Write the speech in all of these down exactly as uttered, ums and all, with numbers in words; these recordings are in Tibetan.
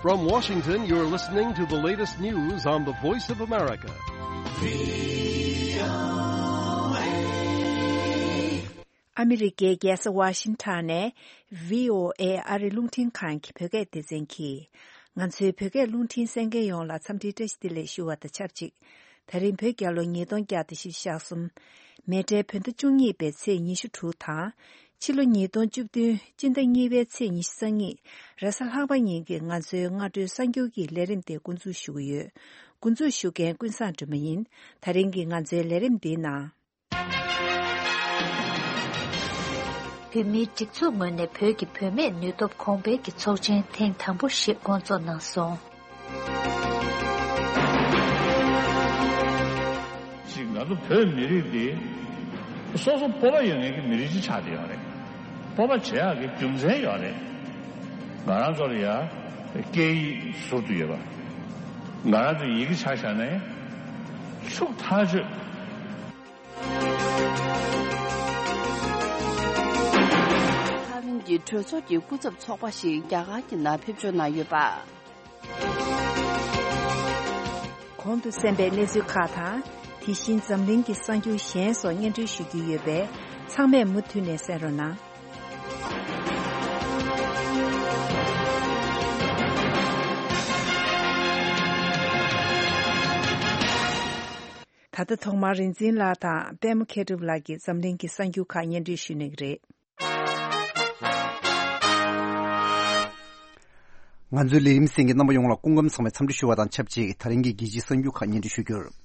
From Washington, you're listening to the latest news on the Voice of America. ཨ་མི་རི་ཀའི་རྒྱལ་ས་ཝ་ཤིང་ཊོན་ནས་བྷི་ཨོ་ཨེ་ཨ་རི་རླུང་འཕྲིན་ཁང་གི་བོད་སྐད་སྡེ་ཚན་གྱིས། ང་ཚོའི་བོད་སྐད་རླུང་འཕྲིན་གསན་མཁན་ཡོངས་ལ་འཚམས་འདྲིའི་བཀྲ་ཤིས་བདེ་ལེགས་ཞུ་བ་དང་ཆབས་ཅིག་ད་རིང་བོད་རྒྱལ་ལོ་ཉིས་སྟོང་བརྒྱ་དང་བཞི་བཅུ་ཞེ་གསུམ། མེ་སྤྲེལ་བོད་ཟླ་བཅུ་གཉིས་པའི་ཚེས་ཉི་ཤུ་དྲུག་དང་། ཕྱི་ལོ་ཉིས་སྟོང་བཅུ་བདུན་སྤྱི་ཟླ་གཉིས་པའི་ཚེས་ཉི་ཤུ་རྩ་གཉིས་རེས་གཟའ་ལྷག་པ་ཉིན་གྱི་ང་ཚོའི་སྔ་དྲོའི་གསར་འགྱུར་གྱི་ལས་རིམ་དེ་འགོ་འཛུགས་ཞུ་གི་ཡོད། འགོ་འཛུགས་ཞུ་མཁན་ཀུན་བཟང་སྒྲོལ་མ་ཡིན། ད་རིང་གི་ང་ཚོའི་ལས་རིམ་འདིའི་ནང་། བོད་མིའི་སྒྲིག་འཛུགས་ངོས་ནས་བོད་ཀྱི་བུད་མེད་ནུས་སྟོབས་གོང་འཕེལ་གྱི་ཚོགས་ཆེན་ཐེངས་དང་པོ་ཞིག་སྐོང་ཚོགས་གནང་སོང་། ཅིག་ང་ཚོ་བོད་མི་རིགས་འདི་སོ་སོ་སྤོབས་པ་ཡོད་མཁན་གྱི་མི་རིགས་ཅིག་ཆགས་བསྡད་ཡོད་རེད། སྤོབས་པ་བྱེད་ཡག་གི་རྒྱུ་མཚན་ཡོད་རེད། ང་རང་ཚོ་ལ་ཡ་སྐད་ཡིག་ཟུར་དུ་ཡོད་པ། ང་རང་ཚོ་ཡི་གེ་ཆ་བཞག་ནས་ཕྱུག་ཐག་ཆོད། ཐའེ་ཝན་གྱི་གྲོས་ཚོགས་ཀྱི་སྐུ་ཚབ་ཚོགས་པ་ཞིག་རྒྱ་གར་གྱི་ནང་ཕེབས་འབྱོར་གནང་ཡོད་པ། གོང་དུ་གསན་པའི་གནས་ཚུལ་ཁག་དང་། དེ་བཞིན་འཛམ་གླིང་གི་གསར་འགྱུར་གཞན་སོགས་སྙན་སྒྲོན་ཞུ་རྒྱུ་ཡོད་པས། ཚང་མས་མུ་མཐུད་ནས་གསན་རོགས་གནང་། ད་ལྟ་ཐོག་མར་རིག་འཛིན་ལགས་དང་པད་མ་མཁས་གྲུབ་ལགས་ཀྱིས་འཛམ་གླིང་གི་གསར་འགྱུར་ཁག་སྙན་སྒྲོན་ཞུ་གནང་གི་རེད། ང་ཚོའི་ལས་རིམ་གསན་མཁན་རྣམ་པ་ཡོངས་ལ་སྐུ་ཁམས་བཟང་བའི་འཚམས་འདྲི་ཞུ་བ་དང་ཆབས་ཅིག་ད་རིང་གི་རྒྱལ་སྤྱིའི་གསར་འགྱུར་ཁག་སྙན་སྒྲོན་ཞུ་རྒྱུར།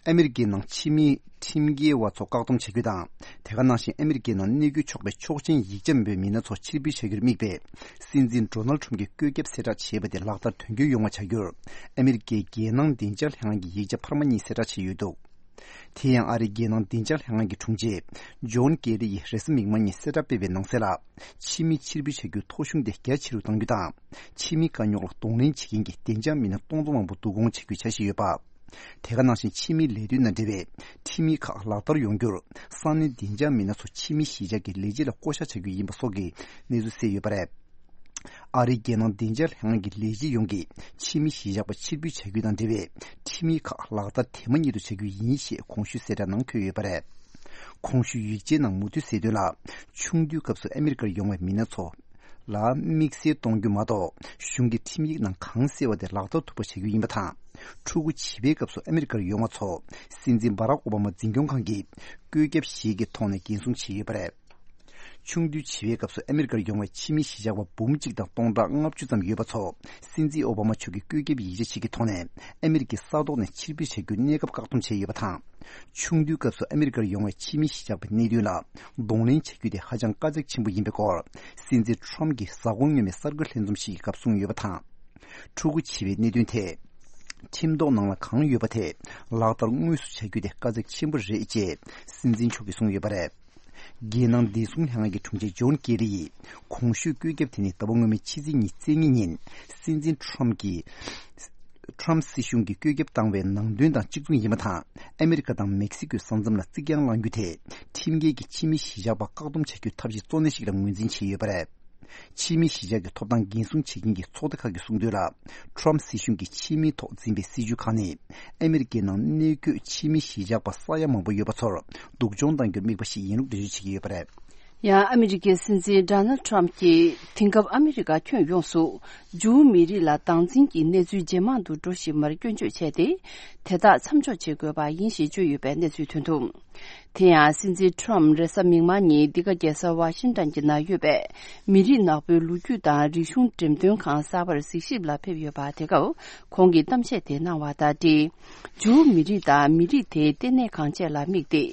ཨ་མི་རི་ཀའི་ནང་ཕྱི་མི་ཁྲིམས་འགལ་བ་ཚོ་བཀག་སྡོམ་བྱ་རྒྱུ་དང་། དེ་ག་ནང་བཞིན་ཨ་མི་རི་ཀའི་ནང་གནས་སྐྱོན་ཆོག་པའི་ཆོག་མཆན་ཡིག་ཆ་མེད་པའི་མི་སྣ་ཚོ་ཕྱིར་འབུད་བྱ་རྒྱུར་དམིགས་པའི་སྲིད་འཛིན་ཌོ་ནལ་ཁྲམ་གྱི་བཀོད་ཁྱབ་གསལ་བསྒྲགས་བྱས་པ་དེ་ལག་བསྟར་དོན་འཁྱོལ་ཡོང་བ་བྱ་རྒྱུར། ཨ་མི་རི་ཀའི་རྒྱལ་ནང་བདེ་འཇགས་ལྷན་ཁང་གི་ཡིག་ཆ་འཕར་མ་གཉིས་གསལ་བསྒྲགས་བྱས་ཡོད་འདུག་དེ་ཡང་ཨ་རིའི་རྒྱལ་ནང་བདེ་འཇགས་ལྷན་ཁང་གི་དྲུང་ཆེ་ཇོན་ཀེ་རི་ཡིས་རེས་གཟའ་མིག་དམར་ཉིན་གསལ་བསྒྲགས་སྤེལ་བའི་ནང་གསལ་ལ། ཕྱི་མི་ཕྱིར་འབུད་བྱ་རྒྱུའི་ཐོ་གཞུང་དེ་རྒྱ་ཆེ་རུ་གཏང་རྒྱུ་དང་། ཕྱི་མི་དཀའ་རྙོག་ལ་གདོང་ལེན་བྱེད་མཁན་གྱི་བདེ་འཇགས་མི་སྣ་སྟོང་ཚོ་མང་པོ་བསྡུ་སྐོང་བྱ་རྒྱུའི་འཆར་གཞི་ཡོད་པ། དེ་ག་ནང་བཞིན་ཕྱི་མིའི་ལས་དོན་དང་འབྲེལ་བའི་ཁྲིམས་ཡིག་ཁག་ལག་བསྟར་ཡོང་རྒྱུར། ས་གནས་བདེ་འཇགས་མི་སྣ་ཚོ་ཕྱི་མི་གཞིས་ཆགས་ཀྱི་ལས་བྱེད་ལ་བསྐོ་བཞག་བྱ་རྒྱུ་ཡིན་པ་སོགས་ཀྱི་གནས་ཚུལ་གསལ་ཡོད་པ་རེད། ཨ་རིའི་རྒྱལ་ནང་བདེ་འཇགས་ལྷན་ཁང་གི་ལས་བྱེད་ཡོངས་ཀྱིས་ཕྱི་མི་གཞིས་ཆགས་པ་ཕྱིར་འབུད་བྱ་རྒྱུ་དང་འབྲེལ་བའི་ཁྲིམས་ཡིག་ཁག་ལག་བསྟར་དེ་མ་ཉིད་དུ་བྱ་རྒྱུ་ཡིན་ཞེས་གོང་ཞུས་གསལ་བསྒྲགས་ནང་འཁོད་ཡོད་པ་རེད། གོང་ཞུས་ཡིག་ཆའི་ནང་མུ་མཐུད་གསལ་དོན་ལ། ཆུང་དུས་སྐབས་སུ་ཨ་མི་རི་ཀར་ཡོང་བའི་མི་སྣ་ཚོ་ལ་དམིགས་བསལ་གཏོང་རྒྱུ་མ་གཏོགས། གཞུང་གི་ཁྲིམས་ཡིག་ནང་གང་གསལ་བ་དེ་ལག་བསྟར་ཐུབ་པ་བྱ་རྒྱུ་ཡིན་པ་དང་། ཕྲུ་གུ་བྱིས་པའི་སྐབས་སུ་ཨ་མི་རི་ཀར་ཡོང་བ་ཚོ་སྲིད་འཛིན་བྷ་རག་ཨོ་བྷ་མ་འཛིན་སྐྱོང་ཁང་གིས་བཀོད་ཁྱབ་ཞིག་གི་ཐོག་ནས་འགན་སྲུང་བྱས་ཡོད་པ་རེད། ཆུང་དུས་བྱིས་པའི་སྐབས་སུ་ཨ་མི་རི་ཀར་ཡོང་བའི་ཕྱི་མི་གཞིས་ཆགས་པ་འབུམ་གཅིག་དང་སྟོང་ཕྲག་ལྔ་བཅུ་ཙམ་ཡོད་པ་ཚོ། སྲིད་འཛིན་ཨོ་བྷ་མ་མཆོག་གིས་བཀོད་ཁྱབ་ཡིག་ཆ་ཞིག་གི་ཐོག་ནས་ཨ་མི་རི་ཀའི་ས་ཐོག་ནས་ཕྱིར་འབུད་བྱ་རྒྱུའི་གནས་སྐབས་བཀག་སྡོམ་བྱས་ཡོད་པ་དང་། ཆུང་དུས་སྐབས་སུ་ཨ་མི་རི་ཀར་ཡོང་བའི་ཕྱི་མི་གཞིས་ཆགས་པའི་གནད་དོན་ལ་གདོང་ལེན་བྱ་རྒྱུ་དེ་ཧ་ཅང་དཀའ་ཚེགས་ཆེན་པོ་ཡིན་པའི་སྐོར། སྲིད་འཛིན་ཁྲོམ་གྱིས་གཟའ་འཁོར་སྔོན་མའི་གསར་འགོད་ལྷན་འཛོམས་ཤིག་གི་སྐབས་གསུངས་ཡོད་པ་དང་། ཕྲུ་གུ་བྱིས་པའི་གནད་དོན་ཐད། ཁྲིམས་ཐོག་ནང་ལ་གང་ཡོད་པ་དེ་ལག་བསྟར་དངོས་སུ་བྱ་རྒྱུ་དེ་དཀའ་ཚེགས་ཆེན་པོ་རེད་ཅེས་སྲིད་འཛིན་མཆོག་གིས་གསུངས་ཡོད་པ་རེད། རྒྱལ་ནང་བདེ་སྲུང་ལྷན་ཁང་གི་དྲུང་ཆེ་ཇོན་ཀེ་རི་ཡིས་གོང་ཞུས་བཀོད་ཁྱབ་དེ་ནི་ཟླ་བ་སྔོན་མའི་ཕྱི་ཚེས་ཉི་ཤུ་རྩ་གཉིས་ཉིན་སྲིད་འཛིན་ཁྲོམ་གྱིས། ཁྲོམ་སྲིད་གཞུང་གིས་བཀོད་ཁྱབ་བཏང་བའི་ནང་དོན་དང་གཅིག་མཚུངས་ཡིན་པ་དང་། ཨ་མི་རི་ཀ་དང་མེག་སི་ཀོའི་ས་མཚམས་ལ་རྩིག་གྱང་བསླང་རྒྱུ་དེ་ཁྲིམས་འགལ་གྱི་ཕྱི་མི་གཞིས་ཆགས་པ་བཀག་སྡོམ་བྱ་རྒྱུའི་ཐབས་ཤེས་གཙོ་གནད་ཞིག་ལ་ངོས་འཛིན་བྱས་ཡོད་པ་རེད། ཕྱི་མི་གཞིས་ཆགས་ཀྱི་ཐོབ་ཐང་འགན་སྲུང་བྱེད་མཁན་གྱི་ཚོགས་སྡེ་ཁག་གིས་གསུངས་དོན་ལ། ཁྲོམ་སྲིད་གཞུང་གིས་ཕྱི་མིའི་ཐོག་འཛིན་པའི་སྲིད་ཇུས་ཁག་ནི། ཨ་མི་རི་ཀའི་ནང་གནས་འཁོད་ཕྱི་མི་གཞིས་ཆགས་པ་ས་ཡ་མང་པོ་ཡོད་པ་ཚོར་སྡུག་སྦྱོང་གཏང་རྒྱུར་དམིགས་པ་ཞིག་ཡིན་ལུགས་འགྲེལ་བརྗོད་བྱེད་ཀྱི་ཡོད་པ་རེད། ཡང་ཨ་མི་རི་ཀའི་སྲིད་འཛིན་ཌོ་ནལ་ཌི་ཊརམ་གྱིས་དེང་སྐབས་ཨ་མི་རི་ཀ་ཁྱོན་ཡོངས་སུ་ཇུའུ་མི་རིགས་ལ་སྡང་འཛིན་གྱི་གནས་ཚུལ་ཇེ་མང་དུ་འགྲོ་བཞིན་པར་སྐྱོན་བརྗོད་བྱས་ཏེ། དེ་དག་མཚམས་འཇོག་བྱེད་དགོས་པ་ཡིན་ཞེས་བརྗོད་ཡོད་པའི་གནས་ཚུལ་ཐོན་འདུག་དེ་ཡང་སྲིད་འཛིན་ཊརམ་རེས་གཟའ་མིག་དམར་ཉིན་འདི་ག་རྒྱལ་ས་ཝ་ཤིང་ཊོན་གྱི་ནང་ཡོད་པའི་མི་རིགས་ནག་པོའི་ལོ་རྒྱུས་དང་རིག་གཞུང་འགྲེམས་སྟོན་ཁང་གསར་པར་གཟིགས་ཞིབ་ལ་ཕེབས་ཡོད་པ་དེ་སྐབས་ཁོང་གིས་གཏམ་བཤད་དེ་གནང་བ་དང་འབྲེལ། ཇུའུ་མི་རིགས་དང་མི་རིགས་དེའི་ལྟེ་གནས་ཁང་བཅས་ལ་དམིགས་ཏེ་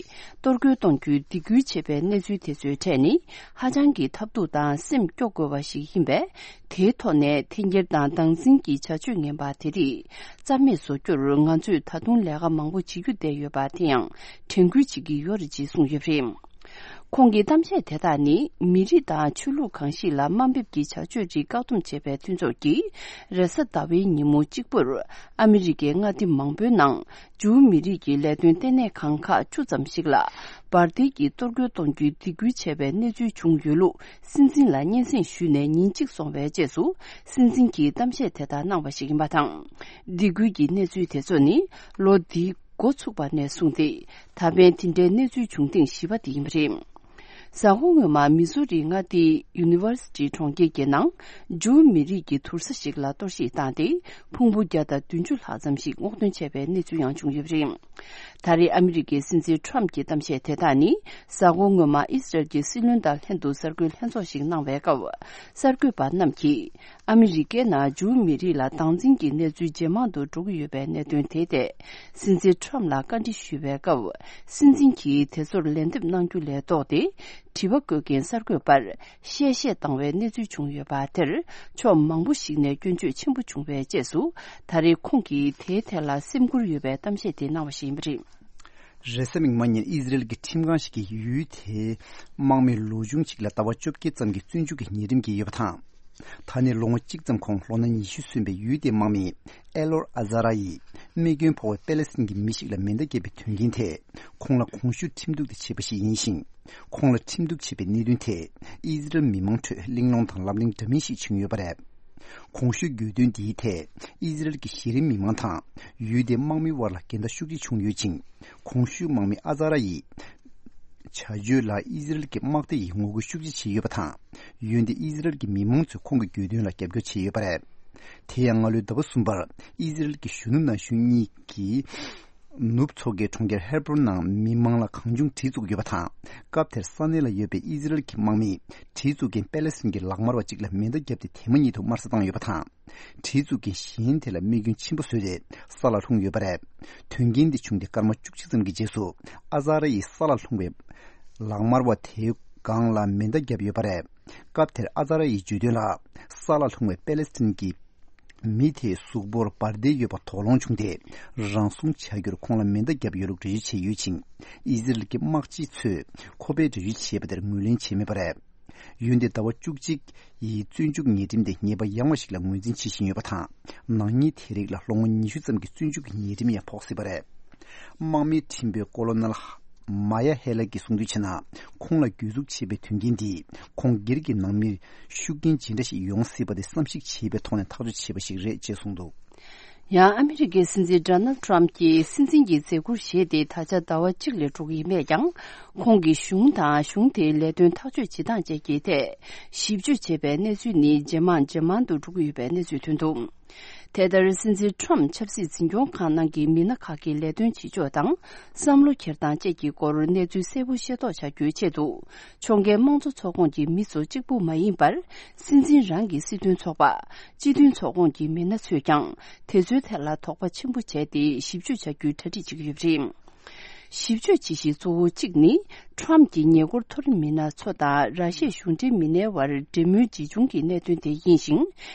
གཏོར་རྒོལ་གཏོང་རྒྱུའི་སྡིགས་སྐུལ་བྱས་པའི་གནས་ཚུལ་དེ་ཚོའི་གྲས་ནི་ཧ་ཅང་གི་ཐབས་སྡུག་དང་སེམས་སྐྱོ་དགོས་པ་ཞིག་ཡིན་པས། དེའི་ཐོག་ནས་འཐེན་འཁྱེར་དང་སྡང་འཛིན་གྱི་བྱ་སྤྱོད་ངན་པ་དེ་རིགས་རྩ་མེད་བཟོ་རྒྱུར་ང་ཚོས་ད་དུང་ལས་ཀ་མང་པོ་བྱེད་རྒྱུ་བསྡད་ཡོད་པ་དེ་ཡང་དྲན་སྐུལ་བྱེད་ཀྱི་ཡོད་རེད་ཅེས་གསུངས་ཡོད་པ་རེད། ཁོང་གི་གཏམ་བཤད་དེ་དག་ནི་མི་རིགས་དང་ཆོས་ལུགས་གང་ཞིག་ལ་དམའ་འབེབས་ཀྱི་བྱ་སྤྱོད་རིགས་བཀག་སྡོམ་བྱས་པའི་མཐུན་ཚོགས་ཀྱིས་རེས་གཟའ་ཟླ་བའི་ཉིན་མོ་གཅིག་པུར་ཨ་མི་རི་ཀའི་མངའ་སྡེ་མང་པོའི་ནང་ཇུའུ་མི་རིགས་ཀྱི་ལས་དོན་ལྟེ་གནས་ཁང་ཁག་བཅུ་ཙམ་ཞིག་ལ་འབར་མདེལ་གྱིས་གཏོར་རྒོལ་གཏོང་རྒྱུའི་སྡིགས་སྐུལ་བྱས་པའི་གནས་ཚུལ་བྱུང་ཡོད་ལུགས་སྲིད་འཛིན་ལ་སྙན་སེང་ཞུས་ནས་ཉིན་གཅིག་སོང་བའི་རྗེས་སུ་སྲིད་འཛིན་གྱིས་གཏམ་བཤད་དེ་ལྟར་གནང་བ་ཞིག་ཡིན་པ་དང་། སྡིགས་སྐུལ་གྱི་གནས་ཚུལ་དེ་ཚོ་ནི་ལོ་འདིའི་འགོ་ཚུགས་པ་ནས་བཟུང་སྟེ་ད་ཕན་དེ་འདྲའི་གནས་ཚུལ་བྱུང་ཐེངས་བཞི་པ་དེ་ཡིན་པ་རེད། གཟའ་འཁོར་སྔོན་མ་མི་སུ་རི་མངའ་སྡེའི་ཡུ་ནི་ཝར་སི་ཊི་གྲོང་ཁྱེར་གྱི་ནང་ཇུའུ་མི་རིགས་ཀྱི་དུར་ས་ཞིག་ལ་གཏོར་བཤིག་བཏང་སྟེ་ཕུང་པོ་བརྒྱ་དང་བདུན་ཅུ་ལྷག་ཙམ་ཞིག་སྔོག་འདོན་བྱས་པའི་གནས་ཚུལ་ཡང་བྱུང་ཡོད་པ་རེད། ད་རེས་ཨ་མི་རི་ཀའི་སྲིད་འཛིན་ཊམ་གྱི་གཏམ་བཤད་དེ་དག་ནི་གཟའ་འཁོར་སྔོན་མ་ཨི་སི་རལ་གྱི་སྲིད་བློན་དང་ལྷན་དུ་གསར་འགོད་ལྷན་ཚོགས་ཤིག་གནང་བའི་སྐབས་གསར་འགོད་པ་རྣམས་ཀྱིས་ཨ་མི་རི་ཀའི་ནང་ཇུའུ་མི་རིགས་ལ་སྡང་འཛིན་གྱི་གནས་ཚུལ་ཇེ་མང་དུ་འགྲོ་གི་ཡོད་པའི་གནད་དོན་དེའི་ཐད་སྲིད་འཛིན་ཊམ་ལ་བཀའ་འདྲི་ཞུས་པའི་སྐབས་སྲིད་འཛིན་གྱིས་དེ་ཚོར་ལན་འདེབས་གནང་རྒྱུ་ལས་ལྡོག་སྟེ་དྲི་བ་བཀོད་མཁན་གསར་འགོད་པར་གཤེ་གཤེ་བཏང་བའི་གནས་ཚུལ་བྱུང་ཡོད་པ་དེར་ཕྱོགས་མང་པོ་ཞིག་ནས་སྐྱོན་བརྗོད་ཆེན་པོ་བྱུང་བའི་རྗེས་སུ་ད་རེས་ཁོང་གིས་དེའི་ཐད་ལ་སེམས་ཁུར་ཡོད་པའི་གཏམ་བཤད་དེ་གནང་བ་ཞིག་ཡིན་པ་རེད། རེས་གཟའ་མིག་དམར་ཉིན་ཨི་ཟི་རེལ་གྱི་ཁྲིམས་ཁང་ཞིག་གིས་ཡུལ་དེའི་དམག་མི་ལོ་ཆུང་ཞིག་ལ་ཟླ་བ་བཅོ་བརྒྱད་ཙམ་གྱི་བཙོན་འཇུག་གི་ཉེས་ཁྲིམས་བཀལ་ཡོད་པ་དང་། ད་ནས་ལོ་ངོ་གཅིག་ཙམ་གོང་ལོ་ན་ཉི་ཤུ་སོན་པའི་ཡུལ་དེའི་དམག་མི་ཨེ་ལོར་ཨ་ཛ་ར་ཡིས་རྨས་སྐྱོན་ཕོག་པའི་པེ་ལེ་སི་ཐན་གྱི་མི་ཞིག་ལ་མེ་མདའ་བརྒྱབ་པའི་དོན་རྐྱེན་དེས་ཁོང་ལ་གོང་ཞུས་ཁྲིམས་གཏུག་དེ་བྱས་པ་ཞིག་ཡིན་ཞིང་། ཁོང་ལ་ཁྲིམས་གཏུག་བྱས་པའི་གནད་དོན་དེས་ཨི་ཟི་རེལ་མི་མང་ཁྲོད་གླེང་སློང་དང་ལབ་གླེང་འདྲ་མིན་ཞིག་བྱུང་ཡོད་པ་རེད། གོང་ཞུས་གྱོད་དོན་འདིའི་ཐད་ཨི་ཟི་རེལ་གྱི་གཞི་རིམ་མི་མང་དང་ཡུལ་དེའི་དམག་མི་དབར་ལ་འགལ་ཟླ་ཤུགས་ཆེ་བྱུང་ཡོད་ཅིང་། གོང་ཞུས་དམག་མི་ཨ་ཛ་ར་ཡི་བྱ་སྤྱོད་ལ་ཨི་ཟི་རེལ་གྱི་དམག་སྡེ་ཡིས་ངོ་རྒོལ་ཤུགས་ཆེ་བྱས་ཡོད་པ་དང་། འོན་ཏེ་ཨི་ཟི་རེལ་གྱི་མི་མང་ཚོས་ཁོང་གི་གྱོད་དོན་ལ་རྒྱབ་སྐྱོར་བྱས་ཡོད་པ་རེད། དེ་ཡང་སྔ་ལོའི་ཟླ་བ་གསུམ་པར་ཨི་ཟི་རེལ་གྱི་གཞོན་ནུ་ན་གཞོན་གཉིས་ཀྱིས་ནུབ་མཚོ་ཁའི་གྲོང་ཁྱེར་ཧེ་བྷ་རོན་ནང་མི་མང་ལ་གང་བྱུང་གྲི་བཙུགས་ཡོད་པ་དང་། སྐབས་དེར་ས་གནས་ལ་ཡོད་པའི་ཨི་ཟི་རེལ་གྱི་དམག་མིས་གྲི་བཙུགས་མཁན་པེ་ལེ་སི་ཐན་གྱི་ལག་དམར་བ་གཅིག་ལ་མེ་མདའ་བརྒྱབ་སྟེ་དེ་མ་ཉིད་དུ་དམར་གསོད་བཏང་ཡོད་པ་དང་། གྲི་བཙུགས་མཁན་གཞན་དེ་ལ་རྨས་སྐྱོན་ཆེན་པོ་བཟོས་ཏེ་ས་ལ་ལྷུང་ཡོད་པ་རེད། དོན་རྐྱེན་འདི་བྱུང་སྟེ་སྐར་མ་བཅུ་གཅིག་ཙམ་གྱི་རྗེས་སུ་ཨ་ཛ་ར་ཡིས་ས་ལ་ལྷུང་བའི་ལག་དམར་བ་དེའི་སྒང་ལ་མེ་མདའ་བརྒྱབ་ཡོད་པ་རེད། སྐབས་དེར་ཨ་ཛ་ར་ཡིས་བརྗོད་དོན་ལ། ས་ལ་ལྷུང་བའི་པེ་ལེ་སི་ཐན་གྱི་མི་དེའི་གཟུགས་པོར་འབར་མདེལ་ཡོད་པ་དོགས་སློང་བྱུང་སྟེ། རང་སྲུང་བྱ་རྒྱུར་ཁོང་ལ་མེ་མདའ་བརྒྱབ་ཡོད་ལུགས་འགྲེལ་བརྗོད་བྱས་ཡོད་ཅིང་། ཨི་ཟི་རེལ་གྱི་དམག་སྤྱི་ཚོས་ཁོ་པས་འགྲེལ་བརྗོད་བྱས་པ་དེར་ངོས་ལེན་བྱས་མེད་པ་རེད། འོན་ཏེ་ཟླ་བ་བཅུ་གཅིག་ཡི་བཙོན་འཇུག་ཉེས་ཁྲིམས་དེ་ཉེས་པ་ཡང་བ་ཞིག་ལ་ངོས་འཛིན་བྱེད་བཞིན་ཡོད་པ་དང་། ནག་ཉེས་དེ་རིགས་ལ་ལོ་ངོ་ཉི་ཤུ་ཙམ་གྱི་བཙོན་འཇུག་གི་ཉེས་ཁྲིམས་ཡང་ཕོག་སྲིད་པ་རེད། དམག་མིའི་ཁྲིམས་དཔོན་ཀོ་ལོ་ནལ་མ་ཡ་ཧེ་ལ་གྱིས་གསུང་དོན་བྱས་ན། ཁོང་ལ་གྱོད་འཛུགས་བྱས་པའི་དོན་རྐྱེན་འདིས་ཁོང་སྒེར་གྱི་ནང་མིར་ཤུགས་རྐྱེན་ཇི་འདྲ་ཞིག་ཡོང་སྲིད་པ་དེ་བསམ་གཞིག་བྱས་པའི་ཐོག་ནས་ཐག་གཅོད་བྱས་པ་ཞིག་རེད་ཅེས་གསུངས་འདུག། ཡང་ཨ་མི་རི་ཀའི་སྲིད་འཛིན་ཌོ་ནལ་ཊམ་གྱིས་སྲིད་འཛིན་གྱི་མཛད་ཁུར་བཞེས་ཏེ་ད་ཆ་ཟླ་བ་གཅིག་ལས་འགྲོ་གི་ཡིན་པས་ཀྱང་། ཁོང་གིས་གཞུང་དང་གཞུང་དེའི་ལས་དོན་ཐག་གཅོད་བྱེད་སྟངས་བཅས་ཀྱི་ཐད་ཞིབ་དཔྱོད་བྱས་པའི་གནས་ཚུལ་ནི་ཇེ་མང་ཇེ་མང་དུ་འགྲོ་གི་ཡོད་པའི་གནས་ཚུལ་ཐོན་འདུག། དེ་ལྟར་སྲིད་འཛིན་ཊམ་ཆབ་སྲིད་འཛིན་སྐྱོང་ཁང་ནང་གི་མི་སྣ་ཁག་གི་ལས་དོན་བྱེད་ཕྱོགས་དང་བསམ་བློ་འཁྱེར་སྟངས་བཅས་ཀྱི་སྐོར་གནས་ཚུལ་གསལ་པོ་ཤེས་རྟོགས་བྱ་རྒྱུའི་ཆེད་དུ། ཕྱོགས་འགལ་དམངས་གཙོ་ཚོགས་ཁོངས་ཀྱི་མི་ཚོ་གཅིག་པུ་མ་ཡིན་པར། སྲིད་འཛིན་རང་གི་སྲིད་དོན་ཚོགས་པ། སྤྱི་མཐུན་ཚོགས་ཁོངས་ཀྱི་མི་སྣ་ཚོས་ཀྱང་དེ་ཚོའི་ཐད་ལ་དོགས་པ་ཆེན་པོ་བྱས་ཏེ་ཞིབ་དཔྱོད་བྱ་རྒྱུའི་གྲ་སྒྲིག་བྱེད་ཀྱི་ཡོད་པ་རེད། ཞིབ་དཔྱོད་བྱེད་གཞི་གཙོ་བོ་གཅིག་ནི། ཊམ་གྱི་ཉེ་འཁོར་མཐོ་རིམ་མི་སྣ་ཚོ་དང་ར་ཤི་ཡའི་གཞུང་འབྲེལ་མི་སྣའི་དབར་འབྲེལ་མོལ་ཇི་བྱུང་གི་གནད་དོན་དེ་ཡིན་ཞིང་།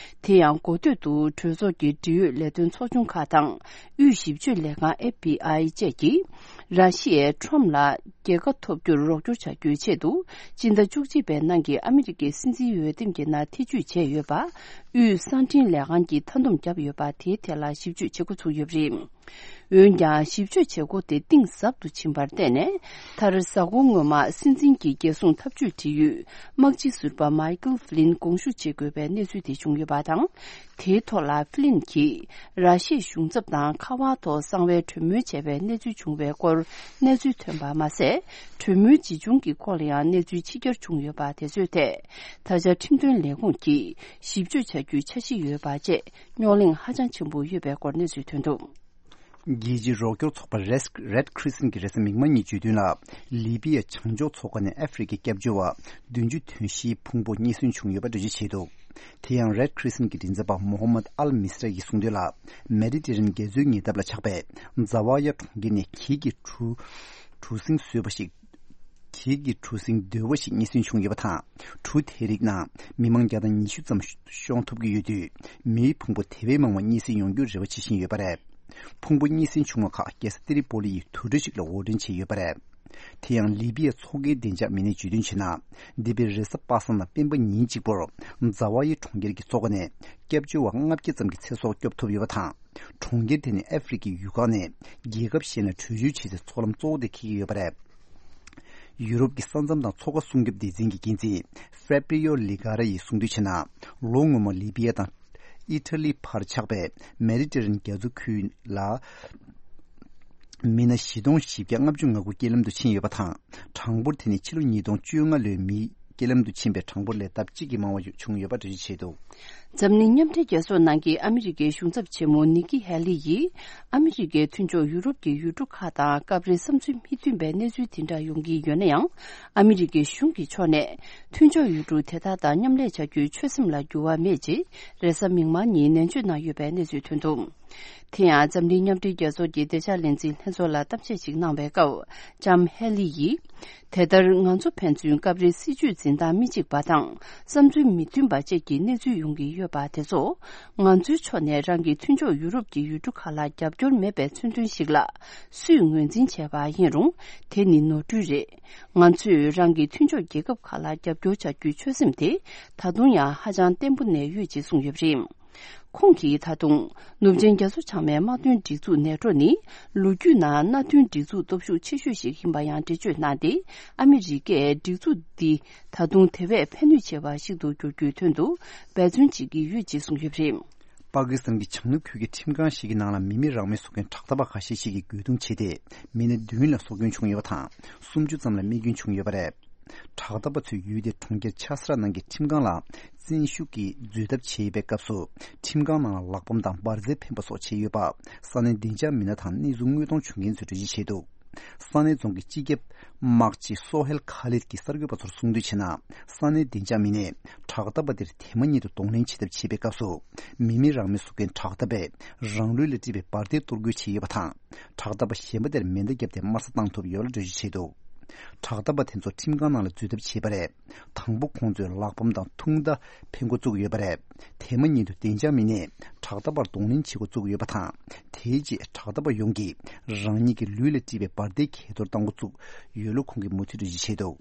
དེ་ཡང་འགོ་སྟོད་དུ་གྲོས་ཚོགས་ཀྱི་འབྲེལ་ཡོད་ལས་དོན་ཚོགས་ཆུང་ཁག་དང་། དབུས་ཞིབ་དཔྱོད་ལས་ཁང་ཨེཕ་བི་ཨའི་བཅས་ཀྱིས། ར་ཤི་ཡས་ཊམ་ལ། རྒྱལ་ཁ་ཐོབ་རྒྱུར་རོགས་སྐྱོར་བྱ་རྒྱུའི་ཆེད་དུ། སྤྱི་ཟླ་བཅུ་གཅིག་པའི་ནང་གི་ཨ་མི་རི་ཀའི་སྲིད་འཛིན་འོས་འདེམས་ཀྱི་ནང་ཐེ་བྱུས་བྱས་ཡོད་པ། དབུས་གསང་འཕྲིན་ལས་ཁང་གིས་མཐའ་འདོམས་བརྒྱབ་ཡོད་པ་དེའི་ཐད་ལ་ཞིབ་དཔྱོད་བྱེད་འགོ་ཚུགས་ཡོད་པ་རེད། འོན་ཀྱང་ཞིབ་དཔྱོད་བྱེད་སྒོ་དེ་གཏིང་ཟབ་ཏུ་ཕྱིན་པར་བརྟེན་ནས། མཐར་གཟའ་འཁོར་སྔོན་མ་སྲིད་འཛིན་གྱི་རྒྱལ་སྲུང་འཐབ་ཇུས་འབྲེལ་ཡོད་དམག་སྤྱི་ཟུར་པ་མའི་ཀལ་ཧྥི་ལིན་དགོངས་ཞུ་བྱེད་དགོས་པའི་གནས་ཚུལ་དེ་བྱུང་ཡོད་པ་དང་། དེའི་ཐོག་ལ་ཧྥི་ལིན་གྱིས་ར་ཤི་ཡའི་གཞུང་ཚབ་དང་ཁ་པར་ཐོག་གསང་བའི་གྲོས་མོལ་བྱས་པའི་གནས་ཚུལ་བྱུང་བའི་སྐོར་གནས་ཚུལ་ཐོན་པ་མ་ཟད། གྲོས་མོལ་ཇི་བྱུང་གི་སྐོར་ལ་ཡང་གནས་ཚུལ་ཕྱི་གྱར་བྱུང་ཡོད་པ་དེ་ཚོའི་ཐད། ད་ཆ་ཁྲིམས་དོན་ལས་ཁུངས་ཀྱིས་ཞིབ་དཔྱོད་བྱ་རྒྱུའི་འཆར་གཞི་ཡོད་པ་བཅས་རྙོག་གླེང་ཧ་ཅང་ཆེན་པོ་ཡོད་པའི་སྐོར་གནས་ཚུལ་ཐོན་འདུག། རྒྱལ་སྤྱིའི་རོགས་སྐྱོར་ཚོགས་པ་Red Crescent་གྱིས་རེས་གཟའ་མིག་དམར་ཉིན་བརྗོད་དོན་ལ། ལི་པི་ཡ་བྱང་ཕྱོགས་མཚོ་ཁ་ནས་ཨ་ཧྥེ་རི་ཁའི་སྐྱབས་བཅོལ་བ་བདུན་ཅུ་དོན་བཞིའི་ཕུང་པོ་རྙེད་སོན་བྱུང་ཡོད་པ་འགྲེལ་བརྗོད་བྱས་འདུག། དེ་ཡང་Red Crescent་གྱི་མགྲིན་ཚབ་པ་Mohammad Al Misra་ཡིས་གསུངས་དོན་ལ། མེ་ཌི་ཊེ་རེ་ནི་ཡན་རྒྱ་མཚོའི་ཉེ་འདབས་ལ་ཆགས་པའི་ཛ་ཝ་ཡ་གྲོང་ཁྱེར་ནས་གྱད་ཀྱི་གྲུ་གྲུ་གཟིངས་བཟོས་པ་ཞིག། གྱད་ཀྱི་གྲུ་གཟིངས་རྡོལ་བ་ཞིག་རྙེད་སོན་བྱུང་ཡོད་པ་དང་། གྲུ་དེའི་རིགས་ནང་མི་མང་བརྒྱ་དང་ཉི་ཤུ་ཙམ་ཤོང་ཐུབ་ཀྱི་ཡོད་དུས། མིའི་ཕུང་པོ་དེ་བས་མང་བ་རྙེད་སོན་ཡོང་རྒྱུར་རེ་བ་བྱེད་བཞིན་ཡོད་པ་རེད། ཕུང་པོ་རྙེད་སོན་བྱུང་བ་ཁག་རྒྱལ་ས་ཏི་རི་པོ་ལི་ཡི་དུར་ཁྲོད་ཅིག་ལ་དབོར་འདྲེན་བྱས་ཡོད་པ་རེད། དེ་ཡང་ལི་པི་ཡའི་ཚོགས་འགན་བདེ་འཇགས་མི་སྣས་བརྗོད་དོན་བྱས་ན། འདས་པའི་རེས་གཟའ་པ་སངས་དང་སྤེན་པ་ཉིན་གཅིག་པོར་ཛ་ཝ་ཡི་གྲོང་ཁྱེར་གྱི་མཚོ་ཁ་ནས་སྐྱབས་བཅོལ་བ་ལྔ་བརྒྱ་ཙམ་གྱི་ཚེ་སྲོག་སྐྱོབ་ཐུབ་ཡོད་པ་དང་། གྲོང་ཁྱེར་དེ་ནི་ཨ་ཧྥེ་རི་ཁའི་ཡུལ་ཁག་ནས་རྒྱལ་ཁབ་གཞན་ལ་བྲོས་བྱོལ་བྱེད་སའི་མཚོ་ལམ་གཙོ་བོ་དེ་འཁེལ་གྱི་ཡོད་པ་རེད། ཡུ་རོབ་ཀྱི་ས་མཚམས་དང་མཚོ་ཁ་སྲུང་སྐྱོབ་སྡེ་ཚན་གྱི་འགན་འཛིན་ཧྥེ་པྲི་ཡོ་ལི་གྷ་ར་ཡིས་གསུངས་དོན་བྱས་ན། ལོ་སྔོན་མ་ལི་པི་ཡ་དང་ཨི་ཊ་ལི་བར་ཆགས་པའི་མེ་ཌི་ཊེ་རེ་ནི་རྒྱ་མཚོ་ཁུལ་ལ་མི་སྣ་བཞི་སྟོང་བཞི་བརྒྱ་ལྔ་བཅུ་ང་དགུ་རྐྱེན་ལམ་དུ་ཕྱིན་ཡོད་པ་དང་། གྲངས་འབོར་དེ་ནི་ཕྱི་ལོ་ཉིས་སྟོང་བཅོ་ལྔ་ལོའི་མི་རྐྱེན་ལམ་དུ་ཕྱིན་པའི་གྲངས་འབོར་ལས་ལྡབ་གཅིག་གིས་མང་བ་བྱུང་ཡོད་པ་འགྲེལ་བརྗོད་བྱས་འདུག། འཛམ་གླིང་མཉམ་འབྲེལ་རྒྱལ་ཚོགས་ནང་གི་ཨ་མི་རི་ཀའི་གཞུང་ཚབ་ཆེན་མོ་ནི་ཀི་ཧེ་ལི་ཡིས། ཨ་མི་རི་ཀའི་མཐུན་ཕྱོགས་ཡུ་རོབ་ཀྱི་ཡུལ་གྲུ་ཁག་དང་སྐབས་རེ་བསམ་ཚུལ་མི་མཐུན་པའི་གནས་ཚུལ་དེ་འདྲ་ཡོང་གི་ཡོད་ན་ཡང་། ཨ་མི་རི་ཀའི་གཞུང་གི་ཕྱོགས་ནས་མཐུན་ཕྱོགས་ཡུལ་གྲུ་དེ་དག་དང་མཉམ་ལས་བྱ་རྒྱུའི་ཆོད་སེམས་ལ་འགྱུར་བ་མེད་ཅེས་རེས་གཟའ་མིག་དམར་ཉིན་ནན་བརྗོད་གནང་ཡོད་པའི་གནས་ཚུལ་ཐོན་འདུག། དེ་ཡང་འཛམ་གླིང་མཉམ་འབྲེལ་རྒྱལ་ཚོགས་ཀྱི་བདེ་འཇགས་ལས་འཛིན་ལྷན་ཚོགས་ལ་གཏམ་བཤད་ཅིག་གནང་བའི་སྐབས། ལྕམ་ཧེ་ལི་ཡིས། དེ་ལྟར་ང་ཚོ་ཕན་ཚུན་སྐབས་རེ་སྲིད་ཇུས་འཛིན་སྟངས་མི་གཅིག་པ་དང་བསམ་ཚུལ་མི་མཐུན་པ་བཅས་ཀྱི་གནས་ཚུལ་ཡོང་གི་ཡོད་པ་དེ་ཚོ། ང་ཚོའི་ཕྱོགས་ནས་རང་གི་མཐུན་ཕྱོགས་ཡུ་རོབ་ཀྱི་ཡུལ་གྲུ་ཁག་ལ་རྒྱབ་སྐྱོར་མེད་པའི་མཚོན་དོན་ཞིག་ལ་སུས་ངོས་འཛིན་བྱས་པ་ཡིན་རུང་། དེ་ནི་ནོར་འཁྲུལ་རེད། ང་ཚོས་རང་གི་མཐུན་ཕྱོགས་རྒྱལ་ཁབ་ཁག་ལ་རྒྱབ་སྐྱོར་བྱ་རྒྱུའི་ཆོད་སེམས་དེ་ད་དུང་ཡང་ཧ་ཅང་བརྟན་པོ་གནས་ཡོད་ཅེས་གསུངས་ཡོད་པ་རེད། ཁོང་གིས་ད་དུང་ནུབ་ཆིངས་རྒྱ་མཚོ་བྱང་མའི་དམག་དོན་སྒྲིག་འཛུགས་ནེ་ཊོ་ནི་ལོ་རྒྱུས་ནང་མནའ་མཐུན་སྒྲིག་འཛུགས་སྟོབས་ཤུགས་ཆེ་ཤོས་ཤིག་ཡིན་པ་ཡང་འགྲེལ་བརྗོད་གནང་སྟེ། ཨ་མི་རི་ཀས་སྒྲིག་འཛུགས་འདི་ད་དུང་དེ་བས་ཕན་ནུས་ཆེ་བ་ཞིག་ཏུ་འགྱུར་རྒྱུའི་དོན་དུ་འབད་བརྩོན་བྱེད་ཀྱི་ཡོད་ཅེས་གསུངས་ཡོད་པ་རེད། པ་ཀི་སི་ཐན་གྱི་བྱང་ནུབ་ཁུལ་གྱི་ཁྲིམས་ཁང་ཞིག་གི་ནང་ལ་མི་མེད་རང་མེད་བཟོ་མཁན་དྲག་འཐབ་པ་ཁ་ཤས་ཤིག་གིས་རྒོལ་རྡུང་བྱས་ཏེ། མི་སྣ་བདུན་ལ་སྲོག་སྐྱོན་བྱུང་ཡོད་པ་དང་། སུམ་ཅུ་ཙམ་ལ་རྨས་སྐྱོན་བྱུང་ཡོད་པ་རེད། དྲག་འཐབ་པ་ཚོས་ཡུལ་དེའི་གྲོང་ཁྱེར་ཆ་སི་ར་ནང་གི་ཁྲིམས་ཁང་ལ་བཙན་ཤུགས་ཀྱིས་འཛུལ་ཐབས་བྱས་ཡོད་པའི་སྐབས་སུ། ཁྲིམས་ཁང་ནང་ལ་ལག་པམ་དང་འབར་རྫས་འཕེན་པ་སོགས་བྱས་ཡོད་པ། ས་གནས་བདེ་འཇགས་མི་སྣ་དང་གནས་ཚུལ་དངོས་མཐོང་བྱུང་མཁན་ཚོས་འགྲེལ་བརྗོད་བྱས་འདུག། ས་གནས་རྫོང་གི་སྤྱི་ཁྱབ་དམག་སྤྱི་སོ་ཧེལ་ཁ་ལིད་ཀྱིས་གསར་འགོད་པ་ཚོར་གསུངས་དོན་བྱས་ན། ས་གནས་བདེ་འཇགས་མི་སྣས་དྲག་འཐབ་པ་དེར་དེ་མ་ཉིད་དུ་གདོང་ལེན་བྱེད་ཐབས་བྱེད་པའི་སྐབས་སུ། མི་མེད་རང་མོས་བཟོ་མཁན་དྲག་འཐབ་པས་རང་ལུས་ལ་དཀྲིས་པའི་འབར་མདེལ་གཏོར་རྒོལ་བྱས་ཡོད་པ་དང་། དྲག་འཐབ་པ་གཞན་པ་དེར་མེ་མདའ་བརྒྱབ་སྟེ་དམར་གསོད་བཏང་ཐུབ་ཡོད་ལ་འགྲེལ་བརྗོད་བྱས་འདུག། དྲག་འཐབ་པ་དེ་ཚོ་ཁྲིམས་ཁང་ནང་ལ་འཛུལ་ཐབས་བྱས་པ་རེད། དང་པོ་ཁོང་ཚོས་ལག་པམ་དང་ཐུང་མདའ་འཕེན་འགོ་བཙུགས་ཡོད་པ་རེད། དེ་མ་ཉིད་དུ་བདེ་འཇགས་མི་སྣས་དྲག་འཐབ་པར་གདོང་ལེན་བྱེད་འགོ་བཙུགས་ཡོད་པ་དང་། དེའི་རྗེས་དྲག་འཐབ་པ་ཡོངས་ཀྱིས་རང་ཉིད་ཀྱི་ལུས་ལ་དཀྲིས་པའི་འབར་མདེལ་གྱེས་གཏོར་བཏང་འགོ་བཙུགས་ཡོད་ལུགས་ཁོང་གིས་མུ་མཐུད་འགྲེལ་བརྗོད་བྱས་འདུག།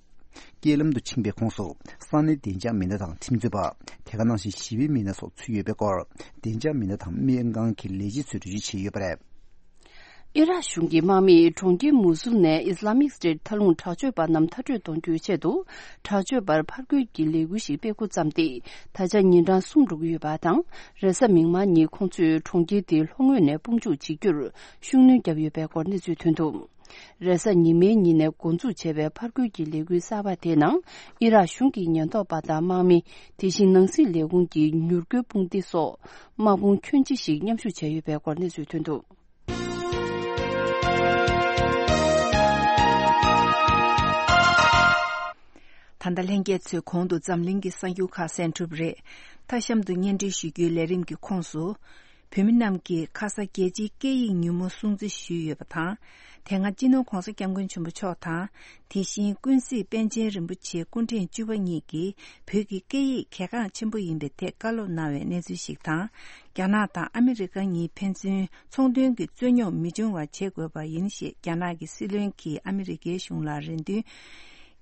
རྐྱེན་ལམ་དུ་ཕྱིན་པའི་ཁོངས་སུ་ས་གནས་བདེ་འཇགས་མི་སྣ་དང་ཁྲིམས་རྩོད་པ། དེ་ག་ནང་བཞིན་ཞི་བའི་མི་སྣ་སོགས་ཚུད་ཡོད་པའི་སྐོར། བདེ་འཇགས་མི་སྣ་དང་སྨན་ཁང་གི་ལས་བྱེད་ཚོས་འགྲེལ་བརྗོད་བྱས་ཡོད་པ་རེད། ཨི་རག་གཞུང་གི་དམག་མིས་གྲོང་ཁྱེར་མུ་སུལ་ནས་ཨིས་ལ་མིག་སི་ཊེ་ཊི་མཐའ་ལྷུང་དྲག་སྤྱོད་པ་རྣམས་མཐར་སྐྲོད་གཏོང་རྒྱུའི་ཆེད་དུ། དྲག་སྤྱོད་པར་ཕར་རྒོལ་གྱི་ལས་འགུལ་ཞིག་སྤེལ་འགོ་བརྩམས་ཏེ། ད་ཆ་ཉིན་གྲངས་གསུམ་འགྲོ་གི་ཡོད་པ་དང་། རེས་གཟའ་མིག་དམར་ཉིན་ཁོང་ཚོས་གྲོང་ཁྱེར་དེའི་ལྷོ་ངོས་ནས་དཔུང་འཇུག་བྱེད་རྒྱུར་ཤུགས་སྣོན་བརྒྱབ་ཡོད་པའི་སྐོར་གནས་ཚུལ་ཐོན་འདུག། རེས་གཟའ་ཉི་མའི་ཉིན་ནས་འགོ་འཛུགས་བྱས་པའི་ཕར་རྒོལ་གྱི་ལས་འགུལ་གསར་པ་དེའི་ནང་། ཨི་རག་གཞུང་གི་ཉེན་རྟོག་པ་དང་དམག་མི། དེ་བཞིན་ནང་སྲིད་ལས་ཁུངས་ཀྱི་མྱུར་སྐྱོབ་དཔུང་སྡེ་སོགས། དམག་དཔུང་ཁྱོན་ཆེ་ཞིག་མཉམ་ཞུགས་བྱས་ཡོད་པའི་སྐོར་གནས་ཚུལ་ཐོན་འདུག། ད་ལྟ་ལྷན་རྒྱས་ཚོས་གོང་དུ་འཛམ་གླིང་གི་གསར་འགྱུར་ཁག་གསན་གྲུབ་རེད། མཐའ་གཤམ་དུ་སྙན་སྒྲོན་ཞུ་རྒྱུའི་ལས་རིམ་གྱི་ཁོངས་སུ། བོད་མི་རྣམས་ཀྱིས་ཁ་ས་རྒྱལ་སྤྱིའི་སྐད་ཡིག་ཉིན་མོ་སྲུང་བརྩི་ཞུས་ཡོད་པ་དང་། དེ་སྔ་སྤྱི་ནོར་༧གོང་ས་༧སྐྱབས་མགོན་ཆེན་པོ་མཆོག་དང་། དེ་བཞིན་ཀུན་གཟིགས་པཎ་ཆེན་རིན་པོ་ཆེ་སྐུ་ཕྲེང་བཅུ་པ་གཉིས་ཀྱིས་བོད་ཀྱི་སྐད་ཡིག་གལ་འགངས་ཆེན་པོ་ཡིན་པའི་ཐད་བཀའ་སློབ་གནང་བའི་གནས་ཚུལ་ཞིག་དང་། རྒྱ་ནག་དང་ཨ་མི་རི་ཀ་གཉིས་ཕན་ཚུན་ཚོང་དོན་གྱི་རྩོད་རྙོག་མི་འབྱུང་བ་བྱེད་དགོས་པ་ཡིན་ཞེས་རྒྱ་ནག་གི་སྲིད་བློན་གྱིས་ཨ་མི་རི་ཀའི་གཞུང་ལ་རེ་འདུན་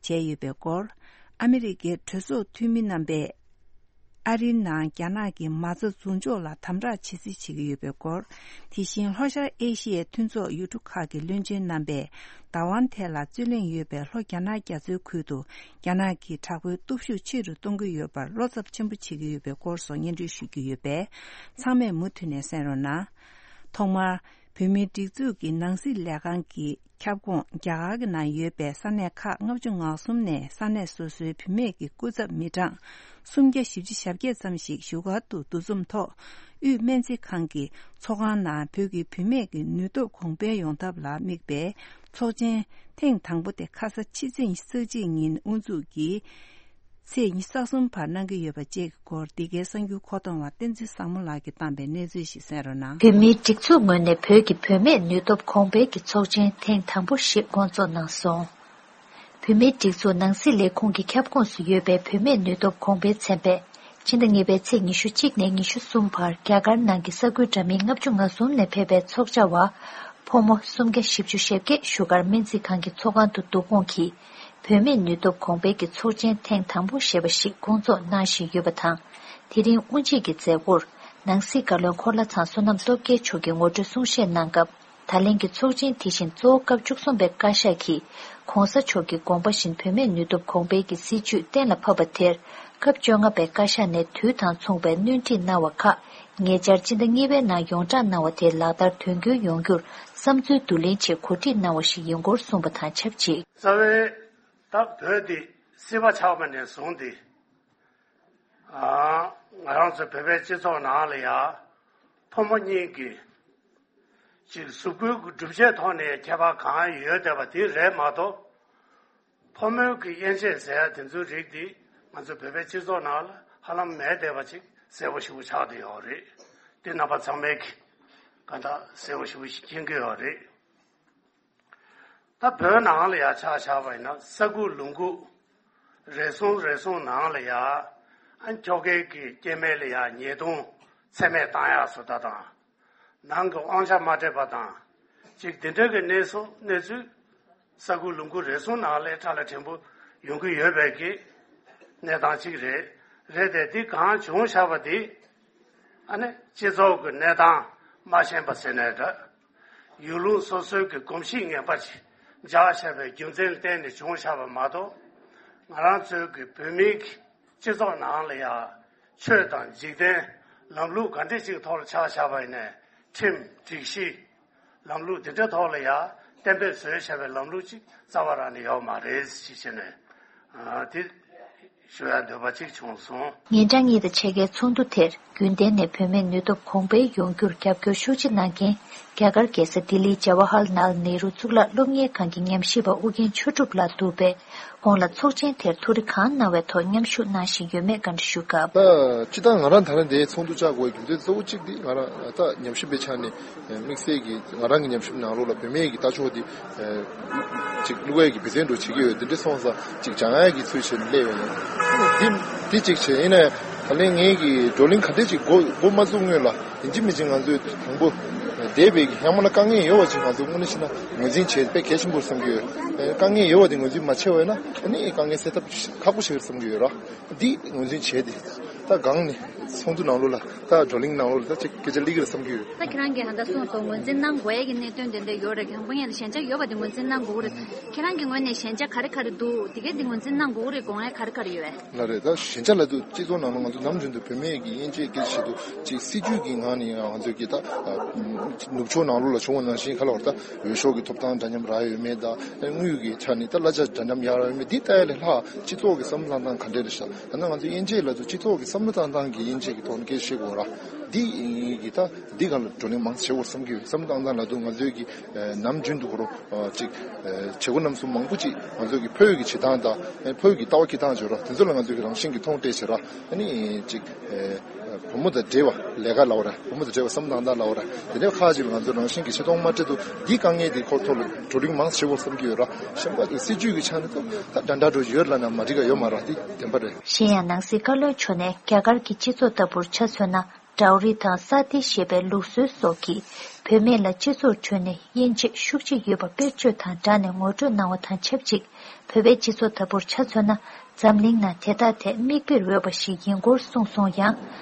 བྱས་ཡོད་པའི་སྐོར། ཨ་མི་རི་ཀའི་གྲོས་ཚོགས་འཐུས་མི་རྣམ་པས། ཨ་རིའི་ནང་རྒྱ་ནག་གི་མ་རྩ་འཛུགས་འཇོག་ལ་དམ་དྲག་བྱེད་རྩིས་བྱེད་ཀྱི་ཡོད་པའི་སྐོར། དེ་བཞིན་ལྷོ་ཤར་ཨེ་ཤི་ཡའི་མཐུན་ཚོགས་ཡུལ་གྲུ་ཁག་གི་བློན་ཆེན་རྣམ་པས་བདག་དབང་ཐད་ལ་རྩོད་གླེང་ཡོད་པའི་ལྷོ་རྒྱ་ནག་རྒྱ་མཚོའི་ཁུལ་དུ་རྒྱ་ནག་གིས་དྲག་པོའི་སྟོབས་ཤུགས་ཆེ་རུ་གཏོང་གི་ཡོད་པར་བློ་འཚབ་ཆེན་པོ་བྱེད་ཀྱི་ཡོད་པའི་སྐོར་སོགས་སྙན་སྒྲོན་ཞུ་རྒྱུ་ཡོད་པས། ཚང་མས་མུ་མཐུད་ནས་གསན་རོགས་གནང་། ཐོག་མར། བོད་མིའི་སྒྲིག་འཛུགས་ཀྱི་ནང་སྲིད་ལས་ཁང་གི་ཁྱབ་ཁོངས་རྒྱ་གར་གྱི་ནང་ཡོད་པའི་ས་གནས་ཁག་ལྔ་བཅུ་ང་གསུམ་ནས་ས་གནས་སོ་སོའི་བུད་མེད་ཀྱི་སྐུ་ཚབ་མི་གྲངས་སུམ་བརྒྱ་བཞི་བཅུ་ཞེ་བརྒྱད་ཙམ་ཞིག་བཞུགས་སྒར་དུ་འདུ་འཛོམས་ཐོག་དབུས་སྨན་རྩིས་ཁང་གི་ཚོགས་ཁང་ནང་བོད་ཀྱི་བུད་མེད་ཀྱི་ནུས་སྟོབས་གོང་འཕེལ་ཡོང་ཐབས་ལ་དམིགས་པའི་ཚོགས་ཆེན་ཐེངས་དང་པོ་དེ་ཁ་ས་ཕྱི་ཚེས་ཉི་ཤུ་རྩ་གཅིག་ཉིན་དབུ་འཛུགས་ཀྱིས། ཚེས་ཉི་ཤུ་རྩ་གསུམ་བར་གནང་གི་ཡོད་པ་བཅས་ཀྱི་སྐོར། འདི་གའི་གསར་འགྱུར་མཁོ་གཏོང་བ་བསྟན་འཛིན་བཟང་མོ་ལགས་ཀྱིས་བཏང་པའི་གནས་ཚུལ་ཞིག་གསན་རོགས་གནང་། བོད་མིའི་སྒྲིག་འཛུགས་ངོས་ནས་བོད་ཀྱི་བུད་མེད་ནུས་སྟོབས་གོང་འཕེལ་གྱི་ཚོགས་ཆེན་ཐེངས་དང་པོ་ཞིག་སྐོང་ཚོགས་གནང་སོང་། བུད་མེད་སྒྲིག་འཛུགས་ནང་སྲིད་ལས་ཁུངས་ཀྱི་ཁྱབ་ཁོངས་སུ་ཡོད་པའི་བུད་མེད་ནུས་སྟོབས་གོང་འཕེལ་ཚན་པས། ཕྱི་ཟླ་གཉིས་པའི་ཚེས་ཉི་ཤུ་གཅིག་ནས་ཉི་ཤུ་གསུམ་བར་རྒྱ་གར་ནང་གི་ས་ཁུལ་འདྲ་མིན་ལྔ་བཅུ་ང་གསུམ་ནས་ཕེབས་པའི་ཚོགས་བཅར་བ། ཕོ་མོ་སུམ་བརྒྱ་བཞི་བཅུ་ཞེ་བརྒྱད་བཞུགས་སྒར་སྨན་རྩིས་ཁང་གི་ཚོགས་ཁང་དུ་བསྡུ་སྐོང་གིས། བུད་མེད་ནུས་སྟོབས་གོང་འཕེལ་གྱི་ཚོགས་ཆེན་ཐེངས་དང་པོ་ཞེས་པ་ཞིག་བསྐོང་ཚོགས་གནང་བཞིན་ཡོད་པ་དང་། དེ་རིང་དབུ་འབྱེད་ཀྱི་མཛད་སྒོར་ནང་སྲིད་བཀའ་བློན་འཁོར་ལྷ་ཚང་བསོད་ནམས་སྟོབས་རྒྱལ་མཆོག་གིས་ངོ་སྤྲོད་གསུང་བཤད་གནང་སྐབས། ད་ལན་གྱི་ཚོགས་ཆེན་དེ་བཞིན་གཙོ་བོ་སྐབས་བཅུ་གསུམ་པའི་བཀའ་ཤག་གིས་ྋགོང་ས་མཆོག་གི་དགོངས་པ་བཞིན་བུད་མེད་ནུས་སྟོབས་གོང་འཕེལ་གྱི་སྲིད་ཇུས་གཏན་ལ་ཕབ་པ་དེར། སྐབས་བཅོ་ལྔ་པའི་བཀའ་ཤག་ནས་དུས་དང་མཚུངས་པའི་སྣོན་འཕྲི་གནང་བ་ཁག་ཉེ་ཆར་སྤྱི་ཟླ་གཉིས་པའི་ནང་ཡོངས་བསྒྲགས་གནང་བ་དེ་ལག་བསྟར་དོན་འཁྱོལ་ཡོང་རྒྱུར་བསམ་ཚུལ་བསྡུ་ལེན་ཆེད་གོ་སྒྲིག་གནང་བ་ཞིག་ཡིན་སྐོར་གསུངས་པ་དང་ཆབས་ཅིག་རྩ་བའི་ད་བོད་འདི་སྲིད་པ་ཆགས་པ་ནས་བཟུང་སྟེ། ཨ། ང་རང་ཚོ་བོད་པའི་སྤྱི་ཚོགས་ནང་ལ་ཡང་ཕོ་མོ་གཉིས་ཀྱི་ཅིག་གཟུགས་པོའི་གི་གྲུབ་ཆའི་ཐོག་ནས་ཁྱད་པར་གང་ཡོད་བསྡད་པ་དེ་རེད་མ་གཏོགས། ཕོ་མོའི་གི་དབྱེ་འབྱེད་ཟེར་ཡ་དེ་ཚོའི་རིགས་དེ་ང་ཚོ་བོད་པའི་སྤྱི་ཚོགས་ནང་ལ་ཧ་ལམ་མེད་བསྡད་པ་ཅིག་གསལ་པོ་ཞེ་པོ་ཆགས་བསྡད་ཡོད་རེད། དེ་རྣམ་པ་ཚང་མས་གི་ག་འདྲ་གསལ་པོ་ཞེ་པོ་ཞིག་མཁྱེན་གྱི་ཡོད་རེད། ད་བོད་ནང་ལ་ཡ་ཆ་བཞག་པ་ཡིན་ན་ས་ཁུག་ལུང་ཁུག་རེ་ཟུང་རེ་ཟུང་ནང་ལ་ཡ་ཨ་ཁྱོ་གའི་གི་སྐྱེ་དམན་ལ་ཡ་ཉེས་རྡུང་ཚད་མེད་བཏང་ཡག་བཟོ་ལྟ་དང་། ནང་གི་དབང་ཆ་མ་སྤྲད་པ་དང་། ཅིག་དེ་འདྲ་གི་གནས་སུ་གནས་ཚུལ་ས་ཁུག་ལུང་ཁུག་རེ་ཟུང་ནང་ལ་ཕྲ་ལ་ཕྲན་བུ་ཡོང་གི་ཡོད་པའི་གི་གནས་སྟངས་ཅིག་རེད། རེད་དེ་འདི་གང་བྱུང་བཞག་པ་འདི། ཨ་ནི་སྤྱི་ཚོགས་ཀྱི་གནས་སྟངས་མ་ཤེས་པ་ཟེར་ནའི་འདྲ། ཡུལ་ལུང་སོ་སོའི་གི་གོམས་གཤིས་ངན་པ་ཞིག་འཇགས་བཞག་པའི་རྒྱུ་མཚན་ལ་བརྟེན་ནས་བྱུང་བཞག་པ་མ་གཏོགས། ང་རང་ཚོའི་གི་བོད་མིའི་གི་སྤྱི་ཚོགས་ནང་ལ་ཡང་ཆོས་དང་འཇིག་རྟེན་ལམ་ལུགས་ག་འདྲ་ཅིག་ཐོག་ལ་ཆགས་བཞག་པ་ཡིན་ནའི་ཁྲིམས་སྒྲིག་གཞི་ལམ་ལུགས་འདི་འདྲའི་ཐོག་ལ་ཡང་གཏན་འབེབས་བཟོས་བཞག་པའི་ལམ་ལུགས་ཅིག་རྩ་བ་རང་ནས་ཡོད་མ་རེད་ཅེས་བཤད་ནས་དེ་ཞུ་ཡ་འདོད་པ་ཅིག་བྱུང་སོང་། ཉིན་གྲངས་གཉིས་དང་ཕྱེད་ཀའི་ཚོགས་འདུ་དེར་རྒྱུན་གཏན་ནས་བུད་མེད་ནུས་སྟོབས་གོང་འཕེལ་ཡོང་རྒྱུར་རྒྱབ་སྐྱོར་ཤུགས་ཆེ་གནང་མཁན་རྒྱ་གར་རྒྱལ་ས་ལྡི་ལིའི་ཇ་ཝ་ཧར་ལཱལ་ནེ་རུ་གཙུག་ལག་སློབ་གཉེར་ཁང་གི་ཉམས་ཞིབ་པ་ཨུ་རྒྱན་ཆོས་གྲུབ་ལགས་འདུག་པས། ཁོང་ལ་ཚོགས་ཆེན་དེར་ཐུགས་རེ་གང་གནང་བའི་ཐོག་མཉམ་ཞུགས་གནང་བཞིན་ཡོད་མེད་བཀའ་འདྲི་ཞུ་སྐབས། ད་སྤྱིར་བཏང་ང་རང་ད་རེས་འདིའི་ཚོགས་འདུ་བཅར་དགོས་པའི་རྒྱུ་མཚན་གཙོ་བོ་གཅིག་འདི་ང་རང་ད་ཉམས་ཞིབ་པའི་ཆ་ནས་དམིགས་བསལ་གྱིས་ང་རང་གི་ཉམས་ཞིབ་ནང་ལོགས་ལ་བུད་མེད་ཀྱི་ལྟ་ཕྱོགས་འདི་ཅིག་བློ་ཡས་ཀྱི་འབད་བརྩོན་འགྲོ་བྱེད་ཀྱི་ཡོད། དེ་འདྲ་སོང་ཙང་ཅིག་སྦྱང་ཡས་ཀྱི་ཚུལ་བྱས་ནས་སླེབས་ཡོད། འདི་འདི་གཅིག་བྱས་ཡིན་ནའི་ད་ལན་ངེད་ཀྱི་བགྲོ་གླེང་ག་འདྲས་ཅིག་འགོ་འགོ་མ་བཙུགས་སྔོན་ལ་ཡིན་གཅིག་མིན་གཅིག་ང་ཚོས་དང་པོ་འདས་པའི་གི་ཡང་མིན་ན་དཀའ་ངལ་ཡོད་པ་ཅིག་ང་ཚོས་དངོས་གནས་བྱས་ན་ངོས་འཛིན་བྱེད་དཔེ་གལ་ཆེན་པོ་རེད་བསམ་གྱི་ཡོད། དཀའ་ངལ་ཡོད་པ་དེ་ངོས་འཛིན་མ་བྱས་པ་ཡིན་ན་ཨ་ནི་དཀའ་ངལ་སེལ་ཐབས་ཁག་པོ་ཞིག་རེད་བསམ་གྱི་ཡོད་ར། འདི་ངོས་འཛིན་བྱས་ཏེ། ད་སྒང་ནས་ཚོགས་འདུ་ནང་ལོགས་ལ་ད་བགྲོ་གླེང་ནང་ལོགས་ལ་ད་ཅིག་སྐད་ཆ་སླེབས་ཀྱི་རེད་བསམ་གྱི་ཡོད། ད་ཁྱེད་རང་གིས་ཧ་ད་གསུངས་སོང་། ངོས་འཛིན་གནང་དགོས་ཡས་ཀྱི་གནད་དོན་དེ་འདྲ་ཡོད་རེད། དང་པོ་ཉིད་ལ་ཞན་ཆ་ཡོད་པ་དེ་ངོས་འཛིན་གནང་དགོས་ཀྱི་རེད། ཁྱེད་རང་གི་ངོས་ནས་ཞན་ཆ་ག་རེ་ག་རེ་འདུག་དེ་གས་དེ་ངོས་འཛིན་གནང་དགོས་ཀྱི་རེད། དགོངས་ཡས་ག་རེ་ག་རེ་ཡོད་པས། ལགས་རེད། ད་ཞན་ཆ་ལབ་དུས་སྤྱི་ཚོགས་ནང་ལ་ང་ཚོ་ནམ་རྒྱུན་དུ་བུད་མེད་ཀྱི་དབྱེ་འབྱེད་སྐད་ཆ་བཤད་དུས་ཅིག་སྲིད་ཇུས་ཀྱི་ངང་ནས་ང་ཚོས་ཀྱི་ད་ནུབ་ཕྱོགས་ནང་ལོགས་ལ་བྱུང་བ་ནང་བཞིན་ག་ལ་བར་ད་འོས་ཤོག་གི་ཐོབ་ཐང་འདྲ་མཉམ་རག་ཡོད་མེད་དང་དངུལ་གྱི་ཆ་ནས་ད་གླ་ཆ་འདྲ་མཉམ་ཡག་རག་ཡོད་མེད་འདི་ལྟ་ཡ་ལས་ལྷག་སྤྱི་ཚོགས་ཀྱི་བསམ་བློ་བཏང་སྟངས་ག་འདྲས་རེད་ཤག་ད་ནང་ང་ཚོས་དབྱེ་འབྱེད་ལབ་དུས་སྤྱི་ཚོགས་ཀྱི་བསམ་བློ་བཏང་སྟངས་ཀྱི་དབྱེ་འབྱེད་ཀྱི་ཐོག་ནས་སྐད་ཆ་བཤད་དགོས་ར། འདི་ཡིན་གྱི་ད་འདི་སྒང་ལ་བགྲོ་གླེང་མང་ཙམ་བྱེད་དགོས་བསམ་གྱི་ཡོད། བསམ་བློ་བཏང་སྟངས་ལབ་དུས་ང་ཚོས་ཀྱི་ནམ་རྒྱུན་དུ་གོ་རོ་ཅིག་བྱེད་སྒོ་རྣམ་གསུམ་མང་པོ་ཅིག་ང་ཚོས་ཀྱི་བོད་ཀྱི་བྱེད་སྟངས་དང་བོད་ཀྱི་ལྟ་བ་འཁྱེར་སྟངས་བྱོས་ར། དེ་ཚོ་ལ་ང་ཚོས་ཀྱི་རང་བཞིན་གྱི་མཐོང་སྤྲད་བྱེད་ར། ཨ་ནི་ཅིག་བུ་མོ་དང་འབྲེལ་བ་ལས་ཀ་ལབ་ར། བུ་མོ་དང་འབྲེལ་བ་བསམ་བློ་བཏང་སྟངས་ལབ་ར། དེ་འདྲའི་ཁག་ཅིག་ལ་ང་ཚོས་རང་བཞིན་གྱི་ཆེ་མཐོང་མ་སྤྲད་དུས་འདི་དཀའ་ངལ་འདི་ཁོ་ཐོག་ལ་བགྲོ་གླེང་མང་ཙམ་བྱེད་དགོས་བསམ་གྱི་ཡོད་ར། གཞན་པ་སྲིད་ཇུས་ཀྱི་ཆ་ནས་ད་འདྲ་འདྲ་འགྲོ་ཡོད་ལབ་ན་མ་འགྲིག་ག་ཡོད་མ་ར། འདི་བདེན་པ་རེད། གཞན་ཡང་ནང་སྲིད་བཀའ་བློན་མཆོག་ནས་རྒྱ་གར་གྱི་སྤྱི་ཚོགས་ལྟ་བུར་ཆ་མཚོན་ན། ཌའོ་རི་དང་ས་ཏི་ཞེས་པའི་ལུགས་སྲོལ་སོགས་ཀྱིས་བུད་མེད་ལ་སྤྱི་ཚོགས་ཁྲོད་ནས་དབྱེ་འབྱེད་ཤུགས་ཆེ་ཡོད་པ་དཔེར་བརྗོད་དང་སྦྲགས་ནས་ངོ་སྤྲོད་གནང་བ་དང་ཆབས་ཅིག་བོད་པའི་སྤྱི་ཚོགས་ལྟ་བུར་ཆ་མཚོན་ན། འཛམ་གླིང་ནང་དེ་དག་ཐད་མིག་དཔེར་འོས་པ་ཞིག་ཡིན་སྐོར་གསུངས་སོང་ཡང་།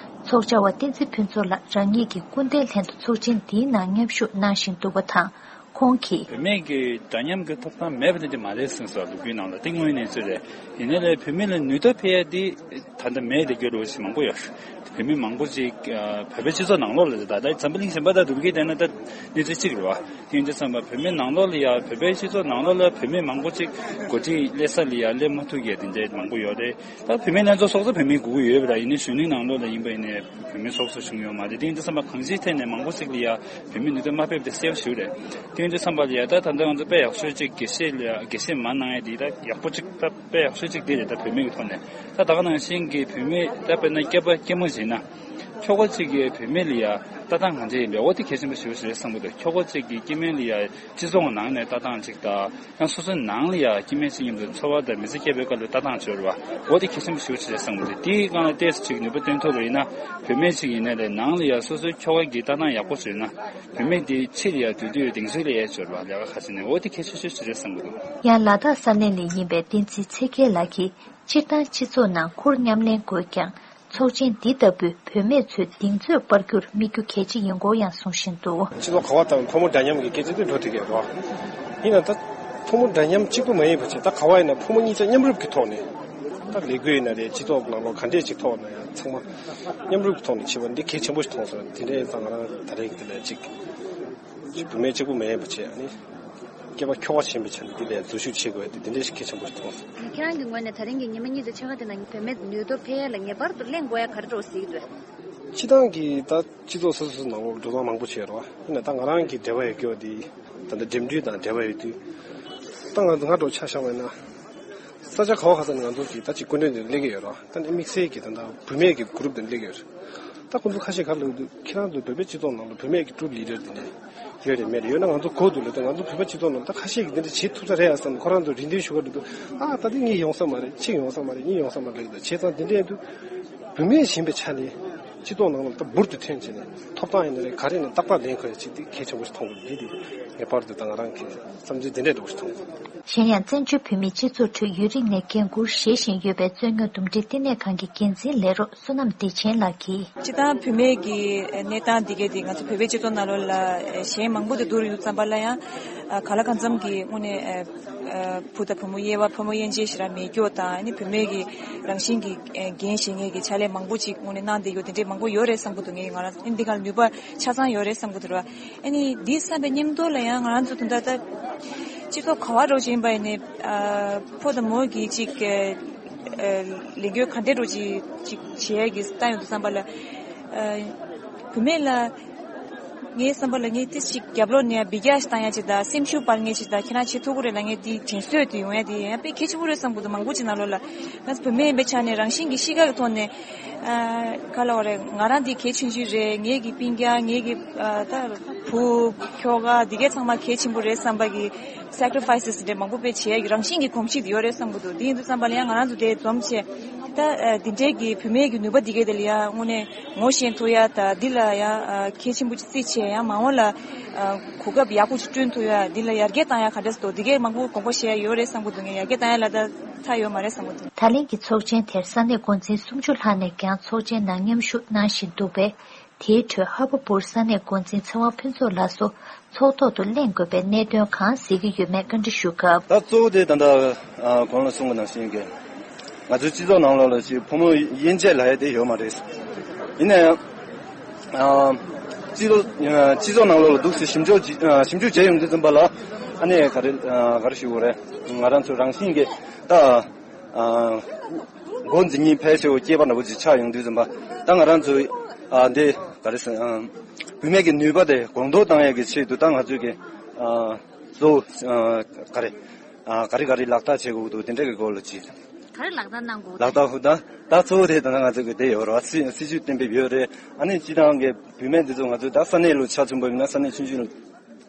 ཚོགས་བཅར་བ་བསྟན་འཛིན་ཕུན་ཚོགས་ལགས་རང་ཉིད་ཀྱི་སྐུ་ཟླའི་ལྷན་དུ་ཚོགས་ཆེན་འདིའི་ནང་མཉམ་ཞུགས་གནང་བཞིན་འདུག་པ་དང་། ཁོང་གིས། བུད་མེད་ཀྱི་འདྲ་མཉམ་གྱི་ཐོབ་ཐང་མེད་པ་དེ་འདྲ་མ་རེད་གསུངས་སོང་། ལོ་རྒྱུས་ནང་ལ་དེ་དངོས་ཡོད་གནས་ཚུལ་རེད། ཡིན་ནའི་ལས་བུད་མེད་ལ་ནུས་སྟོབས་འཕེལ་ཡ་དེ་ད་ལྟ་མེད་དེ་རྒྱུ་ལོ་ཞིག་མང་པོ་ཡོད། བུད་མེད་མང་པོ་ཅིག་ཨ་བོད་པའི་སྤྱི་ཚོགས་ནང་ལོགས་ལ་ད་ལྟ་འཛམ་བུ་གླིང་གཞན་པ་དང་བསྡུར་གྱི་བསྡད་ན་ད་གནས་ཚུལ་གཅིག་རེད་བ། དེ་ཡིན་དུས་ཙམ་པ་བུད་མེད་ནང་ལོགས་ལ་ཡ་བོད་པའི་སྤྱི་ཚོགས་ནང་ལོགས་ལ་བུད་མེད་མང་པོ་ཅིག་འགོ་ཁྲིད་སླེབས་ས་ལ་ཡ་སླེབས་མ་ཐུབ་ཡ་དེ་འདྲ་མང་པོ་ཡོད་རེད། ད་བུད་མེད་ལྷན་ཚོགས་སོགས་སུ་བུད་མེད་དགོས་ཀྱི་ཡོད་པ་ར། ཡིན་ནའི་གཞོན་ནུའི་ནང་ལོགས་ལ་ཡིན་པ་ཡིན་ནའི་བུད་མེད་སོགས་སུ་བྱུང་ཡོད་མ་རེད། དེ་ཡིན་དུས་ཙམ་པ་གང་ཅིའི་ཐད་ནས་མང་པོ་ཞིག་ལ་ཡ་བུད་མེད་ནུས་སྟོབས་མ་ཕེབས་དེ་གསལ་པོ་ཞིག་རེད། དེ་ཡིན་དུས་ཙམ་པ་ལ་ཡ་ད་ད་ལྟ་ང་ཚོ་དཔེ་ཡག་ཤོས་ཅིག་དགེ་བཤེས་ལ་ཡ་དགེ་བཤེས་མ་གནང་ཡ་དེ་ད་ཡག་པོ་ཅིག་ད་དཔེ་ཡག་ཤོས་ཅིག་དེ་རེད། ད་བུད་མེད་ཀྱི་ཐོག་ནས་ད་ད་ག་ནང་བཞིན་གྱི་བུད་མེད་ད་དཔེར་ན་སྐྱེས་པ་སྐྱེས་མ་ཡིན་ན། ཁྱོ་ག་གཅིག་གིས་བུད་མེད་ལ་ཡ་ལྟ་སྟངས་གང་འདྲ་ཡིན་པས། འོ་དེ་གལ་ཆེན་པོ་ཞེ་པོ་ཞིག་རེད་བསམ་གྱི་འདུག་ཁྱོ་ག་གཅིག་གིས་སྐྱེ་དམན་ལ་ཡ་སྤྱི་ཚོགས་ནང་ནས་ལྟ་སྟངས་གཅིག་དང་། ཡང་སོ་སོའི་ནང་ལ་ཡ་སྐྱེ་དམན་གཅིག་མཉམ་དུ་འཚོ་བ་དང་མི་ཚེ་སྐྱེལ་བའི་སྐབས་ལ་ལྟ་སྟངས་བྱོས་ར་བ། འོ་དེ་གལ་ཆེན་པོ་ཞེ་པོ་ཞིག་རེད་བསམ་གྱི་འདུག་དེའི་སྒང་ལ་ཏོག་ཙམ་ཅིག་ནུས་པ་བཏོན་ཐུབ་པ་ཡིན་ན། བུད་མེད་ཅིག་ཡིན་ནའི་ལས་ནང་ལ་ཡ་སོ་སོའི་ཁྱོ་ག་གི་ལྟ་སྟངས་ཡག་པོ་བྱོས་ན། བུད་མེད་དེ་ཕྱི་ལ་ཡ་སྡོད་དུས་དེང་སང་ལ་ཡ་བྱོས་ར་བ། ལས་ཀ་ཁ་ཤས་ནས་འོ་དེ་གལ་ཆེ་ཤོས་ཤིག་རེད་བསམ་གྱི་འདུག་ཡང་ལ་དྭགས་ས་གནས་ནས་ཡིན་པའི་བསྟན་འཛིན་ཚེ་རྒྱལ་ལགས་ཀྱིས། སྤྱིར་བཏང་སྤྱི་ཚོགས་ནང་ཁུར་མཉམ་ལེན་དགོས་ཀྱང་། ཚོགས་ཆེན་འདི་ལྟ་བུས་བུད་མེད་ཚོའི་གདེང་ཚོད་སྤར་རྒྱུར་དམིགས་རྒྱུ་གལ་ཆེ་ཡིན་སྐོར་ཡང་གསུང་བཞིན་འདུག་སྤྱི་ཚོགས་ག་བ་དང་ཕོ་མོ་འདྲ་མཉམ་གྱི་སྐད་ཆ་དེ་འགྲོ་ཐུབ་ཀྱི་ཡོད་རེད་བ། ཡིན་ན་ད་ཕོ་མོ་འདྲ་མཉམ་གཅིག་པུ་མ་ཡིན་པ་བྱས། ད་ག་བ་ཡིན་ན་ཕོ་མོ་གཉིས་ཆ་མཉམ་རུབ་ཀྱི་ཐོག་ནས། ད་ལས་འགུལ་ཡིན་ན་རེད། སྤྱི་ཚོགས་ནང་ལོགས་ག་འདྲས་ཅིག་ཐོག་ན་ཡང་ཚང་མ་མཉམ་རུབ་ཀྱི་ཐོག་ནས་བྱེད་པ་འདི་གལ་ཆེན་པོ་ཞིག་མཐོང་སོང་། དེ་འདྲས་ཙང་ང་རང་ད་རེས་ཀྱི་དེ་ལ་ཅིག་བུད་མེད་གཅིག་པུ་མ་ཡིན་པ་བྱས། ཨ་ནི་སྐྱེས་པ་ཁྱོ་ག་ཆེན་པོའི་ཆ་ནས་འདི་ལ་འཛུལ་ཞུགས་བྱེད་དགོས་ཡ་དེ་འདི་འདྲས་ཞིག་གལ་ཆེན་པོ་ཞིག་མཐོང་སོང་། ཁྱེད་རང་གི་ངོས་ནས་ད་རིང་གི་ཉི་མ་གཉིས་ཀྱི་འཚོགས་ཁང་དེ་ནང་བུད་མེད་ནུས་སྟོབས་འཕེལ་ཡ་ལ་ངེས་པར་དུ་གླེང་དགོས་ཡ་ག་རེ་འདྲ་བོ་གཟིགས་འདུག་སྤྱིར་བཏང་གི་ད་སྤྱི་ཚོགས་སོ་སོ་སོ་ནང་ལོགས་འགྲོ་སྟངས་མང་པོ་བྱས་རོགས། ཡིན་ན་ད་ང་རང་གི་འབྲེལ་བ་ཡོད་རྒྱུ་བ་དེ་ད་ལྟ་འགྲིམ་འགྲུལ་དང་འབྲེལ་བ་ཡོད་དུས། ད་ང་ང་འགྲོ་ཆ་བཞག་པ་ཡིན་ན། ས་ཆ་ག་བ་ག་ས་ནས་ང་ཚོ་གི་ད་ཅིག་སྐུ་མགྲོན་དེ་སླེབས་ཀྱི་ཡོད་རོགས། ད་ནི་དམིགས་བསལ་གྱི་ད་ལྟ་བུད་མེད་ཀྱི་གུ་རུབ་དེ་སླེབས་ཀྱི་ཡོད་རེད། ད་ཁོང་ཚོ་ཁ་ཤས་ག་རེ་ལབ་འདུག་ཁྱེད་རང་ཚོ་བོད་པའི་སྤྱི་ཚོགས་ནང་ལ་བུད་མེད་ཀྱི་ཀྲུབ་ལི་ཌར་དེ་འདྲས་ཡོད་རེད་མེད་རེད། ཡོད་ན་ང་ཚོ་གོ་འདུག་ལབ་དུས། ང་ཚོ་བོད་པ་སྤྱི་ཚོགས་ནང་ད་ཁ་ཤས་ཀྱིས་འདི་འདྲ་བྱེད་ཐུབ་ས་རེད་ཡ་བསམ། ཁོ་རང་ཚོ་རེ་འདུན་ཞུ་ག་འགྲོ་དུས། ཨ་ད་འདི་གཉིས་ཡོང་ས་མ་རེད། གཅིག་ཡོང་ས་མ་རེད། གཉིས་ཡོང་ས་མ་རེད་ལབ་ཀྱི་འདུག་བྱས་ཙང་འདི་འདྲས་འདུག་བུད་མེད་ཡིན་པའི་ཆ་ནས་སྤྱི་ཚོགས་ནང་ལ་ད་འབུར་དུ་ཐོན་བྱས་ནས་ཐོབ་ཐང་ཡིན་ན་རེད། ག་རེ་ཡིན་ན་ཏག་ཏག་ལེན་དགོས་ཡ་ཅིག་འདི་གལ་ཆེན་པོ་ཞིག་མཐོང་གི་འདུག་འདི་འདི་ངེས་པར་དུ་ད་ང་རང་གི་བསམ་ཚུལ་འདི་འདྲས་འདྲ་བོ་ཞིག་མཐོང་། གཞན་ཡང་། བཙན་བྱོལ་བོད་མིའི་སྤྱི་ཚོགས་ཁྲོད་ཡུན་རིང་ནས་འགན་འཁུར་བཞེས་བཞིན་ཡོད་པའི་རྩོད་རྙོག་འདུམ་འགྲིག་བསྟི་གནས་ཁང་གི་འགན་འཛིན་ལས་རོགས་བསོད་ནམས་བདེ་ཆེན་ལགས་ཀྱིས། སྤྱིར་བཏང་བུད་མེད་ཀྱི་གནས་སྟངས་འདི་གས་དེ་ང་ཚོ་བོད་པའི་སྤྱི་ཚོགས་ནང་ལོགས་ལ་ཞེན་མང་པོ་དེ་བསྡུར་ཡོང་ཙམ་པ་ལ་ཡང་། གང་ལ་གང་འཚམ་གྱི་དངོས་གནས་བུ་དང་བུ་མོ་དབྱེ་བ། ཕོ་མོ་དབྱེ་འབྱེད་ཞེ་དྲག་མེད་རྒྱུ་དང་། ཨ་ནི་བུད་མེད་ཀྱི་རང་བཞིན་གྱི་འགན་བཞེས་མཁན་གྱི་ཕྱག་ལས་མང་པོ་ཅིག་དངོས་གནས་གནང་བསྡད་ཡོད། དེ་འདྲས་མང་པོ་ཡོད་རེད་བསམ་གྱི་འདུག་ངས་ང་རང་ཨ་ནི་འདི་ག་ལ་ནུས་པ་ཆ་ཚང་ཡོད་རེད་བསམ་གྱི་འདུག་ར། ཨ་ནི་འདི་བསམ་པའི་མཉམ་དུ་ལ་ཡང་ང་རང་ཚོ་དོན་དག་ད་སྤྱི་ཚོགས་ག་བ་རོགས་ཡིན་པ་ཡིན་ནའི། ཕོ་དང་མོ་གི་ཅིག་ལས་འགུལ་ག་འདྲས་རོགས་ཅིག་ཅིག་བྱེད་ཡ་གི་བཏང་ཡོང་དུས་ཙམ་པ་ལ། བུད་མེད་ལ་ངའི་བསམ་པ་ལ་ངས་ཏི་ཅིག་རྒྱབ་ལོགས་ནས་འབུད་རྒྱག་ཞིག་བཏང་ཡ་ཅིག་དང་། སེམས་ཤུགས་སྤར་མཁན་ཅིག་དང་། ཁྱེད་རང་བྱེད་ཐུབ་ཀྱི་རེད་ལབ་མཁན་དེ་དྲན་གསོ་དེ་ཡོང་ཡ་དེ་ཡང་དཔེ་གལ་ཆེན་པོ་རེད་བསམ་གྱི་འདུག་མང་པོ་ཅིག་ནང་ལོགས་ལ་ང་ཚོ་བུད་མེད་ཡིན་པའི་ཆ་ནས་རང་བཞིན་གྱི་གཤིས་ཀ་གི་ཐོག་ནས། ཨ། ག་ལབ་དགོས་རེད། ང་རང་འདི་གལ་ཆུང་ཆུང་རེད། ངེད་ཀྱི་སྤུན་ཀྱག་ངེད་ཀྱི་ཨ་ད་བུ་ཁྱོ་ག་འདི་གས་ཚང་མ་གལ་ཆེན་པོ་རེད་བསམ་པ་གི་སེ་ཀྲི་ཕའི་སི་འདྲ་མང་པོ་དཔེ་བྱེད་ཡ་གི་རང་བཞིན་གྱི་གོམས་གཤིས་དེ་ཡོད་རེད་བསམ་གྱི་འདུག་དེ་ཡིན་དུས་ཙམ་པ་ལ་ཡང་ང་རང་ཚོ་དེ་འཛོམས་བྱས་ད་ཨ་འདི་འདྲའི་གི་བུད་མེད་ཀྱི་ནུས་པ་འདི་གས་དེ་ལ་ཡ་དངོས་གནས་ངོ་ཤེས་ཐུབ་ཡ་དང་། འདི་ལ་ཡ་ཨ་གལ་ཆེན་པོ་ཅིག་བརྩི་བྱས་ཡང་མ་འོངས་ལ་ཨ་གོ་སྐབས་ཡག་པོ་ཅིག་བསྐྲུན་ཐུབ་ཡ། འདི་ལ་ཡར་རྒྱས་བཏང་ཡ་ག་འདྲས་འདུག་འདི་གས་མང་པོ་དགོངས་པ་བཞེས་ཡ་ཡོད་རེད་བསམ་གྱི་འདུག་ངས་ཡར་རྒྱས་བཏང་ཡ་ལ་ད་ཚར་ཡོད་མ་རེད་བསམ་གྱི་འདུག་ད་ལན་གྱི་ཚོགས་ཆེན་དེར་ས་གནས་འགོ་འཛིན་སུམ་ཅུ་ལྷག་ནས་ཀྱང་ཚོགས་ཆེན་ནང་མཉམ་ཞུགས་གནང་བཞིན་འདུག་པས། དེའི་ཁྲོད་ཧ་བ་པུར་ས་གནས་འགོ་འཛིན་ཚེ་དབང་ཕུན་ཚོགས་ལགས་སུ་ཚོགས་ཐོག་ཏུ་གླེང་དགོས་པའི་གནད་དོན་གང་གཟིགས་ཀྱི་ཡོད་མེད་བཀའ་འདྲི་ཞུ་སྐབས། ད་གཙོ་བོ་དེ་ད་ལྟ་ཨ་གོང་ལ་གསུངས་པ་ནང་བཞིན་གྱི་ང་ཚོའི་སྤྱི་ཚོགས་ནང་ལོགས་ལ་ཅིག་ཕོ་མོ་དབྱེ་འབྱེད་ལབ་ཡ་དེ་ཡོད་མ་རེད། ཡིན་ན་ཡང་ཨ་སྤྱི་ཚོགས་ཨ་སྤྱི་ཚོགས་ནང་ལོགས་ལ་འདུག་སེ་ཞིབ་འཇུག་ཅིག་ཨ་ཞིབ་འཇུག་བྱས་ཡོང་དུས་ཙམ་པ་ལ་ཨ་ནི་ག་རེ་ཨ་ག་རེ་ཞུ་དགོས་རེད། ང་རང་ཚོ་རང་བཞིན་གྱི་ད། ཨ་འགོ་འཛིན་མཁན་ཕལ་ཆེ་བ་སྐྱེས་པ་འདྲ་པོ་ཅིག་ཆགས་ཡོང་དུས་ཙམ་པ། ད་ང་རང་ཚོ་ཨ་འདི་ག་རེ་ཟེར། ཨ་བུད་མེད་ཀྱི་ནུས་པ་དེ་གོང་མཐོར་བཏང་ཡག་གི་ཆེད་དུ་ད་ང་ཚོས་ཀྱི་ཨ་གཙོ་བོ་ཨ་ག་རེ་ཨ་ག་རེ་ག་རེ་ལག་བསྟར་བྱེད་དགོས་འདུག་དེ་འདྲ་གི་སྐོར་ལ་ཅིག་ག་རེ་ལག་བསྟར་གནང་དགོས། ལག་བསྟར་ཧུ་ད་ད་གཙོ་བོ་དེ་ད་ང་ཚོ་གི་དེ་ཡོད་རེད་བ། སྲིད་སྲིད་ཇུས་གཏན་འབེབས་ཡོད་རེད། ཨ་ནི་སྤྱི་བཏང་གི་བུད་མེད་འདི་ཚོ་ང་ཚོ་ད་ས་གནས་ལ་ཆ་མཚོན་པ་ཡིན་ན། ས་གནས་ཆུང་ཆུང་ལ་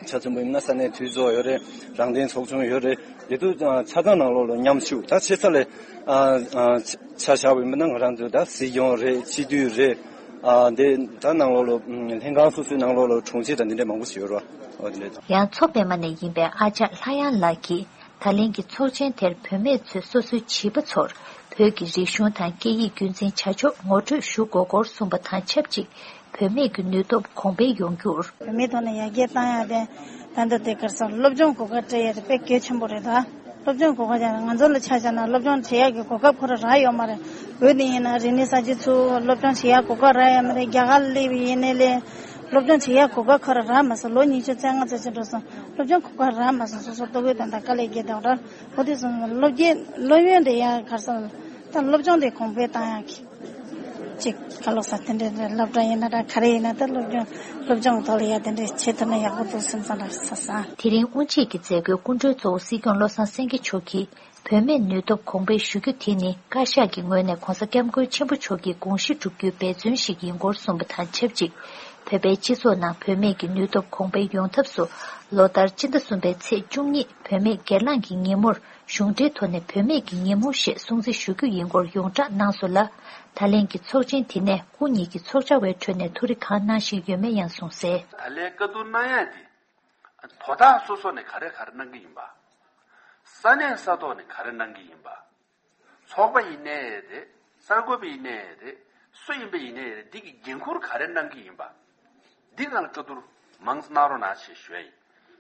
ཆ་མཚོན་པ་ཡིན་ན་ས་གནས་འཐུས་ཚོགས་ཡོད་རེད། རང་བདེན་ཚོགས་ཆུང་ཡོད་རེད། དེ་ཚོ་ཨ་ཆ་ཚང་ནང་ལོགས་ལ་མཉམ་ཞུགས། ད་ཆེ་ས་ལ་ཨ་ཨ་ཆ་ཆ་བཞག་པ་ཡིན་ན་ང་རང་ཚོ་ད་སྲིད་སྐྱོང་རེད། སྤྱི་འཐུས་རེད། ཨ་དེ་ད་ནང་ལོགས་ལ་ཨ་ལྷན་ཁང་སོ་སོའི་ནང་ལོགས་ལ་དྲུང་ཆེ་དང་འདི་འདྲ་མང་པོ་ཞིག་ཡོད་རེད་བ། འོ་དེ་འདྲ། ཡང་མཚོ་པད་མ་ནས་ཡིན་པའི་ཨ་ཅག་ལྷ་དབྱངས་ལགས་ཀྱིས། ད་ལན་གྱི་ཚོགས་ཆེན་དེར་བུད་མེད་ཚོས་སོ་སོའི་བྱིས་པ་ཚོར་བོད་ཀྱི་རིག་གཞུང་དང་སྐད་ཡིག་རྒྱུན་འཛིན་བྱ་ཕྱོགས་ངོ་སྤྲོད་ཞུ་དགོས་སྐོར་གསུངས་པ་དང་ཆབས་ཅིག་བུད་མེད་ཀྱི་ནུས་སྟོབས་གོང་འཕེལ་ཡོང་རྒྱུར། བུད་མེད་ཐོག་ནས་ཡར་རྒྱས་བཏང་ཡ་དེ་ད་ལྟ་དེ་ག་རེ་ཟེར། སློབ་སྦྱོང་གོ་སྐབས་སྤྲད་ཡ་དེ་དཔེ་གལ་ཆེན་པོ་རེད་ད། སློབ་སྦྱོང་གོ་སྐབས་ཀྱང་ང་ཚོ་ལ་ཆ་བཞག་ན་སློབ་སྦྱོང་བྱེད་ཡག་གི་གོ་སྐབས་ཁོ་རང་རག་ཡོད་མ་རེད། བོད་ནས་ཡིན་ན་རིག་གནས་གསར་བརྗེ་ཚུར་སློབ་སྦྱོང་བྱེད་ཡག་གོ་སྐབས་རག་ཡོད་མ་རེད། རྒྱ་གར་སླེབས་པ་ཡིན་ནའི་ལས། སློབ་སྦྱོང་བྱེད་ཡག་གོ་སྐབས་ཁོ་རང་རག་མ་སོང་། ལོ་ཉི་ཤུ་རྩ་ལྔ་ཙམ་ཅིག་འགྲོ་སོང་། སློབ་སྦྱོང་གོ་སྐབས་རག་མ་སོང་། སོ་སོ་ལྟོ་གོས་དང་དང་དཀའ་ལས་བརྒྱབ་དང་འདྲ། འོ་དེ་སོང་སློབ་རྒྱས་སློབ་ཡོན་དེ་ཡང་གར་སོང་། ད་སློབ་སྦྱོང་དེ་གོང་འཕེལ་བཏང་ཡག་གི། གཅིག་ག་ལོ་ས་དེ་འདྲའི་སློབ་གྲྭ་ཡིན་ན་འདྲ། ག་རེ་ཡིན་ན་ད་སློབ་སྦྱོང་སློབ་སྦྱོང་ཐོག་ལ་ཡ་དེ་འདྲའི་བྱེད་ཐུབ་ན་ཡག་པོ་འདུག་སེམས་ཙམ་ར་ས་ས། དེ་རིང་དབུ་འབྱེད་ཀྱི་མཛད་སྒོའི་སྐུ་མགྲོན་གཙོ་བོ་སྲིད་སྐྱོང་བློ་བཟང་སེང་གེ་མཆོག་གིས། བུད་མེད་ནུས་སྟོབས་གོང་འཕེལ་ཞུ་རྒྱུ་དེ་ནི་བཀའ་ཤག་གི་ངོས་ནས་༧གོང་ས་༧སྐྱབས་མགོན་ཆེན་པོ་མཆོག་གི་དགོངས་གཞི་བསྒྲུབ་རྒྱུའི་འབད་བརྩོན་ཞིག་ཡིན་སྐོར་གསུངས་པ་དང་ཆབས་ཅིག་བོད་པའི་སྤྱི་ཚོགས་ནང་བུད་མེད་ཀྱི་ནུས་སྟོབས་གོང་འཕེལ་ཡོང་ཐབས་སུ། ལོ་ལྟར་སྤྱི་ཟླ་གསུམ་པའི་ཚེས་བཅུ་གཉིས་བུད་མེད་སྒེར་ལངས་ཀྱི་ཉིན་མོར་གཞུང་འབྲེལ་ཐོག་ནས་བུད་མེད་ཀྱི་ཉིན་མོ་ཞེས་སྲུང་བརྩི་ཞུ་རྒྱུ་ཡིན་སྐོར་ཡོངས་བསྒྲགས་གནང་སོང་ལ། ད་ལན་གྱི་ཚོགས་ཆེན་དེ་ནས་སྐུ་ཉིད་ཀྱིས་ཚོགས་བཅར་བའི་ཁྲོད་ནས་ཐུགས་རེ་གང་གནང་བཞིན་ཡོད་མེད་ཡང་གསུངས་གསལ། ད་ལན་བཀའ་བསྡུར་གནང་ཡ་དེ། དོ་བདག་སོ་སོ་ནས་ག་རེ་ག་རེ་གནང་གི་ཡིན་པ། ས་གནས་ས་ཐོག་ནས་ག་རེ་གནང་གི་ཡིན་པ། ཚོགས་པ་ཡིན་ནའི་རེད། གསར་འགོད་པ་ཡིན་ནའི་རེད། སུ་ཡིན་པ་ཡིན་ནའི་རེད། འདི་གི་འགན་ཁུར་ག་རེ་གནང་གི་ཡིན་པ། འདི་སྒང་ལ་བཀའ་བསྡུར་མང་ཙམ་གནང་རོགས་གནང་ཞེས་ཞུ་ཡ་ཡིན།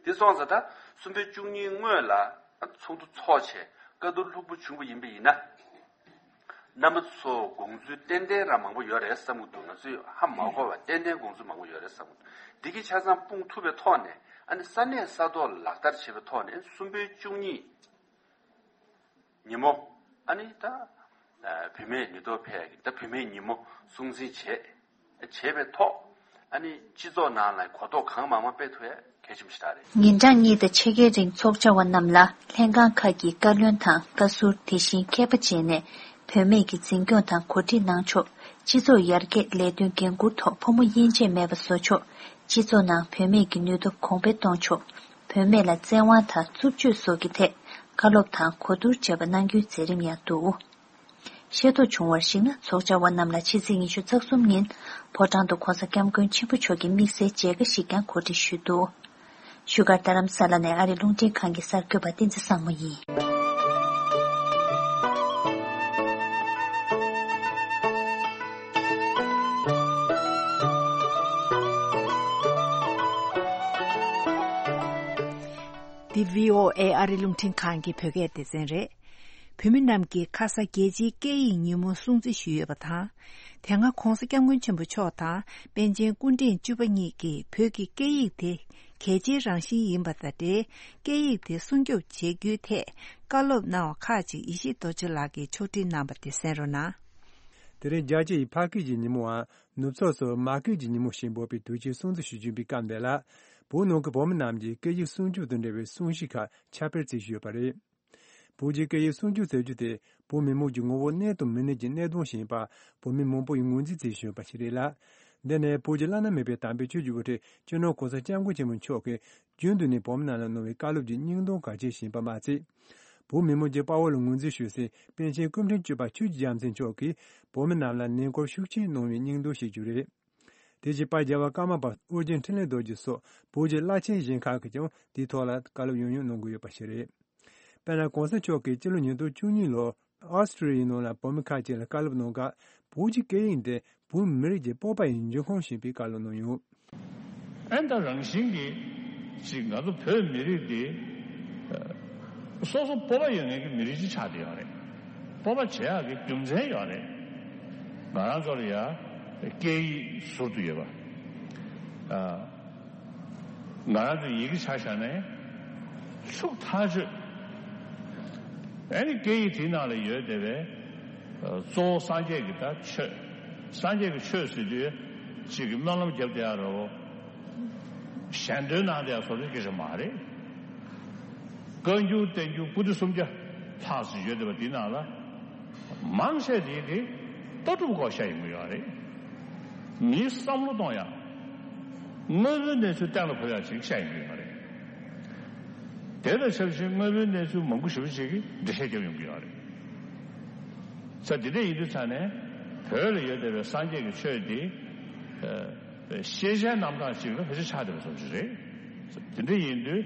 འདི་སོང་ཙང་ད་གསུམ་པའི་བཅུ་གཉིས་སྔོན་ལ་ཚོགས་འདུ་ཚོགས་བྱས་བཀའ་བསྡུར་ལྷུག་པོ་བྱུང་བ་ཡིན་པ་ཡིན་ན། རྣམ་པ་ཚོ་དགོངས་ཚུལ་ཏན་ཏན་རང་མང་པོ་ཡོད་རེད་བསམ་གྱི་འདུག་ང་ཚོས་ཧ་མ་གོ་བ་ཏན་ཏན་དགོངས་ཚུལ་མང་པོ་ཡོད་རེད་བསམ་གྱི་འདུག་འདི་གི་ཆ་ཚང་སྤུངས་ཐུབ་པའི་ཐོག་ནས་ཨ་ནི་ས་གནས་ས་ཐོག་ལ་ལག་བསྟར་བྱེད་པའི་ཐོག་ནས་གསུམ་པའི་བཅུ་གཉིས་ཉིན་མོ་ཨ་ནི་ད་བུད་མེད་ནུས་སྟོབས་འཕེལ་ཡག་གི་ད་བུད་མེད་ཉིན་མོ་སྲུང་བརྩི་བྱས། བྱས་པའི་ཐོག་ཨ་ནི་སྤྱི་ཚོགས་ནང་ལ་གོ་རྟོགས་གང་མང་མང་སྤེལ་ཐུབ་ཡ་གལ་ཆེན་པོ་ཞིག་རེད། ཉིན་གྲངས་གཉིས་དང་ཕྱེད་ཀའི་རིང་ཚོགས་བཅར་བ་རྣམས་ལ་ལྷན་ཁང་ཁག་གི་བཀའ་བློན་དང་བཀའ་ཟུར་དེ་བཞིན་མཁས་པ་བཅས་ནས་བུད་མེད་ཀྱི་འཛིན་སྐྱོང་དང་གོ་སྒྲིག་གནང་ཕྱོགས། སྤྱི་ཚོགས་ཡར་རྒྱས་ལས་དོན་འགན་འཁུར་ཐོག་ཕོ་མོ་དབྱེ་འབྱེད་མེད་པ་བཟོ་ཕྱོགས། སྤྱི་ཚོགས་ནང་བུད་མེད་ཀྱི་ནུས་སྟོབས་གོང་འཕེལ་གཏོང་ཕྱོགས། བུད་མེད་ལ་བཙན་དབང་དང་རྩུབ་སྤྱོད་སོགས་ཀྱི་ཐད་བཀའ་སློབ་དང་གོ་བསྡུར་བཅས་པ་གནང་རྒྱུའི་མཛད་རིམ་ཡང་འདུག་ཤེས་རྟོགས་བྱུང་བར་གཞིགས་ན་ཚོགས་བཅར་བ་རྣམས་ལ་ཕྱི་ཚེས་ཉི་ཤུ་རྩ་གསུམ་ཉིན་ཕོ་བྲང་དུ་༧གོང་ས་༧སྐྱབས་མགོན་ཆེན་པོ་མཆོག་གི་དམིགས་བསལ་མཇལ་ཁ་ཞིག་ཀྱང་གོ་སྒྲིག་ཞུས་འདུག་བཞུགས་སྒར་རྡ་རམ་ས་ལ་ནས་ཨ་རིའི་རླུང་འཕྲིན་ཁང་གི་གསར་འགོད་པ་བསྟན་འཛིན་བཟང་མོ་ཡིན། འདི་བྷི་ཨོ་ཨེ་ཨ་རིའི་རླུང་འཕྲིན་ཁང་གི་བོད་སྐད་སྡེ་ཚན་རེད། བོད་མི་རྣམས་ཀྱིས་ཁ་ས་རྒྱལ་སྤྱིའི་སྐད་ཡིག་ཉིན་མོ་སྲུང་བརྩི་ཞུས་ཡོད་པ་དང་། དེ་སྔ་གོང་ས་སྐྱབས་མགོན་ཆེན་པོ་མཆོག་དང་པཎ་ཆེན་སྐུ་ཕྲེང་བཅུ་པ་གཉིས་ཀྱིས་བོད་ཀྱི་སྐད་ཡིག་དེ་གལ་ཆེའི་རང་བཞིན་ཡིན་པ་དང་འབྲེལ། སྐད་ཡིག་དེ་སྲུང་སྐྱོབ་བྱེད་རྒྱུའི་ཐད་བཀའ་སློབ་གནང་བ་ཁག་ཅིག་ཡེ་ཤེས་རྡོ་རྗེ་ལགས་ཀྱིས་ཕྱོགས་སྒྲིག་གནང་པ་དེ་གསན་རོགས་གནང་། དེ་རིང་རྒྱལ་སྤྱི་ཡི་ཕ་སྐད་ཀྱི་ཉིན་མོའམ་ནུབ་ཕྱོགས་སུ་མ་སྐད་ཀྱི་ཉིན་མོ་ཞེས་འབོད་པའི་དུས་ཆེན་སྲུང་བརྩི་ཞུ་བཞིན་པའི་སྐབས་འདི་ལ། བོད་ནང་གི་བོད་མི་རྣམས་ཀྱིས་སྐད་ཡིག་སྲུང་སྐྱོབ་དང་འབྲེལ་བའི་གསུང་བཤད་ཁག་ཁྱབ་སྤེལ་བྱེད་བཞིན་ཡོད་པ་རེད། བོད་ཀྱི་སྐད་ཡིག་སྲུང་སྐྱོབ་ཟེར་རྒྱུ་དེ་བོད་མི་མང་གི་ངོ་བོ་གནས་དང་མི་གནས་ཀྱི་གནད་དོན་ཞིག་ཡིན་པ་བོད་མི་མང་པོ་ཡིས་ངོས་འཛིན་བྱེད་བཞིན་ཡོད་པ་ཞིག་རེད་ལ། འདི་ནི་བོད་ཀྱི་བླ་ན་མེད་པའི་དམ་པའི་ཆོས་ཀྱི་དབུ་ཁྲིད་སྤྱི་ནོར་༧གོང་ས་༧སྐྱབས་མགོན་ཆེན་པོ་མཆོག་གིས་རྒྱུན་དུ་ནས་བོད་མི་རྣམས་ལ་གནང་བའི་བཀའ་སློབ་ཀྱི་སྙིང་དོན་གལ་ཆེན་ཞིག་ཡིན་པ་མ་ཚད། བོད་མི་མང་གི་དཔའ་བོ་ལ་ངོས་འཛིན་ཞུ་སའི་པཎ་ཆེན་སྐུ་ཕྲེང་བཅུ་པ་ཆོས་ཀྱི་རྒྱལ་མཚན་མཆོག་གིས་བོད་མི་རྣམས་ལ་ལས་འགུལ་ཤུགས་ཆེན་གནང་བའི་སྙིང་དོན་ཞིག་རེད། དེ་བཞིན་དཔལ་རྒྱལ་བ་ཀརྨ་པ་ཨོ་རྒྱན་འཕྲིན་ལས་རྡོ་རྗེ་སོགས་བོད་ཀྱི་བླ་ཆེན་གཞན་ཁག་གིས་ཀྱང་དེའི་ཐོག་ལ་བཀའ་སློབ་ཡང་ཡང་གནང་གི་ཡོད་པ་ཞིག་རེད། དཔེར་ན་གོང་ས་མཆོག་གིས་སྤྱི་ལོ་ཉིས་སྟོང་བཅུ་གཉིས་ལོར་ཨོ་སི་ཀྲི་ལི་ཡའི་ནང་ལ་བོད་མི་ཁག་ཅིག་ལ་བཀའ་སློབ་གནང་སྐབས། བོད་ཀྱི་སྐད་ཡིག་འདི་བོད་མི་རིགས་ཀྱི་སྤོབས་པ་ཡི་འབྱུང་ཁུངས་ཞེས་པའི་བཀའ་སློབ་གནང་ཡོད། ཨེ་ད་རང་བཞིན་གྱིས་ཅིག་ང་ཚོ་བོད་མི་རིགས་འདི་སོ་སོ་སྤོབས་པ་ཡོད་མཁན་གྱི་མི་རིགས་ཅིག་ཆགས་བསྡད་ཡོད་རེད། སྤོབས་པ་བྱེད་ཡག་གི་རྒྱུ་མཚན་ཡོད་རེད། ང་རང་ཚོ་ལ་ཡ་སྐད་ཡིག་ཟུར་དུ་ཡོད་པ། ང་རང་ཚོ་ཡི་གེ་ཆ་བཞག་ནས་ཤུགས་ཐག་ཆོད། ཨ་ནི་སྐད་ཡིག་དེའི་ནང་ལ་ཡོད་བསྡད་པའི་གཙོ་བོ་སངས་རྒྱས་ཀྱི་ད་ཆོས། སངས་རྒྱས་ཀྱི་ཆོས་ཟེར་དུས་གཅིག་གི་སྨོན་ལམ་བརྒྱབ་བསྡད་ཡ་རེད་བོ། ཞལ་འདོན་གནང་བསྡད་ཡ་སོགས་ཀྱི་སྐད་ཆ་མ་རེད། བཀའ་འགྱུར་བསྟན་འགྱུར་པོ་ཏི་སུམ་བརྒྱ་ལྷག་ཙམ་ཡོད་བསྡད་པ་དེའི་ནང་ལ། མང་ཆེ་དེ་གི་ལྟ་གྲུབ་སྐོར་བཤད་ཡོང་གི་ཡོད་རེད། མིའི་བསམ་བློ་གཏོང་ཡག་དངོས་པོའི་གནས་ཚུལ་གཏན་ལ་ཕབ་ཡག་ཅིག་བཤད་ཡོང་གི་ཡོད་རེད། དེ་དང་ཆབས་ཅིག་དངོས་པོའི་གནས་ཚུལ་མང་པོ་ཞེ་པོ་ཅིག་གིས་འགྲེལ་བཤད་བརྒྱབ་ཡོང་གི་ཡོད་རེད། ས་དེ་འདྲ་ཡིན་དུས་ཙང་ནས་བོད་ལ་ཡོད་བསྡད་པའི་སངས་རྒྱས་ཀྱི་ཆོས་དེ། ཤེས་བྱའི་རྣམ་གྲངས་ཅིག་ལ་ཕལ་ཆེར་ཆགས་བསྡད་པ་ཙམ་ཞིག་རེད། དེ་འདྲ་ཡིན་དུས།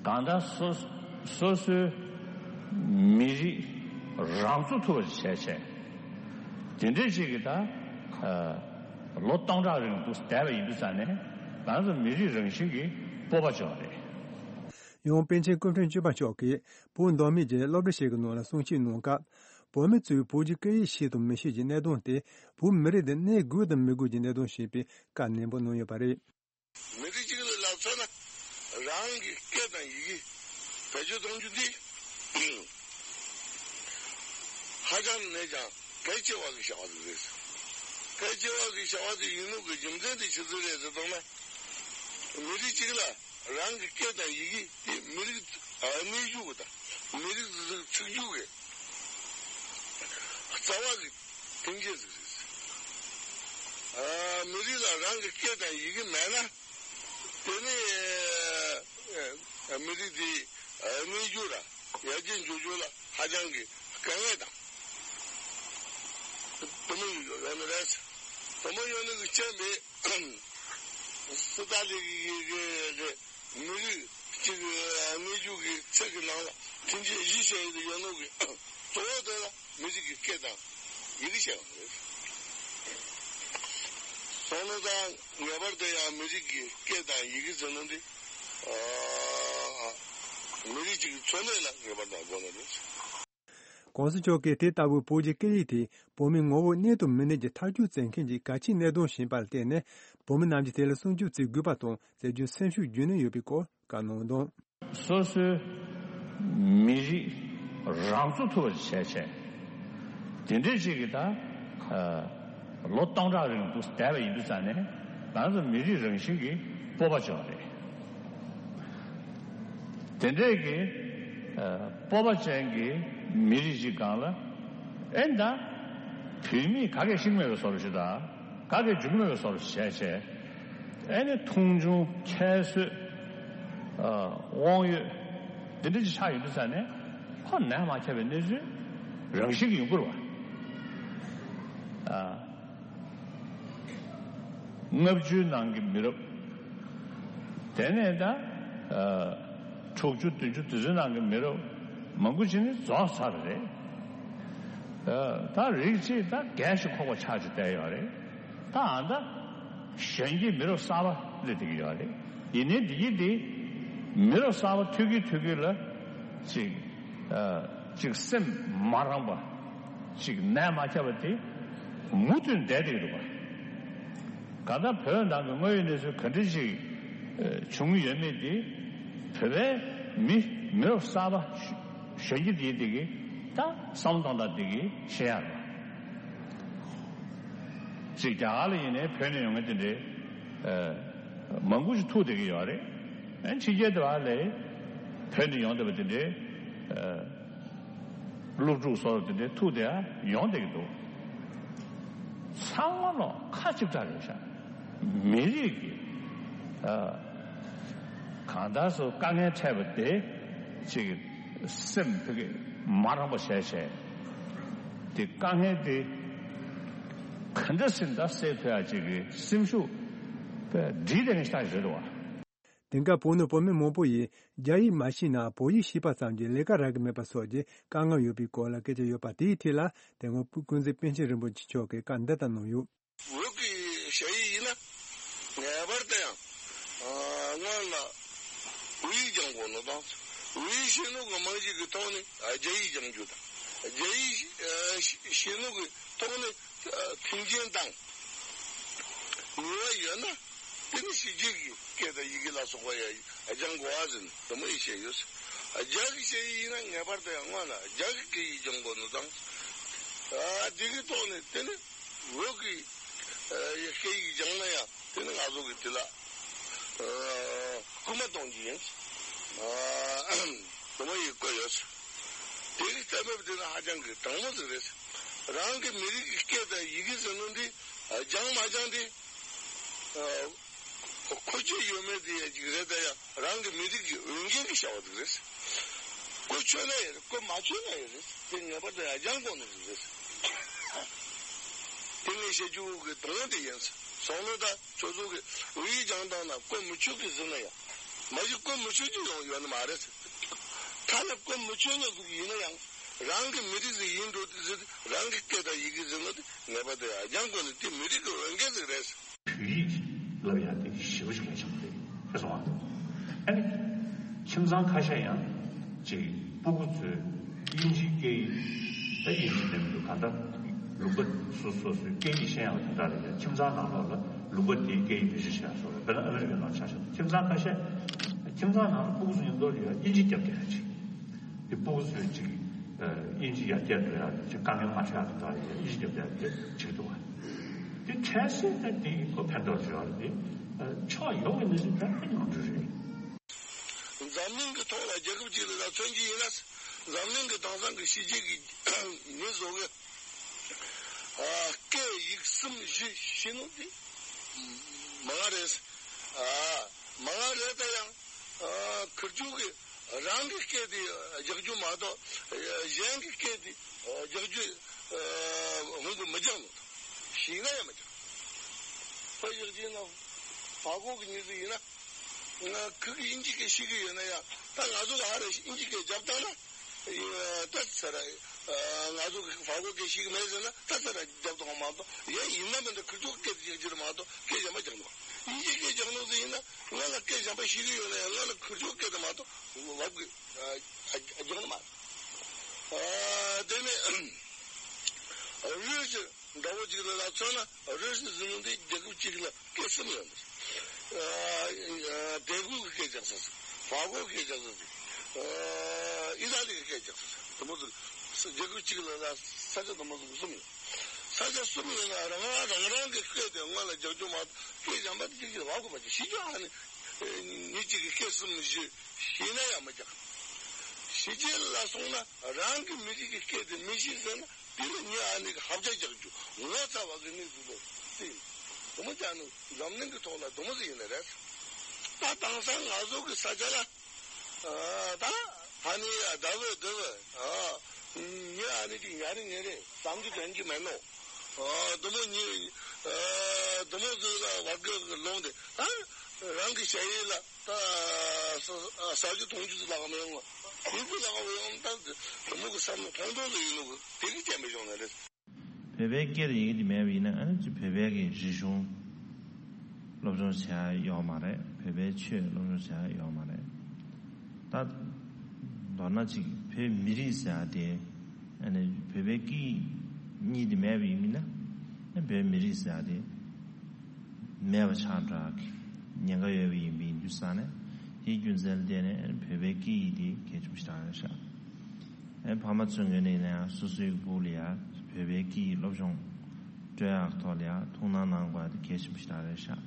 གང་ལྟར་སོ་སོ་སོའི་མི་རིགས་རང་གཙོ་ཐུབ་པ་ཞིག་བྱས་བྱས། དེ་འདྲའི་ཅིག་གིས་ད་ལོ་སྟོང་ཕྲག་རིང་དུ་བསྡད་པ་ཡིན་དུས་ཙང་ནས་ང་ཚོ་མི་རིགས་རང་བཞིན་གྱིས་སྤོབས་པ་བྱུང་བ་རེད། ཡང་པཎ་ཆེན་སྐུ་ཕྲེང་བཅུ་པ་མཆོག་གིས་བོད་མདོ་སྨད་ཀྱི་སློབ་གྲྭ་ཞིག་གི་ནང་ལ་གསུང་བཤད་གནང་སྐབས། བོད་མི་ཚོས་བོད་ཀྱི་སྐད་ཡིག་ཤེས་དང་མི་ཤེས་ཀྱི་གནད་དོན་དེ་བོད་མི་རིགས་དེ་གནས་དགོས་དང་མི་དགོས་ཀྱི་གནད་དོན་ཞེས་པའི་བཀའ་ནན་པོ་གནང་ཡོད་པ་རེད། མི་རིགས་གཅིག་ལ་ལབ་ཚར་ན་རང་གི་སྐད་དང་ཡི་གེ་བེད་སྤྱོད་གཏོང་རྒྱུ་འདི་ཧ་ཅང་ནས་ཀྱང་ ཕལ་ཆེ་བ་གི་བྱ་བ་ཟིག་རེད། ཕལ་ཆེ་བ་གི་བྱ་བ་དེ་ཡིན་ནོ་གི་རྒྱུ་མཚན་དེ་ཆི་ཟིག་རེད་ཟེར་བཏང་ན། མི་རིགས་གཅིག་ལ་རང་གི་སྐད་དང་ཡི་གེ་དེ་མི་རིགས་གནས་རྒྱུ་གི་དང་མི་རིགས་ཟིག་ཚུགས་རྒྱུ་གི་རྩ་བ་གི་མཐུན་རྐྱེན་ཟིག་རེད། ཨ། མི་རིགས་ལ་རང་གི་སྐད་དང་ཡི་གེ་མེད་ན། དེ་ནི་ཨ་མི་རིགས་དེ་གནས་རྒྱུ་ར་ཡར་རྒྱས་འགྲོ་རྒྱུ་ལ་ཧ་ཅང་གི་དཀའ་ངལ་དང་དུ་མ་ཡོད་ནི་རེད། དུ་མ་ཡོད་ནི་གི་རྐྱེན་པས་སི་ཏཱ་ལི་གི་གི་གི་མི་རིགས་གཅིག་གནས་རྒྱུ་གི་ཚིག་གི་ནང་ལ་མཐུན་རྐྱེན་བཞི་བཤད་ཡོད་ནོ་གི་གཙོ་བོ་དེ་ལ། མི་རིགས་ཀྱི་སྐད་དང་ཡི་གེ་བཤད་པ་རེད། སོང་ནོ་དང་ངེས་པར་དུ་ཡང་མི་རིགས་ཀྱི་སྐད་དང་ཡི་གེ་ཟེར་ནོ་འདི། ཨ། མི་རིགས་གཅིག་གི་འཚོ་གནས་ལ་ངེས་པར་དུ་དགོས་ནི་རེད། ༸གོང་ས་མཆོག་གིས་དེ་ལྟ་བུའི་བོད་ཀྱི་སྐད་ཡིག་དེ་བོད་མིའི་ངོ་བོ་གནས་དང་མི་གནས་ཀྱི་ཐག་གཅོད་མཛད་མཁན་གྱི་གལ་ཆེའི་གནད་དོན་ཡིན་པར་བརྟེན་ནས། བོད་མི་རྣམས་ཀྱིས་དེ་ལ་སྲུང་སྐྱོབ་བྱེད་དགོས་པ་དང་། བྱེད་རྒྱུའི་སེམས་ཤུགས་རྒྱུན་གནས་ཡོད་པའི་སྐོར་བཀའ་གནང་དོན། སོ་སོའི་མི་རིགས་རང་གཙོ་ཐུབ་པ་བྱས་བྱས། དེ་འདྲའི་ཅིག་གི་ད་ལོ་སྟོང་ཕྲག་རིང་དུ་བསྡད་པ་ཡིན་དུས་ཙང་ནས། ང་ཚོ་མི་རིགས་རང་བཞིན་གྱི་སྤོབས་པ་ཅིག་ཡོད་རེད། དེ་འདྲའི་གི་སྤོབས་པ་ཅན་གྱི་མི་རིགས་ཅིག་སྒང་ལ། ཨེ་ད། བུད་མེད་ག་གེ་ཤིག་མེད་པའི་བཟོ་འདྲ་ཞིག་དང་། ག་གེ་འཇུག་མེད་པའི་བཟོ་འདྲ་བྱས་བྱས། ཨེ་ནི་མཐོང་ཆུང་ཁྱད་གསོད། ཨ། དབང་ཡོད། འདི་འདྲ་ཅིག་ཆགས་ཡོང་དུས་ཙང་ནས། ཁོ་ནད་མ་ཁྱབ་པའི་གནས་ཚུལ་རང་བཞིན་གྱིས་ཡོང་གི་རེད་པ། ཨ། ལྔ་བཅུའི་ནང་གི་མི་རབས། དེ་ནས་ད། ཨ། དྲུག་ཅུ་བདུན་ཅུ་དེ་ཚོའི་ནང་གི་མི་རབས་མང་པོ་ཅིག་ནི་རྫོགས་ཚར་བ་རེད། ཨ། ད་རིགས་གཅིག་ད་རྒས་ཤིང་འཁོགས་པ་ཆགས་ཀྱི་བསྡད་ཡོད་རེད། ད་ཨ་ད་གཞོན་སྐྱེས་མི་རབས་གསར་པ་སླེབས་བསྡད་ཀྱི་ཡོད་རེད། ཡིན་ནའི་འདི་གི་འདི་མི་རབས་གསར་པ་ཐོན་གྱིན་ཐོན་གྱིན་ལ་ཅིག་ཨ། ཅིག་སེམས་མ་རངས་པ། ཅིག་ནད་མ་ཁྱབ་པ་དེ་མུ་མཐུད་བསྡད་བསྡད་ཀྱི་འདུག་པ། གང་ལྟར་བོད་ནང་གི་དངོས་ཡོད་གནས་ཚུལ་ག་འདྲ་ཞིག་ཨ། བྱུང་ཡོད་མེད་དེ། བོད་པའི་མི་མི་རབས་གསར་པ་གཞོན་སྐྱེས་དེ་དེ་གིས་ད་བསམ་བློ་གཏོང་སྟངས་དེ་གིས་ཤེས་ཡ་རེད། ཅིག་རྒྱ་གར་ལ་ཡིན་ནའི་བོད་ནས་ཡོང་མཁན་དེ་འདྲའི་ཨ། མང་པོ་ཞིག་ཐུག་བསྡད་ཀྱི་ཡོད་རེད། ཨ། ཕྱི་རྒྱལ་དུ་བ་ལས་བོད་ནས་ཡོང་བསྡད་པ་དེ་འདྲའི་ཨ། སློབ་ཕྲུག་སོགས་དེ་འདྲའི་ཐུག་བསྡད་ཡ་ཡོང་བསྡད་ཀྱི་འདུག། ཚང་མ་ལོག་ཁ་གཅིག་གྲགས་རེད་ཤག། མི་རིགས་ཀྱི་ཨ། གང་ལྟར་སོ་དཀའ་ངལ་འཕྲད་པ་དེ་ཅིག་སེམས་ཕ་གི་མ་རངས་པ་བྱས་བྱས། དེ་དཀའ་ངལ་དེ་ག་འདྲ་སེ་ད་སེལ་ཐུབ་ཡ་ཅིག་གི་སེམས་ཤུགས་སྒྲིལ་བསྡད་མཁན་ཞིག་རེད་བ། དེང་སྐབས་བོད་ནང་བོད་མི་མང་པོ་ཡིས་རྒྱ་ཡིག་མ་ཤེས་ན་བོད་ཡིག་ཤེས་པ་ཙམ་གྱིས་ལས་ཀ་རག་གི་མེད་པ་སོགས་ཀྱི་དཀའ་ངལ་ཡོད་པའི་སྐོར་ལ་སྐད་ཆ་ཡོད་པ་དེའི་ཐད་ལ། དེ་སྔོན་ཀུན་གཟིགས་པཎ་ཆེན་རིན་པོ་ཆེ་མཆོག་གིས་བཀའ་འདི་ལྟར་གནང་ཡོད། བོད་ཀྱི་ཞ་ཡིག་ཡིན་ན་ངེས་པར་དུ་ཡང་སྔོན་ལ་བོད་ཡིག་སྦྱང་དགོས་ནོ་དང་། བོད་ཡིག་ཤེས་ནོ་གི་རྨང་གཞི་གི་ཐོག་ནས་རྒྱ་ཡིག་སྦྱང་རྒྱུ་དང་། རྒྱ་ཡིག་ཤེས་ནོ་གི་ཐོག་ནས་མཐུན་རྐྱེན་དང་ནུས་པ་ཡོད་ན། དེ་ནི་ཕྱི་རྒྱལ་གྱི་སྐད་དང་ཡི་གེ་ལ་སོགས་པ་ཡང་སྦྱང་དགོས་པ་ཟེར་ནས་དུ་མ་ཡིས་བཤད་ཡོད། རྒྱ་གི་ཞ་ཡིག་ཡིན་ན་ངེས་པར་དུ་ཡང་སྔོན་ལ་རྒྱ་གི་སྐད་ཡིག་སྦྱང་དགོས་ནོ་དང་། ཨ། དེ་གི་ཐོག་ནས་དེ་ནི་བོད་ཀྱི་ཨ། སྐད་ཡིག་སྦྱང་ན་ཡང་དེ་ནི་ང་ཚོ་གི་དེ་ལ་ཨ། སྐུལ་མ་གཏོང་རྒྱུ་ཡིན། ཨ། དུ་མ་ཡིས་བཀོད་ཡོད། དེ་གི་ལྟ་བབ་དེ་ནི་ཧ་ཅང་གི་དྲང་མོ་ཟིག་རེད། རང་གི་མི་རིགས་ཀྱི་སྐད་དང་ཡི་གེ་ཟེར་ནོ་འདི་ཨ། སྦྱང་མ་སྦྱང་དེ། ཨ། མཁོ་ཆོད་ཡོད་མེད་དེ་ཡང་ཅིག་རེད། ད་ཡང་རང་གི་མི་རིགས་ཀྱི་འོས་འགན་གྱི་བྱ་བ་ཟིག་རེད། བཀོལ་ཆོད་ན་ཡང་རེད། བཀོལ་མ་ཆོད་ན་ཡང་རེད། དེ་ངེས་པར་དུ་ཡང་སྦྱང་དགོས་ནི་ཟིག་རེད། དེ་ངས་བཤད་རྒྱུ་གི་དོན་དེ་ཡིན། སོང་ནོ་ད་ཁྱོད་ཚོ་གི་བོད་ཡིག་སྦྱང་སྟངས་ན་བཀོལ་མི་ཆོད་གི་ཟེར་ན་ཡང་མ་གཞི་བཀོལ་མི་ཆོད་རྒྱུ་ཡང་ཡོད་ནི་མ་རེད། ཐ་ན་བཀོལ་མི་ཆོད་ནོ་ཟིག་ཡིན་ན་ཡང་། རང་གི་མི་རིགས་ཟིག་ཡིན་འགྲོ་དུས་ཟིག་རང་གི་སྐད་དང་ཡི་གེ་ཟེར་ནོ་དེ་ངེས་པར་དུ་ཡང་སྦྱང་དགོས་ནི་དེ་མི་རིགས་ཀྱི་འོས་འགན་ཟིག་རེད། བོད་ཡིག་བསླབ་ཡག་དེ་ཞེ་པོ་ཞིག་གལ་ཆེན་པོ་རེད། ཤེས་སོང་ཨ། ཨ་ནི་ཁྱིམ་ཚང་ཁ་ཤས་ཡང་ཅིག་སྤུ་གུ་ཚོས་དབྱིན་ཇིའི་སྐད་ཡིག་ད་དབྱིན་ཇི་ནས་མི་འདུག་གང་ལྟར་ལུང་པ་སོ་སོ་སོའི་སྐད་ཡིག་ཤེས་ཡག་དེ་འདྲ་རེད། ཁྱིམ་ཚང་ནང་ལོགས་ལ་ལུང་པ་དེའི་སྐད་ཡིག་བེད་སྤྱོད་བྱེད་ཡག་སོགས་རེད། དཔེར་ན་ཨ་མི་རི་ཀའི་ནང་ཆ་བཞག་ན་ཁྱིམ་ཚང་ཁ་ཤས། ཁྱིམ་ཚང་ནང་ལ་སྤུ་གུ་ཚོ་མཉམ་དུ་ཡོད་དབྱིན་ཇི་རྒྱབ་བསྡད་ཡག་ཅིག་དེ་སྤུ་གུ་ཚོས་ཅིག་ དབྱིན་ཇི་ཡར་རྒྱས་འགྲོ་ཡག་དེ་དཀའ་ངལ་མ་འཕྲད་ཡག་གི་ཐོག་ལ་དབྱིན་ཇི་རྒྱབ་ཡག་དེ་བྱེད་ཀྱི་འདུག་བ། དེ་གལ་སྲིད་ད་དེ་ཡིན་ཁོ་ཕན་ཐོགས་བྱེད་ཡག་དེ་ཕྱོགས་ཡོངས་ཀྱི་གནས་ཚུལ་ད་ཕན་ཡོང་གི་རེད། འཛམ་གླིང་གི་ཐོག་ལ་རྒྱལ་ཁབ་ཅིག་ལ་ད་མཚོན་གྱི་ཡིན་ན། འཛམ་གླིང་གི་དེང་སང་གི་ཕྱི་རྒྱལ་གྱི་མི་ཚོ་གི་ཨ་སྐད་ཡིག་གསུམ་བཞི་ཤེས་ནོ་དེ་མང་ང་རེད། ཨ་མང་ང་རེད། ད་ཡང་ཨ་ཁིར་ཆོ་གི་རང་གི་སྐད་དེ་རྒྱག་རྒྱུ་མ་གཏོགས་གཞན་གྱི་སྐད་དེ་རྒྱག་རྒྱུ་ཧོང་གི་མི་རྒྱག་ནོ། ཤེས་ན་ཡང་མི་རྒྱག་ཁོ་ཡག་ཅིག་ན་ཧྥ་གོ་གི་མྱི་ཟིག་ཡིན་ན། ང་ཁོ་གིས་དབྱིན་ཇི་སྐད་ཤེས་ཀྱི་ཡོད་ན་ཡང་ད་ང་ཚོ་ག་ཧ་རེ་དབྱིན་ཇི་སྐད་རྒྱབ་བཏང་ན། ད་ཚར། ང་ཚོ་གི་ཧྥ་གོ་སྐད་ཤེས་ཀྱི་མེད་ཟེར་ན་ད་ཚར་རྒྱབ་བཏང་མ་གཏོགས་ཡང་ཡིན་ན་མིན་ན་ཁིར་ཆོ་སྐད་རྒྱག་རྒྱུ་རེད་མ་གཏོགས་སྐད་གཞན་པ་རྒྱག་ནོ། དབྱིན་ཇི་སྐད་རྒྱག་ནོ་ཟིག་ཡིན་ན་ང་ལ་སྐད་གཞན་པ་ཤེས་ཀྱི་ཡོད་ན་ཡང་ང་ལ་ཁིར་ཆོ་སྐད་དེ་མ་གཏོགས་ལབ་གི་རྒྱག་ནི་མ་རེད། དེ་ནས་རུས་ཀྱི་འདྲ་བོ་ཅིག་ལ་མཚོན་ན་རུས་ཀྱི་ཟེར་ནོ་འདི་རྒྱལ་ཁབ་གཅིག་ལ་སྐད་གསུམ་ཡོད་འདུག་དེ་གུ་གི་སྐད་རྒྱག་ས་ཟིག་ཧྥ་གོ་གི་སྐད་རྒྱག་ས་ཟིག་ཨི་ཏཱ་ལི་གི་སྐད་རྒྱག་ས་ཟིག་དེ་མོ་ཟིག་རྒྱལ་ཁབ་གཅིག་ལ་ས་ཆ་དེ་མོ་ཟིག་གསུམ་ཡོད། ས་ཆ་གསུམ་ཡོད་ན་རང་རང་རང་རང་གི་སྐད་དེ་སྔོན་ལ་རྒྱག་རྒྱུ་མ་གཏོགས་སྐད་གཞན་པ་དེ་གཅིག་གཅིག་ལབ་དགོས་པ་ཅིག་ཤེས་རྒྱུ་ཨ་ནི་མི་གཅིག་གི་སྐད་གསུམ་བཞི་ཤེས་ན་ཡང་མི་རྒྱག་ཕྱི་རྒྱལ་ལ་སོང་ན་རང་གི་མི་རིགས་ཀྱི་སྐད་དེ་མི་ཤེས་ཟེར་ན། དེ་ནི་ངས་ཨ་ནི་གི་ཧབ་ཆ་རྒྱག་རྒྱུ་ངོ་ཚ་བ་གི་གནས་ཚུལ་ལ་བརྩིས། དེ་མོ་ཅག་ནི་འཛམ་གླིང་གི་ཐོག་ལ་དེ་མོ་ཟིག་ཡིན་ནི་རེད། ད་དེང་སང་ང་ཚོ་གི་ས་ཆ་ལ་ཨ་ད་ཨ་ནི་ཨ་ད་བོད་དེ་བོད་ཨ་ངས་ཨ་ནི་ཅིག་ཉར་ཉེ་རེད་བསམ་རྒྱུ་དོན་གྱི་མེད་ནོ། ཨ་དེ་མོ་ཉི་ཨ་དེ་མོ་ཟིག་ལ་བར་གི་ལོང་དེ་ད་རང་གི་ཞ་ཡི་ལ། ད་ས་ས་རྒྱུ་མཐོང་རྒྱུ་ལག་མི་ཡོང་བ། དེ་ཚོ་ལག་མི་ཡོང་ད་དེ་མོ་གི་བསམ་བློ་ཐོང་ཐོང་དུ་ཡིན་ནོ་གི་དེ་གི་བྱས་མི་ཤོང་ནི་རེད། བོད་པའི་སྐད་ཡིག་དེ་མེད་པ་ཡིན་ན་ཨ་ནི་ཅི་བོད་པའི་གི་རིག་གཞུང་སློབ་སྦྱོང་བྱ་ཡ་ཡོད་མ་རེད། བོད་པའི་ཆོས་སློབ་སྦྱོང་བྱ་ཡ་ཡོད་མ་རེད། ད་མདོར་ན་ཅིག་བོད་མི་རིགས་ཟེར་ཡ་དེ་ཨ་ནི་བོད་པའི་སྐད་ཡིག་གཉིས་དེ་མེད་པ་ཡིན་ན་ཨ་བོད་མི་རིགས་ཟེར་ཡ་དེ། མེད་པ་ཆགས་འགྲོ་གི་ཉེན་ཁ་ཡོད་པ་ཡིན་པའི་འདུག་བསམ་ནས་དེའི་རྒྱུ་མཚན་ལ་བརྟེན་ནས་བོད་པའི་སྐད་ཡིག་དེ་གལ་ཆེན་པོ་ཞིག་རེད་ཤག་ཨེ་ཕ་མ་ཚོའི་ངོས་ནས་ཡིན་ན་ཡང་སོ་སོའི་སྤུ་གུ་ལ་ཡང་བོད་པའི་སྐད་ཡིག་སློབ་སྦྱོང་སྤྲོད་ཡག་ཐོག་ལ་ཡང་ཐུགས་སྣང་གནང་དགོས་པ་དེ་གལ་ཆེན་པོ་ཞིག་རེད་ཤག་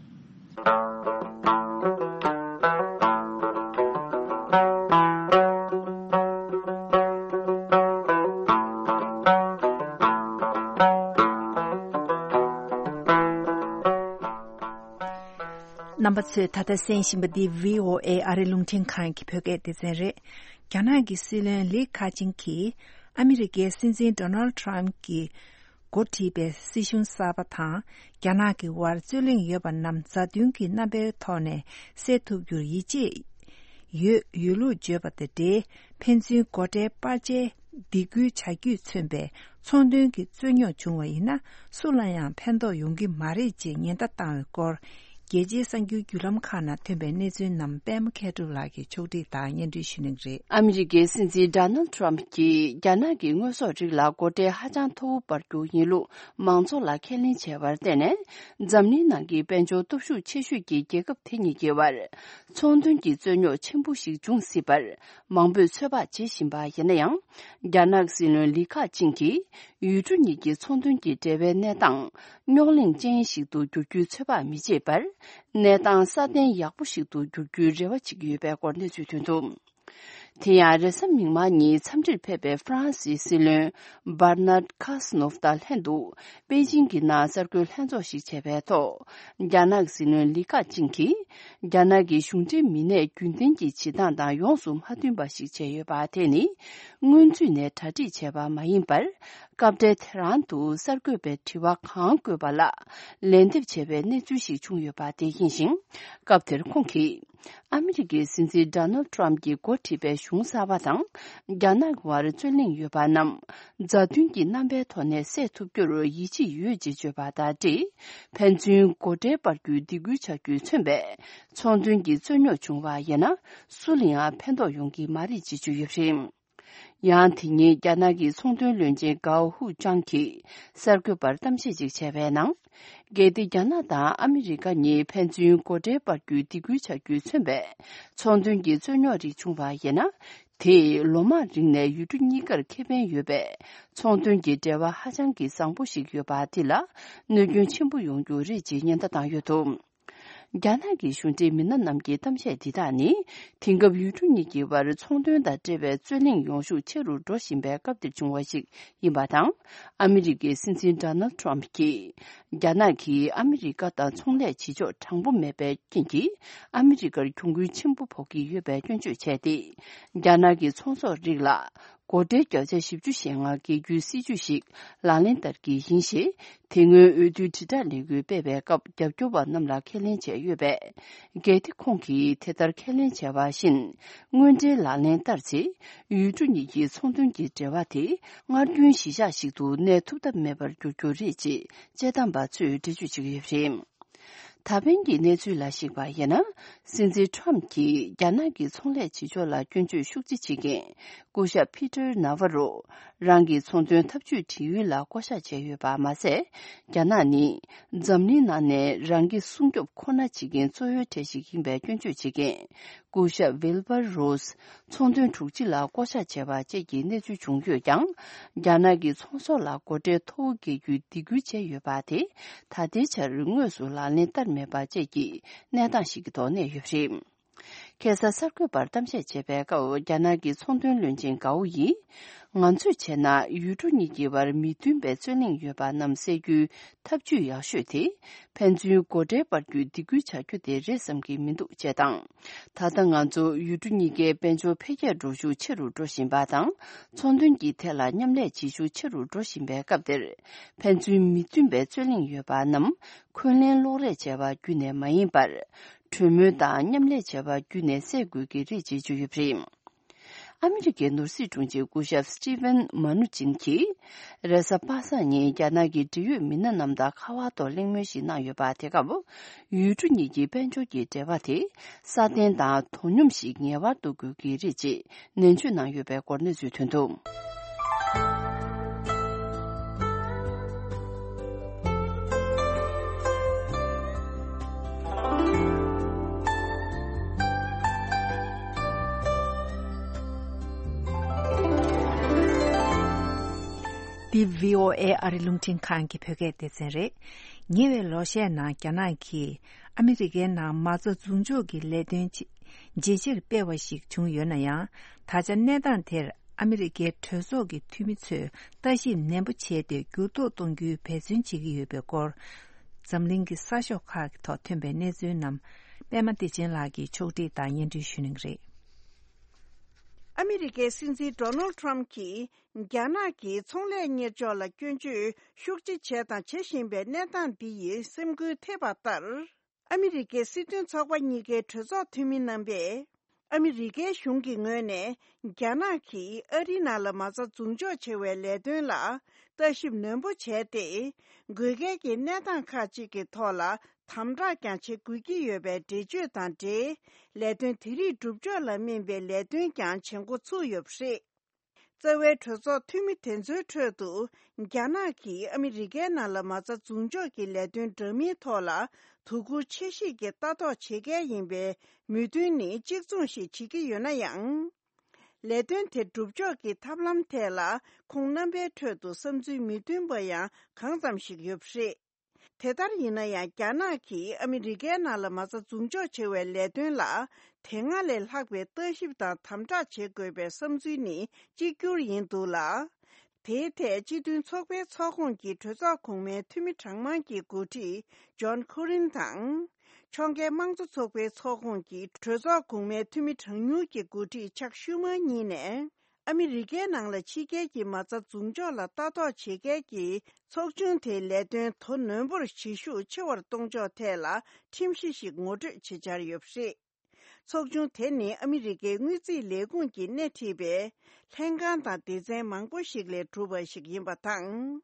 རྣམ་པ་ཚོས་ད་ལྟ་གསན་བཞིན་པ་འདི་བྷི་ཨོ་ཨེ་ཨ་རི་རླུང་འཕྲིན་ཁང་གི་བོད་སྐད་སྡེ་ཚན་རེད། རྒྱ་ནག་གི་སྲིད་བློན་ལི་ཁ་ཆིང་གིས་ཨ་མི་རི་ཀའི་སྲིད་འཛིན་ཌོ་ནལ་ཊམ་གྱིས་འགོ་ཁྲིད་པའི་སྲིད་གཞུང་གསར་པ་དང་རྒྱ་ནག་གི་དབར་རྩོད་གླེང་ཡོད་པ་རྣམས་མཛའ་མཐུན་གྱི་རྣམ་པའི་ཐོག་ནས་སེལ་ཐུབ་རྒྱུར་ཡིད་ཆེས་ཡོད་ཡོད་ལུགས་བརྗོད་པ་དང་འབྲེལ། ཕན་ཚུན་སྒོ་ཁྲལ་སྤར་ཆའི་སྡིགས་སྐུལ་བྱ་རྒྱུས་མཚོན་པའི་ཚོང་དོན་གྱི་རྩོད་རྙོག་བྱུང་བ་ཡིན་ན་སུ་ལ་ཡང་ཕན་ཐོགས་ཡོང་གི་མ་རེད་ཅེས་ཉེན་བརྡ་བཏང་བའི་སྐོར། རྒྱལ་སྤྱིའི་གསར་འགྱུར་བརྒྱུད་ལམ་ཁག་ནང་ཐོན་པའི་གནས་ཚུལ་རྣམས་པད་མ་མཁས་གྲུབ་ལགས་ཀྱིས་ཕྱོགས་སྒྲིག་དང་སྙན་སྒྲོན་ཞུ་གནང་གི་རེད། ཨ་མི་རི་ཀའི་སྲིད་འཛིན་ཌོ་ནལ་ཊམ་གྱིས་རྒྱ་ནག་གི་དངོས་ཟོག་རིགས་ལ་སྒོ་ཁྲལ་ཧ་ཅང་མཐོ་བོ་སྤར་རྒྱུ་ཡིན་ལུགས་མང་ཚོགས་ལ་ཁས་ལེན་བྱས་པར་བརྟེན་ནས། འཛམ་གླིང་ནང་གི་དཔལ་འབྱོར་སྟོབས་ཤུགས་ཆེ་ཤོས་ཀྱི་རྒྱལ་ཁབ་དེ་གཉིས་ཀྱི་དབར་ཚོང་དོན་གྱི་རྩོད་རྙོག་ཆེན་པོ་ཞིག་འབྱུང་སྲིད་པར་མང་པོས་ཚོད་དཔག་བྱེད་བཞིན་པ་ཡིན་ན་ཡང་། རྒྱ་ནག་སྲིད་བློན་ལི་ཁ་ཆིང་གིས་ཡུལ་གྲུ་གཉིས་ཀྱི་ཚོང་དོན་གྱི་འབྲེལ་བའི་གནས་སྟངས་རྙོག་གླེང་ཅན་ཞིག་ཏུ་འགྱུར་རྒྱུའི་ཚོད་དཔག་མི་བྱེད་པར། གནས་སྟངས་སྲ་བརྟན་ཡག་པོ་ཞིག་ཏུ་འགྱུར་རྒྱུའི་རེ་བ་བྱེད་ཀྱི་ཡོད་པའི་སྐོར་གནས་ཚུལ་ཐོན་འདུག་དེ་ཡང་རེས་གཟའ་མིག་དམར་ཉིན་འཚམས་འདྲིར་ཕེབས་པའི་ཧྥ་རན་སིའི་སྲིད་བློན་བར་ནར་ཁ་སི་ནོབ་དང་ལྷན་དུ་པེ་ཅིང་གི་ནང་གསར་འགོད་ལྷན་ཚོགས་ཤིག་བྱས་པའི་ཐོག་རྒྱ་ནག་སྲིད་བློན་ལི་ཁ་ཆིང་གིས་རྒྱ་ནག་གི་གཞུང་འབྲེལ་མི་སྣས་རྒྱུན་ལྡན་གྱི་བྱེད་སྟངས་དང་ཡོངས་སུ་མ་མཐུན་པ་ཞིག་བྱས་ཡོད་པ་དེ་ནི་སྔོན་ཚུད་ནས་གྲ་སྒྲིག་བྱས་པ་མ་ཡིན་པར། སྐབས་འཕྲལ་དེ་རང་དུ་གསར་འགོད་པའི་དྲི་བ་གང་བཀོད་པ་ལ་ལན་འདེབས་བྱས་པའི་གནས་ཚུལ་ཞིག་བྱུང་ཡོད་པ་དེ་ཡིན་ཞིང་། སྐབས་དེར་ཁོང་གིས། ཨ་མི་རི་ཀའི་སྲིད་འཛིན་ཌོ་ནལ་ཊམ་གྱིས་འགོ་ཁྲིད་པའི་གཞུང་གསར་པ་དང་རྒྱ་ནག་དབར་རྩོད་གླེང་ཡོད་པ་རྣམས་མཛའ་མཐུན་གྱི་རྣམ་པའི་ཐོག་ནས་སེལ་ཐུབ་རྒྱུར་ཡིད་ཆེས་ཡོད་ཅེས་བརྗོད་པ་དང་འབྲེལ། ཕན་ཚུན་སྒོ་ཁྲལ་སྤར་རྒྱུའི་སྡིགས་སྐུལ་བྱ་རྒྱུས་མཚོན་པའི་ཚོང་དོན་གྱི་རྩོད་རྙོག་བྱུང་བ་ཡིན་ན་སུ་ལ་ཡང་ཕན་ཐོགས་ཡོང་གི་མ་རེད་ཅེས་བརྗོད་ཡོད་པ་རེད། ཡང་དེ་ཉིན་རྒྱ་ནག་གི་ཚོང་དོན་བློན་ཆེན་གའོ་ཧུའུ་ཅང་གིས་གསར་འགོད་པར་གཏམ་བཤད་ཅིག་བྱས་པའི་ནང་། གལ་ཏེ་རྒྱ་ནག་དང་ཨ་མི་རི་ཀ་གཉིས་ཕན་ཚུན་སྒོ་ཁྲལ་སྤར་རྒྱུའི་སྡིགས་སྐུལ་བྱ་རྒྱུས་མཚོན་པའི་ཚོང་དོན་གྱི་རྩོད་རྙོག་རིགས་བྱུང་བ་ཡིན་ན། དེས་ལོ་མང་རིང་ནས་ཡུལ་གྲུ་གཉིས་ཀར་ཁེ་ཕན་ཡོད་པའི་ཚོང་དོན་གྱི་འབྲེལ་བ་ཧ་ཅང་གི་བཟང་པོ་ཞིག་ཡོད་པ་དེ་ལ་གནོད་སྐྱོན་ཆེན་པོ་ཡོང་རྒྱུ་རེད་ཅེས་ཉེན་བརྡ་བཏང་ཡོད་འདུག། རྒྱ་ནག་གི་གཞུང་འབྲེལ་མི་སྣ་རྣམས་ཀྱི་གཏམ་བཤད་འདི་དག་ནི། དེང་སྐབས་ཡུལ་གྲུ་གཉིས་ཀྱི་བར་ཚོང་དོན་དང་འབྲེལ་བའི་རྩོད་གླེང་ཡོང་ཤུགས་ཆེ་རུ་འགྲོ་བཞིན་པའི་སྐབས་འདིར་བྱུང་བ་ཞིག་ཡིན་པ་དང་། ཨ་མི་རི་ཀའི་སྲིད་འཛིན་ཌོ་ནལ་ཊམ་གྱིས། རྒྱ་ནག་གིས་ཨ་མི་རི་ཀ་དང་ཚོང་ལས་བྱེད་ཕྱོགས་དྲང་པོ་མེད་པའི་རྐྱེན་གྱིས། ཨ་མི་རི་ཀར་གྱོང་གུན་ཆེན་པོ་ཕོག་གི་ཡོད་པའི་སྐྱོན་བརྗོད་བྱས་ཏེ། རྒྱ་ནག་གི་ཚོང་ཟོག་རིགས་ལ། སྒོ་ཁྲལ་བརྒྱ་ཆ་བཞི་བཅུ་ཞེ་ལྔ་འགེལ་རྒྱུའི་སྲིད་ཇུས་ཤིག་ལག་ལེན་བསྟར་གྱི་ཡིན་ཞེས། དེ་སྔོན་འོས་བསྡུའི་དྲིལ་བསྒྲགས་ལས་འགུལ་སྤེལ་བའི་སྐབས། རྒྱབ་སྐྱོར་བ་རྣམས་ལ་ཁས་ལེན་བྱས་ཡོད་པས། གལ་ཏེ་ཁོང་གིས་དེ་ལྟར་ཁས་ལེན་བྱས་པ་བཞིན། དངོས་འབྲེལ་ལག་ལེན་བསྟར་ཚེ། ཡུལ་གྲུ་གཉིས་ཀྱི་ཚོང་དོན་གྱི་འབྲེལ་བ་དེ། སྔར་རྒྱུན་གཞིས་ཆགས་ཤིག་ཏུ་གནས་ཐུབ་ཐབས་མེད་པར་འགྱུར་རྒྱུ་རེད་ཅེས། དཔྱད་གཏམ་པ་ཚོས་འགྲེལ་བརྗོད་བྱེད་ཀྱི་ཡོད་པ་རེད། ད་ཕན་གྱི་གནས་ཚུལ་ལ་གཞིགས་པ་ཡིན་ན། སྲིད་འཛིན་ཊམ་གྱིས་རྒྱ་ནག་གི་ཚོང་ལས་བྱེད་ཕྱོགས་ལ་སྐྱོན་བརྗོད་ཤུགས་ཆེ་བྱེད་མཁན། སྐུ་ཞབས་ཕི་ཏར་ན་ཝ་རོ། རང་གི་ཚོང་དོན་འཐབ་ཇུས་བྲིས་ཡུལ་ལ་བསྐོ་བཞག་བྱས་ཡོད་པ་མ་ཟད། རྒྱ་ནག་ནི། འཛམ་གླིང་ནང་ནས་རང་གི་སྲུང་སྐྱོབ་ཁོ་ན་བྱེད་མཁན་གཙོ་བོའི་གྲས་ཤིག་ཡིན་པའི་སྐྱོན་བརྗོད་བྱེད་མཁན། སྐུ་ཞབས་ཝིལ་བར་རོས། ཚོང་དོན་དྲུག་ཅུ་ལ་བསྐོ་བཞག་བྱས་པ་བཅས་ཀྱི་གནས་ཚུལ་བྱུང་ཡོད་ཀྱང་། རྒྱ་ནག་གི་ཚོང་ཟོག་ལ་སྒོ་ཁྲལ་མཐོ་བོ་འགེལ་རྒྱུའི་སྡིགས་སྐུལ་བྱས་ཡོད་པ་དེ། ད་ལྟའི་ཆར་དངོས་སུ་ལག་ལེན་བསྟར་མེད་པ་བཅས་ཀྱི་གནས་སྟངས་ཤིག་གི་ཐོག་གནས་ཡོད་པ་རེད། ཁ་སང་གསར་འགོད་པར་གཏམ་བཤད་བྱེད་པའི་སྐབས། རྒྱ་ནག་གི་ཚོང་དོན་བློན་ཆེན་གའོ་ཡིས། ང་ཚོས་བྱས་ན། ཡུལ་གྲུ་གཉིས་ཀྱི་བར་མི་མཐུན་པའི་རྩོད་གླེང་ཡོད་པ་རྣམས་སེལ་རྒྱུའི་ཐབས་ཇུས་ཡག་ཤོས་དེ། ཕན་ཚུན་སྒོ་ཁྲལ་སྤར་རྒྱུའི་སྡིགས་སྐུལ་བྱ་རྒྱུ་དེ་རེད་བསམ་གྱི་མི་འདུག་ཅེས་དང་། ད་ལྟ་ང་ཚོ་ཡུལ་གྲུ་གཉིས་ཀའི་དཔལ་འབྱོར་འཕེལ་རྒྱས་འགྲོ་ཤུགས་ཆེ་རུ་འགྲོ་བཞིན་པ་དང་། ཚོང་དོན་གྱི་ཐད་ལ་མཉམ་ལས་བྱེད་ཤུགས་ཆེ་རུ་འགྲོ་བཞིན་པའི་སྐབས་དེར། ཕན་ཚུན་མི་མཐུན་པའི་རྩོད་གླེང་ཡོད་པ་རྣམས། འཁོན་ལན་སློག་རེས་བྱས་པ་བརྒྱུད་ནས་མ་ཡིན་པར། གྲོས་མོལ་དང་མཉམ་ལས་བྱས་པ་བརྒྱུད་ནས་སེལ་དགོས་ཀྱི་རེད་ཅེས་བརྗོད་ཡོད་པ་རེད། ཨ་མི་རི་ཀའི་ནོར་སྲིད་དྲུང་ཆེ་སྐུ་ཞབས་སི་ཏི་ཝན་མ་ནུ་ཅིན་གྱིས། རེས་གཟའ་པ་སངས་ཉིན་རྒྱ་ནག་གི་འབྲེལ་ཡོད་མི་སྣ་རྣམས་དང་ཁ་པར་ཐོག་གླེང་མོལ་ཞིག་གནང་ཡོད་པ་དེ་སྐབས། ཡུལ་གྲུ་གཉིས་ཀྱི་དཔལ་འབྱོར་གྱི་འབྲེལ་བ་དེ། སྲ་བརྟན་དང་དོ་སྙོམས་ཤིག་ངེས་པར་དུ་དགོས་ཀྱི་རེད་ཅེས་ནན་བརྗོད་གནང་ཡོད་པའི་སྐོར་གནས་ཚུལ་ཐོན་འདུག། འདི་བྷི་ཨོ་ཨེ་ཨ་རི་རླུང་འཕྲིན་ཁང་གི་བོད་སྐད་སྡེ་ཚན་རེད། ཉེ་བའི་ལོ་ཤས་ནང་རྒྱ་ནག་གིས་ཨ་མི་རི་ཀའི་ནང་མ་རྩ་འཛུགས་འཇོག་གི་ལས་དོན་ཆེ་ཇེ་ཆེར་སྤེལ་བ་ཞིག་བྱུང་ཡོད་ན་ཡང་། ད་ཆ་གནས་སྟངས་དེར་ཨ་མི་རི་ཀའི་གྲོས་ཚོགས་ཀྱི་འཐུས་མི་ཚོས་ལྟ་ཞིབ་ནན་པོ་བྱས་ཏེ་འགྱུར་ལྡོག་གཏོང་རྒྱུའི་འབད་བརྩོན་བྱེད་ཀྱི་ཡོད་པའི་སྐོར། འཛམ་གླིང་གི་གསར་ཤོག་ཁག་གི་ཐོག་ཐོན་པའི་གནས་ཚུལ་རྣམས། པད་མ་བདེ་ཆེན་ལགས་ཀྱིས་ཕྱོགས་སྒྲིག་དང་སྙན་སྒྲོན་ཞུ་གནང་གི་རེད། ཨ་མི་རི་ཀའི་སྲིད་འཛིན་ཌོ་ནལ་ཊམ་གྱིས་རྒྱ་ནག་གིས་ཚོང་ལས་གཉེར་ཕྱོགས་ལ་སྐྱོན་བརྗོད་ཤུགས་ཆེ་བྱས་དང་བྱེད་བཞིན་པའི་གནས་སྟངས་འདི་ཡིས་སེམས་འགུལ་ཐེབས་པ་ལྟར། ཨ་མི་རི་ཀའི་སྲིད་དོན་ཚོགས་པ་གཉིས་ཀའི་གྲོས་ཚོགས་འཐུས་མི་རྣམ་པས། ཨ་མི་རི་ཀའི་གཞུང་གི་ངོས་ནས་རྒྱ་ནག་གིས་ཨ་རིའི་ནང་ལ་མ་རྩ་འཛུགས་འཇོག་བྱེད་པའི་ལས་དོན་ལ་ལྟ་ཞིབ་ནན་པོ་བྱས་ཏེ། དགོས་གལ་གྱི་གནས་སྟངས་ཁག་ཅིག་གི་ཐོག་ལ་དམ་དྲག་ཀྱང་བྱེད་དགོས་ཀྱི་ཡོད་པའི་འགྲེལ་བརྗོད་དང་འབྲེལ། ལས་དོན་དེ་རིགས་སྒྲུབ་ཕྱོགས་ལ་སྨིན་པའི་ལས་དོན་ཀྱང་བྱེད་འགོ་ཚུགས་ཡོད་པ་རེད། རྩ་བའི་གྲོས་ཚོགས་འཐུས་མི་དེ་ཚོའི་ཁྲོད་དུ། རྒྱ་ནག་གིས་ཨ་མི་རི་ཀའི་ནང་ལ་མ་རྩ་འཛུགས་འཇོག་གི་ལས་དོན་འདྲ་མིན་ཐོག་ལ་དོ་ཁུར་ཆེ་བཞེས་ཀྱིས་ལྟ་རྟོག་བྱེད་གལ་ཡིན་པའི་མོས་མཐུན་ནི་གཅིག་མཚུངས་ཤིག་བྱེད་ཀྱི་ཡོད་ན་ཡང་། ལས་དོན་དེ་སྒྲུབ་ཕྱོགས་ཀྱི་ཐབས་ལམ་ཐད་ལ་ཁོང་རྣམ་པའི་ཁྲོད་དུ་བསམ་ཚུལ་མི་མཐུན་པ་ཡང་གང་ཙམ་ཞིག་ཡོད་པ་རེད། དེ་ལྟར་ཡིན་ན་ཡང་རྒྱ་ནག་གིས་ཨ་མི་རི་ཀའི་ནང་ལ་མ་རྩ་འཛུགས་འཇོག་བྱེད་པའི་ལས་དོན་ལ་དེ་སྔ་ལས་ལྷག་པའི་ལྟ་ཞིབ་དང་དམ་དྲག་བྱེད་དགོས་པའི་བསམ་ཚུལ་ནི་གཅིག་གྱུར་ཡིན་འདུག་ལ། དེའི་ཐད་སྤྱི་མཐུན་ཚོགས་པའི་ཚོགས་ཁོངས་ཀྱི་གྲོས་ཚོགས་གོང་མའི་འཐུས་མི་གྲངས་མང་གི་འགོ་ཁྲིད་ཇོན་ཁོ་རིན་དང་། ཕྱོགས་འགལ་དམངས་གཙོ་ཚོགས་པའི་ཚོགས་ཁོངས་ཀྱི་གྲོས་ཚོགས་གོང་མའི་འཐུས་མི་གྲངས་ཉུང་གི་འགོ་ཁྲིད་ཆག་ཤུ་མར་གཉིས་ནས། ཨ་མི་རི་ཀའི་ནང་ལ་ཕྱི་རྒྱལ་གྱི་མ་རྩ་འཛུགས་འཇོག་ལ་ལྟ་རྟོག་བྱེད་མཁན་གྱི་ཚོགས་ཆུང་དེའི་ལས་དོན་དོ་ནན་པོར་བྱེད་ཤུགས་ཆེ་བར་གཏོང་ཕྱོགས་ཐད་ལ་ཁྲིམས་གཞི་ཞིག་ངོ་སྤྲོད་བྱེད་འཆར་ཡོད་པ་རེད། ཚོགས་ཆུང་དེ་ནི་ཨ་མི་རི་ཀའི་དངུལ་རྩིས་ལས་ཁུངས་ཀྱིས་སྣེ་ཁྲིད་པའི་ལྷན་ཁང་དང་སྡེ་ཚན་མང་པོ་ཞིག་ལས་གྲུབ་པ་ཞིག་ཡིན་པ་དང་།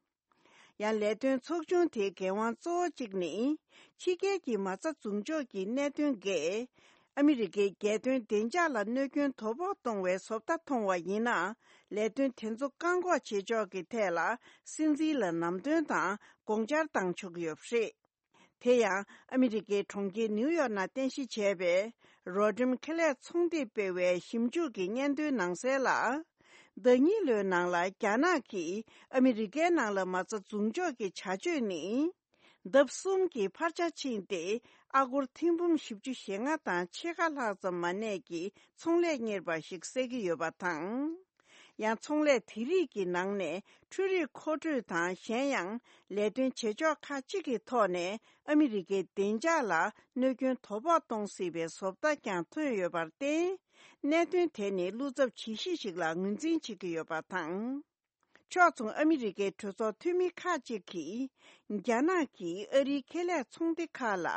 ཡང་ལས་དོན་ཚོགས་ཆུང་དེའི་འགན་དབང་གཙོ་བོ་གཅིག་ནི། ཕྱི་རྒྱལ་གྱི་མ་རྩ་འཛུགས་འཇོག་གི་གནད་དོན་འགས། ཨ་མི་རི་ཀའི་རྒྱལ་དོན་བདེ་འཇགས་ལ་གནོད་སྐྱོན་དོ་ཕོག་གཏོང་བའི་བཟོ་ལྟ་མཐོང་བ་ཡིན་ན། ལས་དོན་དེ་ཚོ་བཀག་འགོག་བྱེད་ཕྱོགས་ཀྱི་ཐད་ལ་སྲིད་འཛིན་ལ་ལམ་སྟོན་དང་དགོངས་འཆར་བཏང་ཆོག་གི་ཡོད་པ་རེད། དེ་ཡང་ཨ་མི་རི་ཀའི་གྲོང་ཁྱེར་ནིའུ་ཡོག་ནང་རྟེན་གཞི་བྱས་པའི་ རོ་ཌིམ་ཁེ་ལས་ཚོང་སྡེས་སྤེལ་བའི་ཞིབ་འཇུག་གི་སྙན་ཐོའི་ནང་གསལ་ལ། ཟླ་གཉིས་ལོའི་ནང་ལ་རྒྱ་ནག་གིས་ཨ་མི་རི་ཀའི་ནང་ལ་མ་རྩ་འཛུགས་འཇོག་གི་བྱ་སྤྱོད་ནི། ལྡབ་གསུམ་གྱི་འཕར་ཆ་ཕྱིན་ཏེ། ཨ་སྒོར་ཐེར་འབུམ་བཞི་བཅུ་ཞེ་ལྔ་དང་ཕྱེད་ཀ་ལྷག་ཙམ་མ་གནས་ཀྱི་ཚོང་ལས་གཉེར་པ་ཞིག་བསད་ཀྱི་ཡོད་པ་དང་། ཡང་ཚོང་ལས་དེ་རིགས་ཀྱི་ནང་ནས་འཕྲུལ་རིག་མཁོ་སྤྲོད་དང་གཞན་ཡང་ལས་དོན་བྱེད་ཕྱོགས་ཁག་ཅིག་གི་ཐོག་ནས་ཨ་མི་རི་ཀའི་བདེ་འཇགས་ལ་གནོད་སྐྱོན་དོ་ཕོག་གཏོང་སྲིད་པའི་བཟོ་ལྟ་ཀྱང་ཐོན་ཡོད་པར་བརྟེན། གནད་དོན་དེ་ནི་བློ་འཚབ་ཇི་ཞིག་ཞིག་ལ་ངོས་འཛིན་བྱེད་ཀྱི་ཡོད་པ་དང་། ཕྱོགས་མཚུངས་ཨ་མི་རི་ཀའི་གྲོས་ཚོགས་འཐུས་མི་ཁག་ཅིག་གིས། རྒྱ་ནག་གིས་ཨ་རིའི་ཁེ་ལས་ཚོང་སྡེ་ཁག་ལ།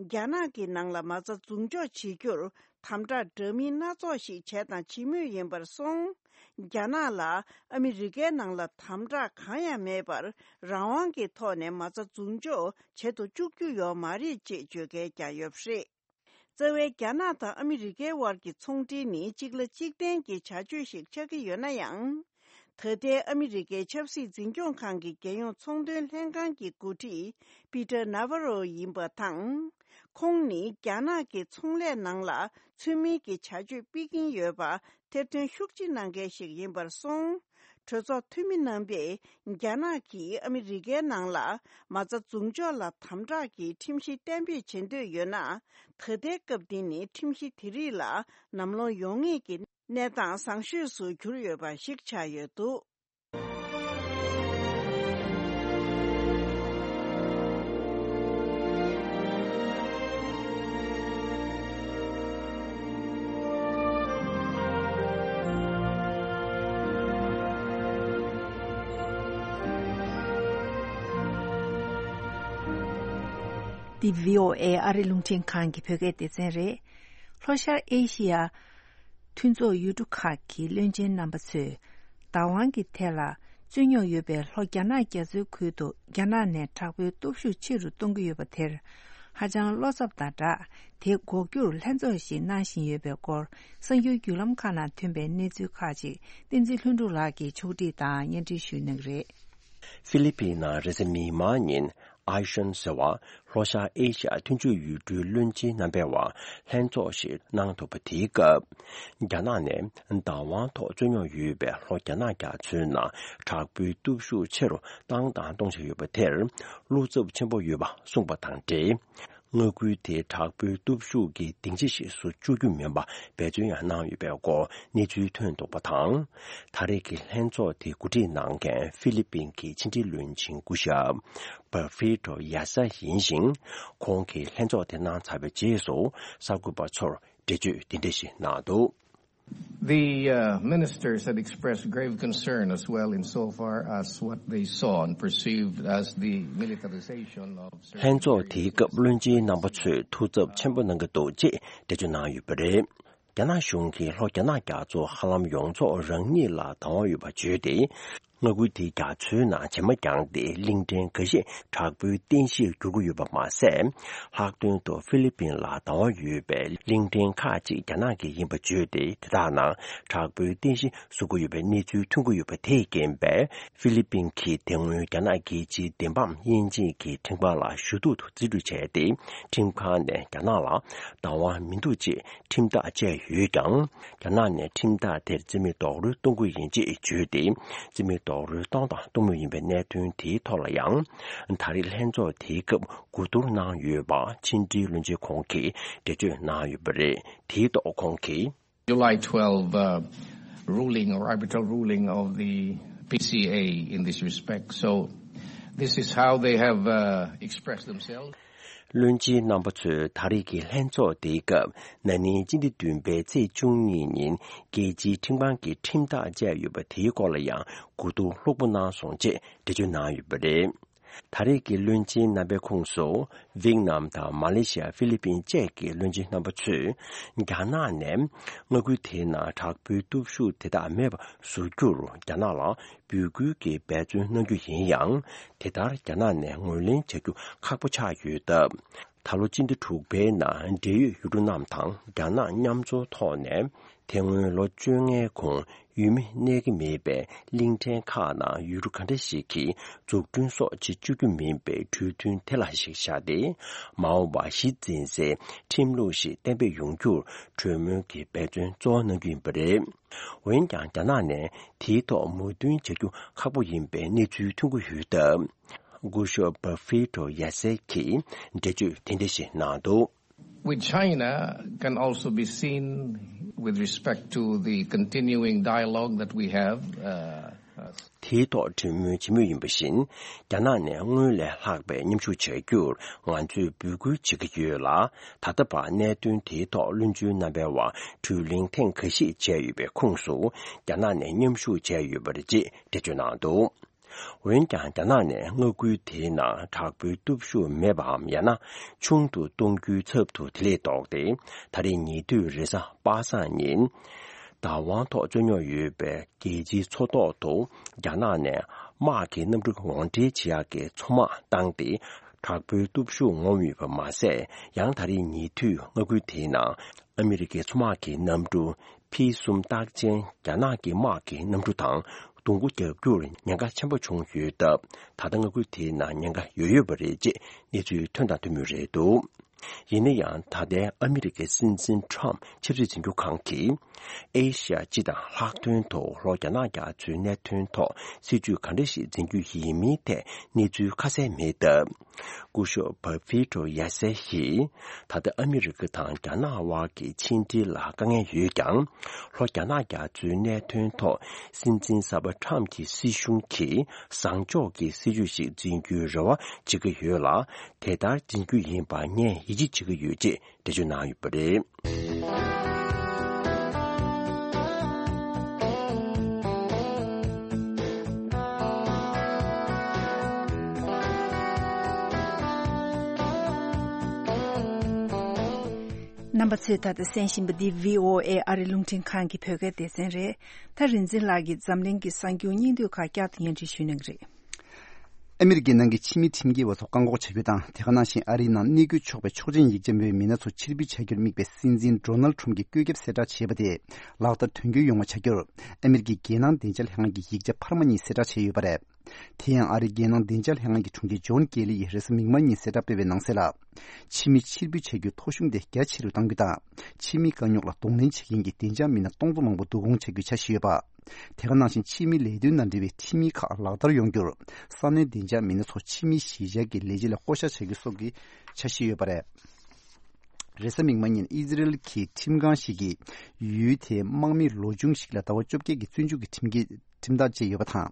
རྒྱ་ནག་གི་ནང་ལ་མ་རྩ་འཛུགས་འཇོག་བྱེད་རྒྱུར་དམ་དྲག་འདྲ་མིན་སྣ་ཚོགས་ཤིག་བྱས་དང་བྱེད་མུས་ཡིན་པར་སོང་། རྒྱ་ནག་ལ་ཨ་མི་རི་ཀའི་ནང་ལ་དམ་དྲག་གང་ཡང་མེད་པར། རང་དབང་གི་ཐོག་ནས་མ་རྩ་འཛུགས་འཇོག་བྱེད་དུ་བཅུག་རྒྱུ་ཡོད་མ་རེད་ཅེས་བརྗོད་མཁན་ཀྱང་ཡོད་པ་རེད། རྩ་བའི་རྒྱ་ནག་དང་ཨ་མི་རི་ཀའི་དབར་གྱི་ཚོང་འབྲེལ་ནི་གཅིག་ལ་གཅིག་བརྟེན་གྱི་བྱ་སྤྱོད་ཞིག་ཆགས་ཀྱི་ཡོད་ན་ཡང་། ད་ལྟའི་ཨ་མི་རི་ཀའི་ཆབ་སྲིད་འཛིན་སྐྱོང་ཁང་གི་རྒྱལ་ཡོངས་ཚོང་དོན་ལྷན་ཁང་གི་འགོ་ཁྲིད་པི་ཏར་ནཱ་ཝ་རོ་ཡིན་པ་དང་། ཁོང་ནི་རྒྱ་ནག་གི་ཚོང་ལས་ནང་ལ་ཚུལ་མིན་གྱི་བྱ་སྤྱོད་སྤེལ་གྱིན་ཡོད་པ་ཐེར་འདོན་ཤུགས་ཆེ་གནང་མཁན་ཞིག་ཡིན་པར་སོང་། གྲོས་ཚོགས་འཐུས་མི་རྣམ་པས་རྒྱ་ནག་གིས་ཨ་མི་རི་ཀའི་ནང་ལ་མ་རྩ་འཛུགས་འཇོག་ལ་དམ་དྲག་གི་ཁྲིམས་གཞི་གཏན་འབེབས་བྱེད་འདོད་ཡོད་ན། ད་ལྟའི་སྐབས་འདི་ནི་ཁྲིམས་གཞི་དེ་རིགས་ལ་ལམ་ལྷོང་ཡོང་ངེས་ཀྱི་གནས་སྟངས་བཟང་ཤོས་སུ་གྱུར་ཡོད་པ་ཞིག་ཆགས་ཡོད་འདུག། འདི་བྷི་ཨོ་ཨེ་ཨ་རི་རླུང་འཕྲིན་ཁང་གི་བོད་སྐད་སྡེ་ཚན་རེད། ལྷོ་ཤར་ཨེ་ཤི་ཡ་མཐུན་ཚོགས་ཡུལ་གྲུ་ཁག་གི་བློན་ཆེན་རྣམ་པ་ཚོས། བདག་དབང་གི་ཐད་ལ་རྩོད་རྙོག་ཡོད་པའི་ལྷོ་རྒྱ་ནག་རྒྱ་མཚོའི་ཁུལ་དུ་རྒྱ་ནག་ནས་དྲག་པོའི་སྟོབས་ཤུགས་ཆེ་རུ་གཏོང་གི་ཡོད་པ་དེར། ཧ་ཅང་བློ་འཚབ་དང་སྦྲགས། དེ་འགོག་རྒྱུར་ལྷན་ཚོགས་ཤིག་གནང་བཞིན་ཡོད་པའི་སྐོར། གསར་འགྱུར་བརྒྱུད་ལམ་ཁག་ནང་ཐོན་པའི་གནས་ཚུལ་ཁག་ཅིག་བསྟན་འཛིན་ལྷུན་གྲུབ་ལགས་ཀྱིས་ཕྱོགས་སྒྲིག་དང་སྙན་སྒྲོན་ཞུ་གནང་གི་རེད། ཧྥི་ལི་པིན་ནང་རེས་གཟའ་མིག་དམར་ཉིན། ཨའི་ཤན་ཟེར་བ། ལྷོ་ཤར་ཨེ་ཤ་ཡ་མཐུན་ཕྱོགས་ཡུལ་གྲུའི་བློན་ཆེན་རྣམ་པའི་དབར་ལྷན་ཚོགས་ཤིག་གནང་ཐུབ་པ་དེའི་སྐབས། རྒྱ་ནག་ནས་བདག་དབང་ཐོག་རྩོད་རྙོག་ཡོད་པའི་ལྷོ་རྒྱ་ནག་རྒྱ་མཚོའི་ནང་དྲག་པོའི་སྟོབས་ཤུགས་ཆེ་རུ་བཏང་དང་གཏོང་བཞིན་ཡོད་པ་དེར་བློ་འཚབ་ཆེན་པོ་ཡོད་པ་གསུངས་པ་དང་འབྲེལ། མངའ་ཁུལ་དེ་དྲག་པོའི་སྟོབས་ཤུགས་ཀྱི་སྡིངས་ཆ་ཞིག་བཟོ་བཅུག་རྒྱུ་མིན་པ་འབད་བརྩོན་ཡང་གནང་ཡོད་པའི་སྐོར་གནས་ཚུལ་ཐོན་འདུག་པ་དང་། ད་རེས་ཀྱི་ལྷན་ཚོགས་དེ་གོ་སྒྲིག་གནང་མཁན་ཧྥི་ལི་པིན་གྱི་ཕྱི་འབྲེལ་བློན་ཆེན་སྐུ་ཞབས། པར་ཧྥི་ཏོ་ཡ་ས་ཡིན་ཞིང་། ཁོང་གིས་ལྷན་ཚོགས་དེ་གནང་ཚར་བའི་རྗེས་སུ་གསར་འགོད་པ་ཚོར་འགྲེལ་བརྗོད་འདི་འདྲ་ཞིག་གནང་འདུག། The uh, ministers had expressed grave concern as well insofar as what they saw and perceived as the militarization of certain ལྷན་ཚོགས་དེའི་areas སྐབས་བློན་ཆེན་རྣམ་པ་ཚོས་ཐུགས་འཚབ་ཆེན་པོ་གནང་གི་འདུག་ཅེས་འགྲེལ་བརྗོད་གནང་ཡོད་པ་རེད། རྒྱ་ནག་གཞུང་གིས་ལྷོ་རྒྱ་ནག་རྒྱ་མཚོ་ཧ་ལམ་ཡོངས་རྫོགས་རང་ཉིད་ལ་བདག་དབང་ཡོད་པ་བརྗོད་དེ། མངའ་ཁུལ་དེའི་རྒྱ་མཚོའི་ནང་བྱེ་མ་བརྒྱངས་ཏེ་གླིང་ཕྲན་འགའ་ཤས་དྲག་པོའི་རྟེན་གཞིར་འགྱུར་གྱི་ཡོད་པ་མ་ཟད། ལྷག་དོན་དུ་ཧྥི་ལི་པིན་ལ་བདག་དབང་ཡོད་པའི་གླིང་ཕྲན་ཁག་ཅིག་རྒྱ་ནག་གི་ཡིན་པ་བརྗོད་དེ། དེ་དག་ནང་དྲག་པོའི་རྟེན་གཞི་བཟོ་གི་ཡོད་པའི་གནས་ཚུལ་ཐོན་གྱི་ཡོད་པ་དེས་རྐྱེན་པས། ཧྥི་ལི་པིན་གྱིས་དེ་སྔོན་རྒྱ་ནག་རྒྱལ་སྤྱིའི་བདེན་དཔང་དབྱེ་འབྱེད་ཀྱི་ཁྲིམས་ཁང་ལ་ཞུ་གཏུག་ཏུ་རྩིས་སྤྲོད་བྱས་ཏེ། ཁྲིམས་ཁང་ནས་རྒྱ་ནག་ལ་བདག་དབང་མི་འདུག་ཅེས་ཁྲིམས་ཐག་བཅད་ཡོད་ཀྱང་། རྒྱ་ནག་ནས་ཁྲིམས་ཐག་དེར་རྩིས་མེད་རྡོག་རོལ་གཏོང་གི་ཡིན་ཅེས་བརྗོད་དེ། རྩིས་མེད་རྡོག་རོལ་གཏོང་དང་གཏོང་མུས་ཡིན་པའི་གནད་དོན་དེའི་ཐོག་ལ་ཡང་། ད་རེས་ལྷན་ཚོགས་དེའི་སྐབས་གོ་བསྡུར་གནང་ཡོད་པ་ཕྱི་འབྲེལ་བློན་ཆེན་ཁོང་གིས་འགྲེལ་བརྗོད་གནང་ཡོད་པ་རེད། དེའི་ཐོག་ཁོང་གིས། July twelve uh, ruling or arbitral ruling of the P C A in this respect. So this is how they have uh, expressed themselves. བློན་ཆེན་རྣམ་པ་ཚོས་ད་རེས་ཀྱི་ལྷན་ཚོགས་དེའི་སྐབས་ན་ནིང་སྤྱི་ཟླ་བདུན་པའི་ཚེས་བཅུ་གཉིས་ཉིན་རྒྱལ་སྤྱིའི་ཁྲིམས་ཁང་གིས་ཁྲིམས་ཐག་བཅད་ཡོད་པ་དེའི་སྐོར་ལ་ཡང་གོ་བསྡུར་ལྷུག་པོ་གནང་སོང་ཅེས་འགྲེལ་བརྗོད་གནང་ཡོད་པ་རེད། ད་རེས་ཀྱི་བློན་ཆེན་རྣམ་པའི་ཁོངས་སུ། ཝེད་ནམ་དང་མ་ལེ་ཤི་ཡ། ཧྥི་ལི་པིན་བཅས་ཀྱི་བློན་ཆེན་རྣམ་པ་ཚོས། རྒྱ་ནག་ནས་མངའ་ཁུལ་དེའི་ནང་དྲག་པོའི་སྟོབས་ཤུགས་དེ་དག་མེད་པ་བཟོ་རྒྱུར་རྒྱ་ནག་ལ་འབོད་སྐུལ་གྱི་འབད་བརྩོན་གནང་རྒྱུ་ཡིན་ཡང་། དེ་ལྟར་རྒྱ་ནག་ནས་ངོས་ལེན་བྱ་རྒྱུ་ཁག་པོ་ཆགས་ཡོད་སྟབས། ད་ལོ་སྤྱི་ཟླ་དྲུག་པའི་ནང་འབྲེལ་ཡོད་ཡུལ་གྲུ་རྣམས་དང་རྒྱ་ནག་མཉམ་འཛོམས་ཐོག་ནས། དེ་སྔོན་ལོ་བཅོ་ལྔའི་གོང་ ཡུལ་མི་གནས་ཀྱི་མེད་པའི་གླིང་ཕྲན་ཁག་ནང་ཡུལ་གྲུ་ག་འདྲ་ཞིག་གིས་འཛུགས་སྐྲུན་སོགས་བྱེད་བཅུག་རྒྱུ་མིན་པའི་གྲོས་མཐུན་དེ་ལ་གཞི་བཞག་སྟེ། མ་འོངས་པར་གཞི་འཛིན་སའི་ཁྲིམས་ལུགས་ཤིག་གཏན་འབེབས་ཡོང་རྒྱུར་གྲོས་མོལ་གྱི་འབད་བརྩོན་གཙོ་བོ་གནང་རྒྱུ་ཡིན་པ་རེད། འོན་ཀྱང་། རྒྱ་ནག་ནས་དེའི་ཐོག་མོས་མཐུན་བྱ་རྒྱུ་ཁག་པོ་ཡིན་པའི་གནས་ཚུལ་ཐོན་གྱི་ཡོད་སྟབས། སྐུ་ཞབས་Perfecto Yase གྱིས་འགྲེལ་བརྗོད་དེ་འདྲ་ཞིག་གནང་འདུག། With China can also be seen with respect to the continuing dialogue that we have. Uh, uh, དེའི་ཐོག་གྲོས་མོལ་བྱེད་མུས་ཡིན་པ་བཞིན། རྒྱ་ནག་ནས་སྔོན་ལས་ལྷག་པའི་མཉམ་ཞུགས་བྱ་རྒྱུར་ང་ཚོས་འབོད་སྐུལ་བྱེད་ཀྱི་ཡོད་ལ། ད་ལྟ་བར་གནད་དོན་དེའི་ཐོག་བློན་ཆེན་རྣམ་པའི་དབར་གྲོས་གླེང་ཐེངས་འགའ་ཤས་བྱས་ཡོད་པའི་ཁོངས་སུ། རྒྱ་ནག་ནས་མཉམ་ཞུགས་བྱས་ཡོད་པ་རེད་ཅེས་འགྲེལ་བརྗོད་གནང་འདུག། འོན་ཀྱང་། རྒྱ་ནག་ནས་མངའ་ཁུལ་དེའི་ནང་དྲག་པོའི་སྟོབས་ཤུགས་མེད་པའམ། ཡང་ན་ཆུང་དུ་གཏོང་རྒྱུའི་ཚབ་ཏུ། དེ་ལས་ལྡོག་སྟེ། ད་རེས་ཉེ་དུས་རེས་གཟའ་པ་སངས་ཉིན། བདག་དབང་ཐོག་རྩོད་རྙོག་ཡོད་པའི་རྒྱལ་སྤྱིའི་མཚོ་ཐོག་ཏུ། རྒྱ་ནག་ནས་དམག་གི་གནམ་གྲུ་ངོ་འཕྲད་བྱེད་ཡག་གི་མཚོ་དམག་བཏང་སྟེ། དྲག་པོའི་སྟོབས་ཤུགས་ངོམ་ཡོད་པ་མ་ཟད། ཡང་ད་རེས་ཉེ་དུས་མངའ་ཁུལ་དེའི་ནང་ཨ་མི་རི་ཀའི་མཚོ་དམག་གི་གནམ་གྲུ་ཕི་གསུམ་རྟགས་ཅན་རྒྱ་ནག་གི་དམག་གི་གནམ་གྲུ་དང་བརྡུང་རྒོལ་རྒྱག་རྒྱུར་ཉེན་ཁ་ཆེན་པོ་བྱུང་ཡོད་སྟབས། ད་ལྟ་མངའ་ཁུལ་དེའི་ནང་ཉེན་ཁ་ཡོད་ཡོད་པ་རེད་ཅེས་གནས་ཚུལ་ཐོན་དང་ཐོན་མུས་རེད་འདུག། ཡིན་ན་ཡང་། ད་ལྟའི་ཨ་མི་རི་ཀའི་སྲིད་འཛིན་ཁྲོམ་ཆབ་སྲིད་འཛིན་སྐྱོང་ཁང་གིས། ཨེ་ཤ་ཡ་སྤྱི་དང་ལྷག་དོན་དུ་ལྷོ་རྒྱ་ནག་རྒྱ་མཚོའི་གནད་དོན་ཐོག་སྲིད་ཇུས་ག་འདྲ་ཞིག་འཛིན་རྒྱུ་ཡིན་མིན་ཐད་གནས་ཚུལ་ཁ་གསལ་མེད་སྟབས། སྐུ་ཞབས་Perfecto Yase ཡིས། ད་ལྟ་ཨ་མི་རི་ཀ་དང་རྒྱ་ནག་དབར་གྱི་ཕྱི་འབྲེལ་ལ་དཀའ་ངལ་ཡོད་ཀྱང་། ལྷོ་རྒྱ་ནག་རྒྱ་མཚོའི་གནད་དོན་ཐོག་སྲིད་འཛིན་གསར་པ་ཁྲོམ་གྱི་སྲིད་གཞུང་གིས་བཟང་ཕྱོགས་ཀྱི་སྲིད་ཇུས་ཤིག་འཛིན་རྒྱུའི་རེ་བ་བྱེད་ཀྱི་ཡོད་ལ། དེ་ལྟར་འཛིན་རྒྱུ་ཡིན་པར་ངས་ཡིད་ཆེས་བྱེད་ཀྱི་ཡོད་ཅེས་འགྲེལ་བརྗོད་གནང་ཡོད་པ་རེད། རྣམ་པ་ཚོས་ད་ལྟ་གསན་བཞིན་པ་འདི་བྷི་ཨོ་ཨེ་ཨ་རི་རླུང་འཕྲིན་ཁང་གི་བོད་སྐད་སྡེ་ཚན་རེད། ད་རིག་འཛིན་ལགས་ཀྱིས་འཛམ་གླིང་གི་གསར་འགྱུར་སྙིང་བསྡུས་ཁག་བསྐྱར་དུ་སྙན་སྒྲོན་ཞུ་གནང་གི་རེད། ཨ་མི་རི་ཀའི་ནང་གི་ཕྱི་མི་ཁྲིམས་འགལ་བ་ཚོ་བཀག་འགོག་བྱ་རྒྱུ་དང་། དེ་ག་ནང་བཞིན་ཨ་རིའི་ནང་གནས་སྐོར་ཆོག་པའི་ཆོག་མཆན་ཡིག་ཆ་མེད་པའི་མི་སྣ་ཚོ་ཕྱིར་འབུད་བྱ་རྒྱུར་དམིགས་པའི་སྲིད་འཛིན་ཌོ་ནལ་ཁྲོམ་གྱི་བཀོད་ཁྱབ་གསལ་བསྒྲགས་བྱས་པ་དེ་ལག་བསྟར་དོན་འཁྱོལ་ཡོང་བ་བྱ་རྒྱུར། ཨ་མི་རི་ཀའི་རྒྱལ་ནང་བདེ་འཇགས་ལྷན་ཁང་གིས་ཡིག་ཆ་འཕར་མ་གཉིས་གསལ་བསྒྲགས་བྱས་ཡོད་པ་རེད། དེ་ཡང་ཨ་རིའི་རྒྱལ་ནང་བདེ་འཇགས་ལྷན་ཁང་གི་དྲུང་ཆེ་ཇོན་ཀེ་ལི་ཡིས་རེས་གཟའ་མིག་དམར་ཉིན་གསལ་བསྒྲགས་སྤེལ་བའི་ནང་གསལ་ལ། ཕྱི་མི་ཕྱིར་འབུད་བྱ་རྒྱུའི་ཐོ་གཞུང་དེ་རྒྱ་ཆེ་རུ་གཏང་རྒྱུ་དང་། ཕྱི་མི་དཀའ་རྙོག་ལ་གདོང་ལེན་བྱེད་མཁན་གྱི་བདེ་འཇགས་མི་སྣ་སྟོང་ཚོ་མང་པོ་བསྡུ་སྐོང་བྱ་རྒྱུའི་འཆར་གཞི་ཡོད་པ། དེ་ག་ནང་བཞིན་ཕྱི་མི་ལས་དོན་དང་འབྲེལ་བའི་ཁྲིམས་ཡིག་ཁག་ལག་བསྟར་ཡོང་རྒྱུར། ས་གནས་བདེ་འཇགས་མི་སྣ་ཚོ་ཕྱི་མིའི་གཞིས་ཆགས་ཀྱི་ལས་བྱེད་ལ་བསྐོ་བཞག་བྱ་རྒྱུ་སོགས་ཀྱི་འཆར་གཞི་ཡོད་པ་རེད། རེས་གཟའ་མིག་དམར་ཉིན་ཨི་ཟི་རེལ་གྱི་ཁྲིམས་ཁང་ཞིག་གིས་ཡུལ་དེའི་དམག་མི་ལོ་ཆུང་ཞིག་ལ་ཟླ་བ་བཅོ་བརྒྱད་ཀྱི་བཙོན་འཇུག་གི་ཁྲིམས་འགལ་ཁྲིམས་ཐག་བཅད་ཡོད་པ་དང་།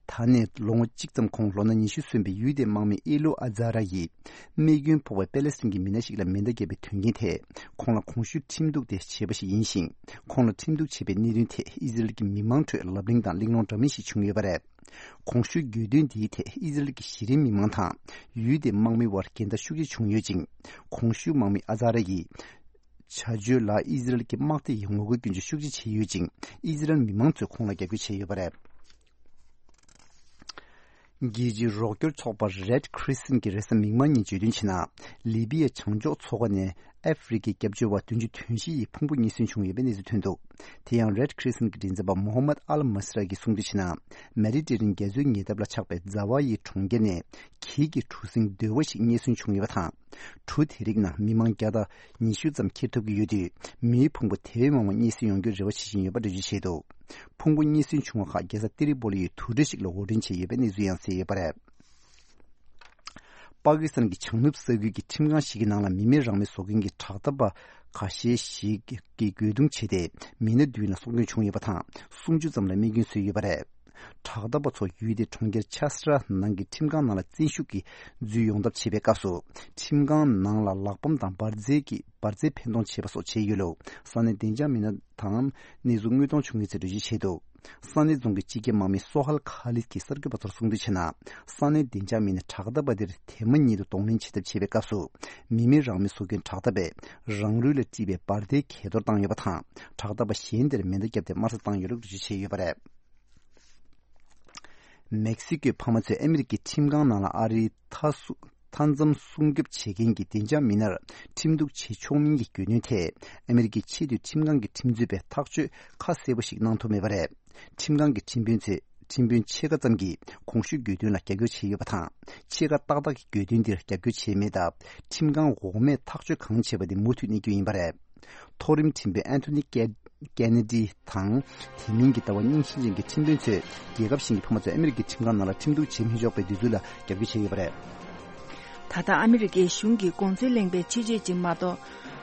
ད་ནས་ལོ་ངོ་གཅིག་ཙམ་གོང་ལོ་ན་ཉི་ཤུ་སོན་པའི་ཡུལ་དེའི་དམག་མི་ཨེ་ལུ་ཨ་ཛ་ར་ཡིས། རྨས་སྐྱོན་ཕོག་པའི་པེ་ལེ་སི་ཐན་གྱི་མི་སྣ་ཞིག་ལ་མེ་མདའ་བརྒྱབ་པའི་དོན་རྐྱེན་ཐད། ཁོང་ལ་གོང་ཞུས་ཁྲིམས་གཏུག་དེ་བྱས་པ་ཞིག་ཡིན་ཞིང་། ཁོང་ལ་ཁྲིམས་གཏུག་བྱས་པའི་གནད་དོན་ཐད་ཨི་ཟི་རེལ་གྱི་མི་མང་ཁྲོད་ལབ་གླེང་དང་གླེང་སློང་འདྲ་མིན་ཞིག་བྱུང་ཡོད་པ་རེད། གོང་ཞུས་གྱོད་དོན་འདིའི་ཐད་ཨི་ཟི་རེལ་གྱི་གཞི་རིམ་མི་མང་དང་། ཡུལ་དེའི་དམག་མིའི་དབར་འགལ་ཟླ་ཤུགས་ཆེ་བྱུང་ཡོད་ཅིང་། གོང་ཞུས་དམག་མི་ཨ་ཛ་ར་ཡིས། བྱ་སྤྱོད་ལ་ཨི་ཟི་རེལ་གྱི་དམག་སྡེ་ཡིས་ངོ་རྒོལ་སྐྱོན་བརྗོད་ཤུགས་ཆེ་བྱས་ཡོད་ཅིང་། ཨི་ཟི་རེལ་མི་མང་ཚོས་ཁོང་ལ་རྒྱབ་སྐྱོར་བྱས་ཡོད་པ་རེད། རྒྱལ་སྤྱིའི་རོགས་སྐྱོར་ཚོགས་པ་Red Crescent གྱིས་རེས་གཟའ་མིག་དམར་ཉིན་བརྗོད་དོན་བྱས་ན། ལི་པི་ཡའི་བྱང་ཕྱོགས་མཚོ་ཁ་ནས་ཨ་ཧྥེ་རི་ཁའི་སྐྱབས་བཅོལ་བ་བདུན་ཅུ་དོན་བཞི་ཡིས་ཕུང་པོ་རྙེད་སོན་བྱུང་ཡོད་པའི་གནས་ཚུལ་ཐོན་འདུག། དེ་ཡང་Red Crescent གྱི་མགྲིན་ཚབ་པ་Mohammad Al Masra གིས་གསུངས་དོན་བྱས་ན། མེ་ཌི་ཊེ་རེ་ནི་ཡན་རྒྱ་མཚོའི་ཉེ་འདབས་ལ་ཆགས་པའི་ཛ་ཝ་ཡི་གྲོང་ཁྱེར་ནས་གྱད་ཀྱི་གྲུ་གཟིངས་རྡོལ་བ་ཞིག་རྙེད་སོན་བྱུང་ཡོད་པ་དང་། གྲུ་དེ་རིགས་ནང་མི་མང་བརྒྱ་དང་ཉི་ཤུ་ཙམ་འཁྱེར་ཐུབ་ཀྱི་ཡོད་དུས། མིའི་ཕུང་པོ་དེ་བས་མང་བ་རྙེད་སོན་ཡོང་རྒྱུར་རེ་བ་བྱེད་བཞིན་ཡོད་པ་འགྲེལ་བརྗོད་བྱས་འདུག། ཕུང་པོ་རྙེད་སོན་བྱུང་བ་ཁག་རྒྱལ་ས་ཏི་རི་པོ་ལི་ཡི་དུར་ཁྲོད་ཞིག་ལ་དབོར་འདྲེན་བྱས་ཡོད་པའི་གནས་ཚུལ་ཡང་གསལ་ཡོད་པ་རེད། པ་ཀི་སི་ཐན་གྱི་བྱང་ནུབ་ས་ཁུལ་གྱི་ཁྲིམས་ཁང་ཞིག་གི་ནང་ལ་མི་མེད་རང་མོས་བཟོ་མཁན་གྱི་དྲག་འཐབ་པ་ཁ་ཤས་ཤིག་གིས་རྒོལ་རྡུང་བྱས་ཏེ། མི་སྣ་བདུན་ལ་སྲོག་སྐྱོན་བྱུང་ཡོད་པ་དང་། སུམ་ཅུ་ཙམ་ལ་རྨས་སྐྱོན་བཟོས་ཡོད་པ་རེད། དྲག་འཐབ་པ་ཚོ་ཡུལ་དེའི་གྲོང་ཁྱེར་ཆ་སི་ར་ནང་གི་ཁྲིམས་ཁང་ནང་ལ་བཙན་ཤུགས་ཀྱིས་འཛུལ་ཡོང་ཐབས་བྱེད་པའི་སྐབས་སུ། ཁྲིམས་ཁང་ནང་ལ་ལག་པམ་དང་འབར་རྫས་ཀྱི་འབར་རྫས་འཕེན་གཏོང་བྱས་པ་སོགས་བྱས་ཡོད་ལུགས་ས་གནས་བདེ་འཇགས་མི་སྣ་དང་གནས་ཚུལ་དངོས་མཐོང་བྱུང་ཡོད་ཚུལ་འགྲེལ་བརྗོད་བྱས་འདུག། ས་གནས་རྫོང་གི་སྤྱི་ཁྱབ་དམག་མི་སོ་ཧལ་ཁ་ལིད་ཀྱིས་གསར་འགོད་པ་ཚོར་གསུངས་དོན་བྱས་ན། ས་གནས་བདེ་འཇགས་མི་སྣས་དྲག་འཐབ་པ་དེར་དེ་མ་ཉིད་དུ་གདོང་ལེན་བྱེད་ཐབས་བྱེད་པའི་སྐབས་སུ། མི་མེད་རང་མོས་བཟོ་མཁན་དྲག་འཐབ་པས་རང་ལུས་ལ་དཀྲིས་པའི་འབར་མདེལ་གས་གཏོར་བཏང་ཡོད་པ་དང་། དྲག་འཐབ་པ་གཞན་དེར་མེ་མདའ་བརྒྱབ་སྟེ་དམར་གསོད་བཏང་ཡོད་ལུགས་འགྲེལ་བརྗོད་བྱས་ཡོད་པ་རེད། མེག་སི་ཀོའི་ཕ་མ་ཚོས་ཨ་མི་རི་ཀའི་ཁྲིམས་ཁང་ནང་ལ་ཨ་རིའི་མཐའ་སྲུ་མཐའ་མཚམས་སྲུང་སྐྱོབ་བྱེད་མཁན་གྱི་བདེ་འཇགས་མི་སྣར་ཁྲིམས་གཏུག་བྱེད་ཆོག་མིན་གྱི་རྒྱུ་མཚན་ཐད། ཨ་མི་རི་ཀའི་ཆེས་མཐོའི་ཁྲིམས་ཁང་གི་ཁྲིམས་རྩོད་པས་ཐག་གཅོད་ཁ་གསལ་པོ་ཞིག་གནང་ཐུབ་མེད་པ་རེད། ཁྲིམས་ཁང་གི་ཁྲིམས་དཔོན་ཚོས་ཁྲིམས་དཔོན་ཕྱེད་ཀ་ཙམ་གྱིས་གོང་ཞུས་གྱོད་དོན་ལ་རྒྱབ་སྐྱོར་བྱས་ཡོད་པ་དང་། ཕྱེད་ཀ་ཏག་ཏག་གིས་གྱོད་དོན་འདིར་རྒྱབ་སྐྱོར་བྱས་མེད་སྟབས། ཁྲིམས་ཁང་འོག་མས་ཐག་གཅོད་གང་བྱས་པ་དེ་མུ་མཐུད་གནས་རྒྱུ་ཡིན་པ་རེད། མཐོ་རིམ་ཁྲིམས་དཔོན་ཨན་ཐོ་ནི་ཀེ་ཀེ་ནེ་ཌི་དང་། དེ་མིན་གྱི་ལྟ་བ་རྙིང་ཞེན་ཅན་གྱི་ཁྲིམས་དཔོན་ཚོས་རྒྱལ་ཁབ་གཞན་གྱི་ཕ་མ་ཚོ་ཨ་མི་རི་ཀའི་ཁྲིམས་ཁང་ནང་ལ་ཁྲིམས་གཏུག་བྱེད་མི་ཆོག་པའི་འདོད་ཚུལ་ལ་རྒྱབ་སྐྱོར་བྱས་ཡོད་པ་རེད། ད་ལྟ་ཨ་མི་རི་ཀའི་གཞུང་གི་གོང་ཚོད་གླེང་པའི་ཆེད་བརྗོད་ཅིག་མ་གཏོགས།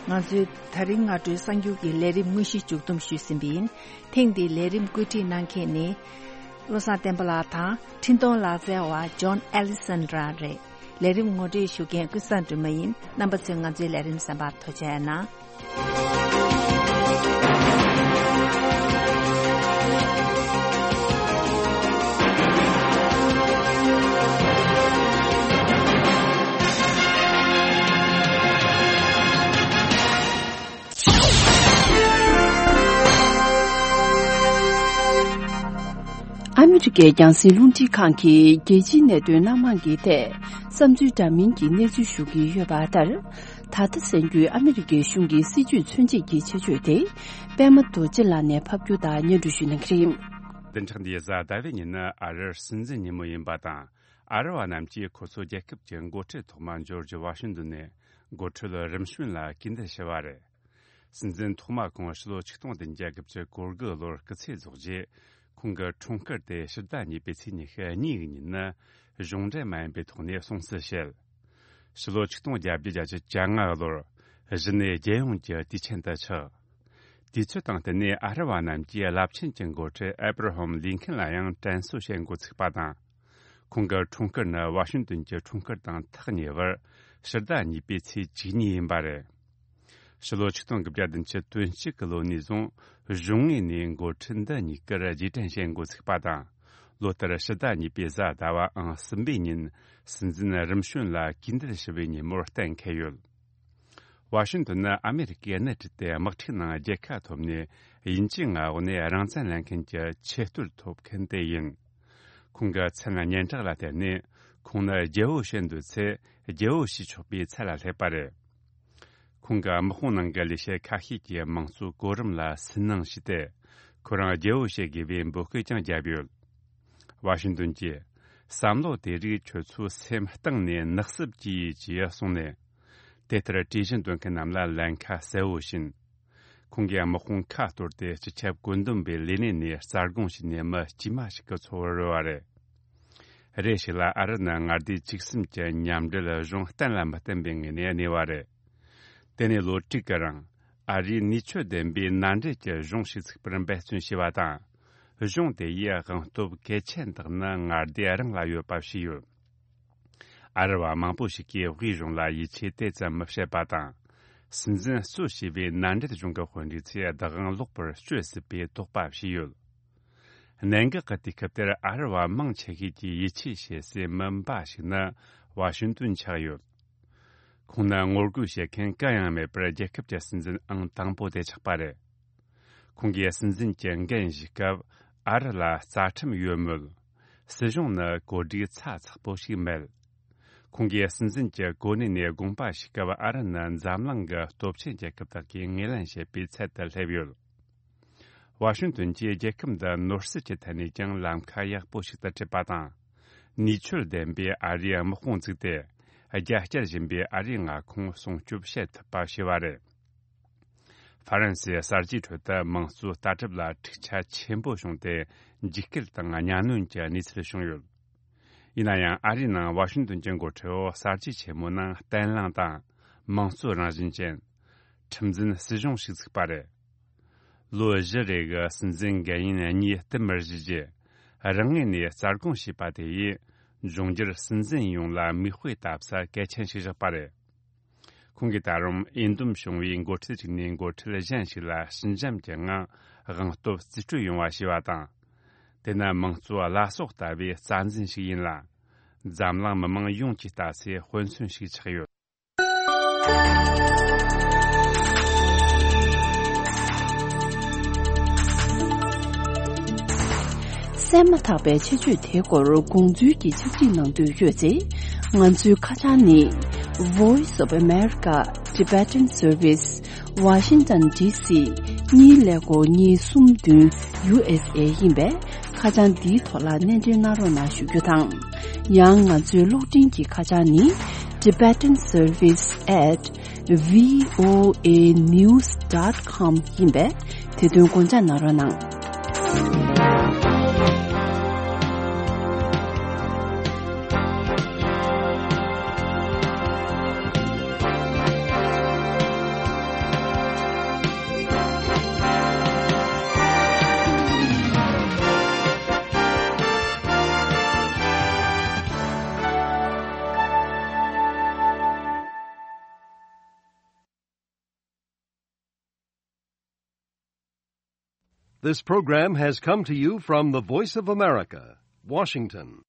ང་ཚོའི་ད་རིང་སྔ་དྲོའི་གསར་འགྱུར་གྱི་ལས་རིམ་དངོས་གཞི་མཇུག་བསྡོམས་ཞུས་ཟིན་པ་ཡིན། ཐེངས་འདིའི་ལས་རིམ་བཀོད་སྒྲིག་གནང་མཁན་ནི། བློ་བཟང་བསྟན་པ་ལགས་དང་། འཕྲིན་གཏོང་ལག་རྩལ་བ་ཇོན་ཨེ་ལི་སན་ར་རེད། ལས་རིམ་ངོ་སྤྲོད་ཞུ་མཁན་ཀུན་བཟང་སྒྲོལ་མ་ཡིན། རྣམ་པ་ཚོས་ང་ཚོའི་ལས་རིམ་གསན་པར་ཐུགས་རྗེ་གནང་། ཨ་མི་རི་ཀའི་རྒྱང་སྲིང་རླུང་འཕྲིན་ཁང་གིས་རྒྱལ་སྤྱིའི་གནད་དོན་སྣ་མང་གི་ཐད་བསམ་ཚུལ་འདྲ་མིན་གྱི་གནས་ཚུལ་ཞུ་གི་ཡོད་པ་ལྟར། ད་ལྟ་གསར་འགྱུར་ཨ་མི་རི་ཀའི་གཞུང་གི་སྲིད་ཇུས་མཚོན་བྱེད་ཀྱི་ཆེད་བརྗོད་དེ། པད་མ་རྡོ་རྗེ་ལགས་ནས་ཕབ་སྒྱུར་དང་སྙན་སྒྲོན་ཞུ་གནང་གི་རེད། བདུན་ཕྲག་འདིའི་གཟའ་ཟླ་བའི་ཉིན་ནི་ཨ་རིར་སྲིད་འཛིན་ཉིན་མོ་ཡིན་པ་དང་། ཨ་རི་བ་རྣམས་ཀྱིས་ཁོ་ཚོའི་རྒྱལ་ཁབ་ཀྱི་འགོ་ཁྲིད་ཐོག་མ་ཇོར་ཇི་ཝ་ཤིང་ཏོན་ནས་འགོ་ཁྲིད་རིམ་བྱོན་ལ་གུས་འདུད་ཞུ་བ་རེད། སྲིད་འཛིན་ཐོག་མ་ཁོང་ཕྱི་ལོ་ཆིག་སྟོང་བདུན་བརྒྱ་དགུ་བཅུ་གོ་དགུ་ལོར་སྐུ་ཚེ་རྫོགས་རྗེས། ཁོང་གི་འཁྲུངས་སྐར་དེ་ཕྱི་ཟླ་གཉིས་པའི་ཚེས་ཉི་ཤུ་གཉིས་ཀྱི་ཉིན་ནི་གཞུང་འབྲེལ་མ་ཡིན་པའི་ཐོག་ནས་སྲུང་བརྩི་བྱེད། ཕྱི་ལོ་ཆིག་སྟོང་བརྒྱད་བརྒྱ་བརྒྱད་ཅུ་གྱ་ལྔ་ལོར་གཞི་ནས་རྒྱལ་ཡོངས་ཀྱི་དུས་ཆེན་དུ་ཆགས། དུས་ཚོད་དང་བསྟུན་ནས་ཨ་རི་བ་རྣམས་ཀྱིས་རླབས་ཆེན་གྱི་འགོ་ཁྲིད་ཨེ་བྷ་ར་ཧམ་ལིན་ཁན་ལ་ཡང་དྲན་གསོ་བྱེད་འགོ་ཚུགས་པ་དང་། ཁོང་གི་འཁྲུངས་སྐར་ནི་ཝ་ཤིང་ཏོན་གྱི་འཁྲུངས་སྐར་དང་ཐག་ཉེ་བར་ཕྱི་ཟླ་གཉིས་པའི་ཚེས་བཅུ་གཉིས་ཡིན་པ་རེད། ཕྱི་ལོ་ཆིག་སྟོང་དགུ་བརྒྱ་བདུན་ཅུ་དོན་གཅིག་གི་ལོ་ནས་བཟུང་གཞུང་ངོས་ནས་འགོ་ཁྲིད་འདི་གཉིས་ཀར་རྗེས་དྲན་བྱེད་འགོ་ཚུགས་པ་དང་། ལོ་ལྟར་ཕྱི་ཟླ་གཉིས་པའི་གཟའ་ཟླ་བའམ་གསུམ་པའི་ཉིན་སྲིད་འཛིན་རིམ་བྱོན་ལ་གུས་འདུད་ཞུ་བའི་ཉིན་མོར་གཏན་འཁེལ་ཡོད། ཝ་ཤིང་ཏོན་ནི་ཨ་མེ་རི་ཀའི་སྣེ་ཁྲིད་དེ་དམག་འཁྲུག་ནང་རྒྱལ་ཁ་ཐོབ་ནས་དབྱིན་ཇིའི་མངའ་འོག་ནས་རང་བཙན་ལེན་མཁན་གྱི་ཆེས་རྟོགས་ཐོབ་མཁན་དེ་ཡིན། ཁོང་གི་མཚན་སྙན་གྲགས་ལ་བརྟེན་ནས་ཁོང་ནི་རྒྱལ་པོ་བྱེད་འདོད་ཚེ་རྒྱལ་པོ་བྱེད་ཆོག་པའི་ཚད་ལ་སླེབས་པ་རེད། ཁོང་གིས་དམག་དཔུང་ནང་གི་ལས་བྱེད་ཁ་ཤས་ཀྱི་དམངས་གཙོའི་གོ་རིམ་ལ་སུན་སྣང་བྱས་ཏེ། ཁོ་རང་རྒྱལ་པོ་བྱེད་དགོས་པའི་འབོད་སྐུལ་ཀྱང་བརྒྱབ་ཡོད། ཝ་ཤིང་ཏོན་གྱིས། བསམ་བློ་དེ་རིགས་ཁྱོད་ཚོའི་སེམས་གཏིང་ནས་ནག་སུབ་ཀྱིས་ཅེས་གསུངས་ནས། དེ་ལྟར་གྲོས་གཞི་འདོན་མཁན་རྣམས་ལ་ལན་ཁ་གསལ་བོ་བྱིན། ཁོང་གིས་དམག་དཔུང་ཁ་གཏོར་ཏེ་སྤྱི་ཁྱབ་བཀོད་འདོམས་པའི་ལས་གནས་ནས་རྩ་དགོངས་བྱས་ནས་མི་དཀྱུས་མ་ཞིག་གི་འཚོ་བར་རོལ་བ་རེད། རེ་ཞིག་ལ་ཨ་རི་ནི་མངའ་སྡེ་བཅུ་གསུམ་གྱི་མཉམ་འབྲེལ་གཞུང་གཏན་ལ་མི་གཏན་པའི་ངོས་ནས་གནས་པ་རེད། དེ་ནས་ལོ་དྲུག་གི་རིང་ཨ་རིས་ནུས་ཆོད་ལྡན་པའི་མནའ་འབྲེལ་གྱི་གཞུང་ཞིག་བཙུགས་པར་འབད་བརྩོན་བྱས་པ་དང་། གཞུང་དེ་ཡིས་དབང་སྟོབས་གལ་ཆེན་དག་ནི་མངའ་སྡེ་རང་ལ་ཡོད་པ་བྱས་ཡོད། ཨ་རི་བ་མང་པོ་ཞིག་གིས་དབུས་གཞུང་ལ་ཡིད་ཆེས་དེ་ཙམ་མི་བྱེད་པ་དང་། སྲིད་འཛིན་གཙོ་བྱས་པའི་མནའ་འབྲེལ་གཞུང་གི་དཔོན་རིགས་ཚོས་བདག་དབང་ལོག་པར་སྤྱོད་སྲིད་པའི་དོགས་པ་བྱས་ཡོད། གནད་འགག་གི་དུས་སྐབས་དེར་ཨ་རི་བ་མང་ཆེ་ཤོས་ཀྱིས་ཡིད་ཆེས་བྱེད་སའི་མི་འབའ་ཞིག་ནི་ཝ་ཤིང་ཏོན་ཆགས་ཡོད། ཁོང་ནི་ངོ་རྒོལ་བྱེད་མཁན་གང་ཡང་མེད་པར་རྒྱལ་ཁབ་ཀྱི་སྲིད་འཛིན་ཨང་དང་པོ་དེ་ཆགས་པ་རེད། ཁོང་གིས་སྲིད་འཛིན་གྱི་འགན་བཞེས་སྐབས་ཨ་རི་ལ་རྩ་ཁྲིམས་ཡོད་མོད། སྲིད་གཞུང་ནི་གོ་སྒྲིག་ཚ་ཚགས་པོ་ཞིག་མེད། ཁོང་གིས་སྲིད་འཛིན་གྱི་གོ་གནས་ནས་དགོངས་པ་ཞུས་སྐབས་ཨ་རི་ནི་འཛམ་གླིང་གི་སྟོབས་ཆེན་རྒྱལ་ཁབ་དག་གིས་ངོས་ལེན་བྱེད་པའི་ཚད་དུ་སླེབས་ཡོད། ཝ་ཤིང་ཏོན་གྱིས་རྒྱལ་ཁབ་འདི་ནོར་སྲིད་ཀྱི་ཐད་ནས་ཀྱང་ལམ་ཁ་ཡག་པོ་ཞིག་ཏུ་ཁྲིད་པ་དང་། ནུས་ཆོད་ལྡན་པའི་ཨ་རིའི་དམག་དཔུང་བཙུགས་ཏེ། རྒྱ་བསྐྱར་བཞིན་པའི་ཨ་རིའི་མངའ་ཁོངས་སྲུང་སྐྱོབ་བྱེད་ཐུབ་པ་བྱས་པ་རེད། ཧྥ་རན་སིའི་གསར་བརྗེའི་ཁྲོད་དུ་དམངས་གཙོའི་ལྟ་གྲུབ་ལ་འཁྲུག་ཆ་ཆེན་པོ་བྱུང་སྟེ། འཇིགས་སྐུལ་དང་གཉའ་གནོན་གྱི་གནས་ཚུལ་བྱུང་ཡོད། ཡིན་ན་ཡང་ཨ་རིའི་ནང་ཝ་ཤིང་ཏོན་གྱི་འགོ་ཁྲིད་འོག་གསར་བརྗེ་ཆེན་མོའི་ནང་བརྟན་ལྷིང་དང་། དམངས་གཙོ་རང་བཞིན་ཅན། ཁྲིམས་འཛིན་སྲིད་གཞུང་ཞིག་བཙུགས་པ་རེད། ལོ་བཞི་རེ་གི་སྲིད་འཛིན་འགན་ཡུན་གཉིས་བསྟུད་མར་བཞེས་རྗེས། རང་ངོས་ནས་རྩ་དགོངས་བྱས་པ་དེ་ཡིས། འབྱུང་འགྱུར་སྲིད་འཛིན་ཡོངས་ལ་མིག་དཔེ་ལྟ་ས་གལ་ཆེན་ཞིག་བཞག་པ་རེད། ཁོང་གིས་ད་རུང་འོས་འདེམས་བྱུང་བའི་འགོ་ཁྲིད་ཅིག་ནས་འགོ་ཁྲིད་གཞན་ཞིག་ལ་ཞི་འཇམ་གྱི་ངང་དབང་སྟོབས་རྩིས་སྤྲོད་ཡོང་བ་བྱས་པ་དང་། དེ་ནི་དམངས་གཙོའི་བླ་སྲོག་ལྟ་བུའི་རྩ་འཛིན་ཞིག་ཡིན་ལ། འཛམ་གླིང་མི་མང་ཡོངས་ཀྱིས་ལྟ་སའི་དཔེ་མཚོན་ཞིག་ཆགས་ཡོད། གསན་མ་ཐག་པའི་ཆེད་བརྗོད་དེའི་སྐོར་དགོངས་ཚུལ་གྱི་ཕྱག་བྲིས་གནང་འདོད་ཡོད་ཚེ། ང་ཚོའི་ཁ་བྱང་ནི། Voice of America Tibetan Service, Washington D C, གཉིས་ཀླད་ཀོར་གཉིས་གསུམ་བདུན། ཡུ་ཨེས་ཨེ་ཡིན་པས། ཁ་བྱང་འདིའི་ཐོག་ལ་གནས་འབྲེལ་གནང་རོགས་གནང་ཞུ་རྒྱུ་དང་། ཡང་ང་ཚོའི་གློག་འཕྲིན་གྱི་ཁ་བྱང་ནི། Tibetan Service at V O A news dot com ཡིན་པས། དེ་དོན་དགོངས་འཇགས་གནང་རོགས་གནང་། This program has come to you from the Voice of America, Washington.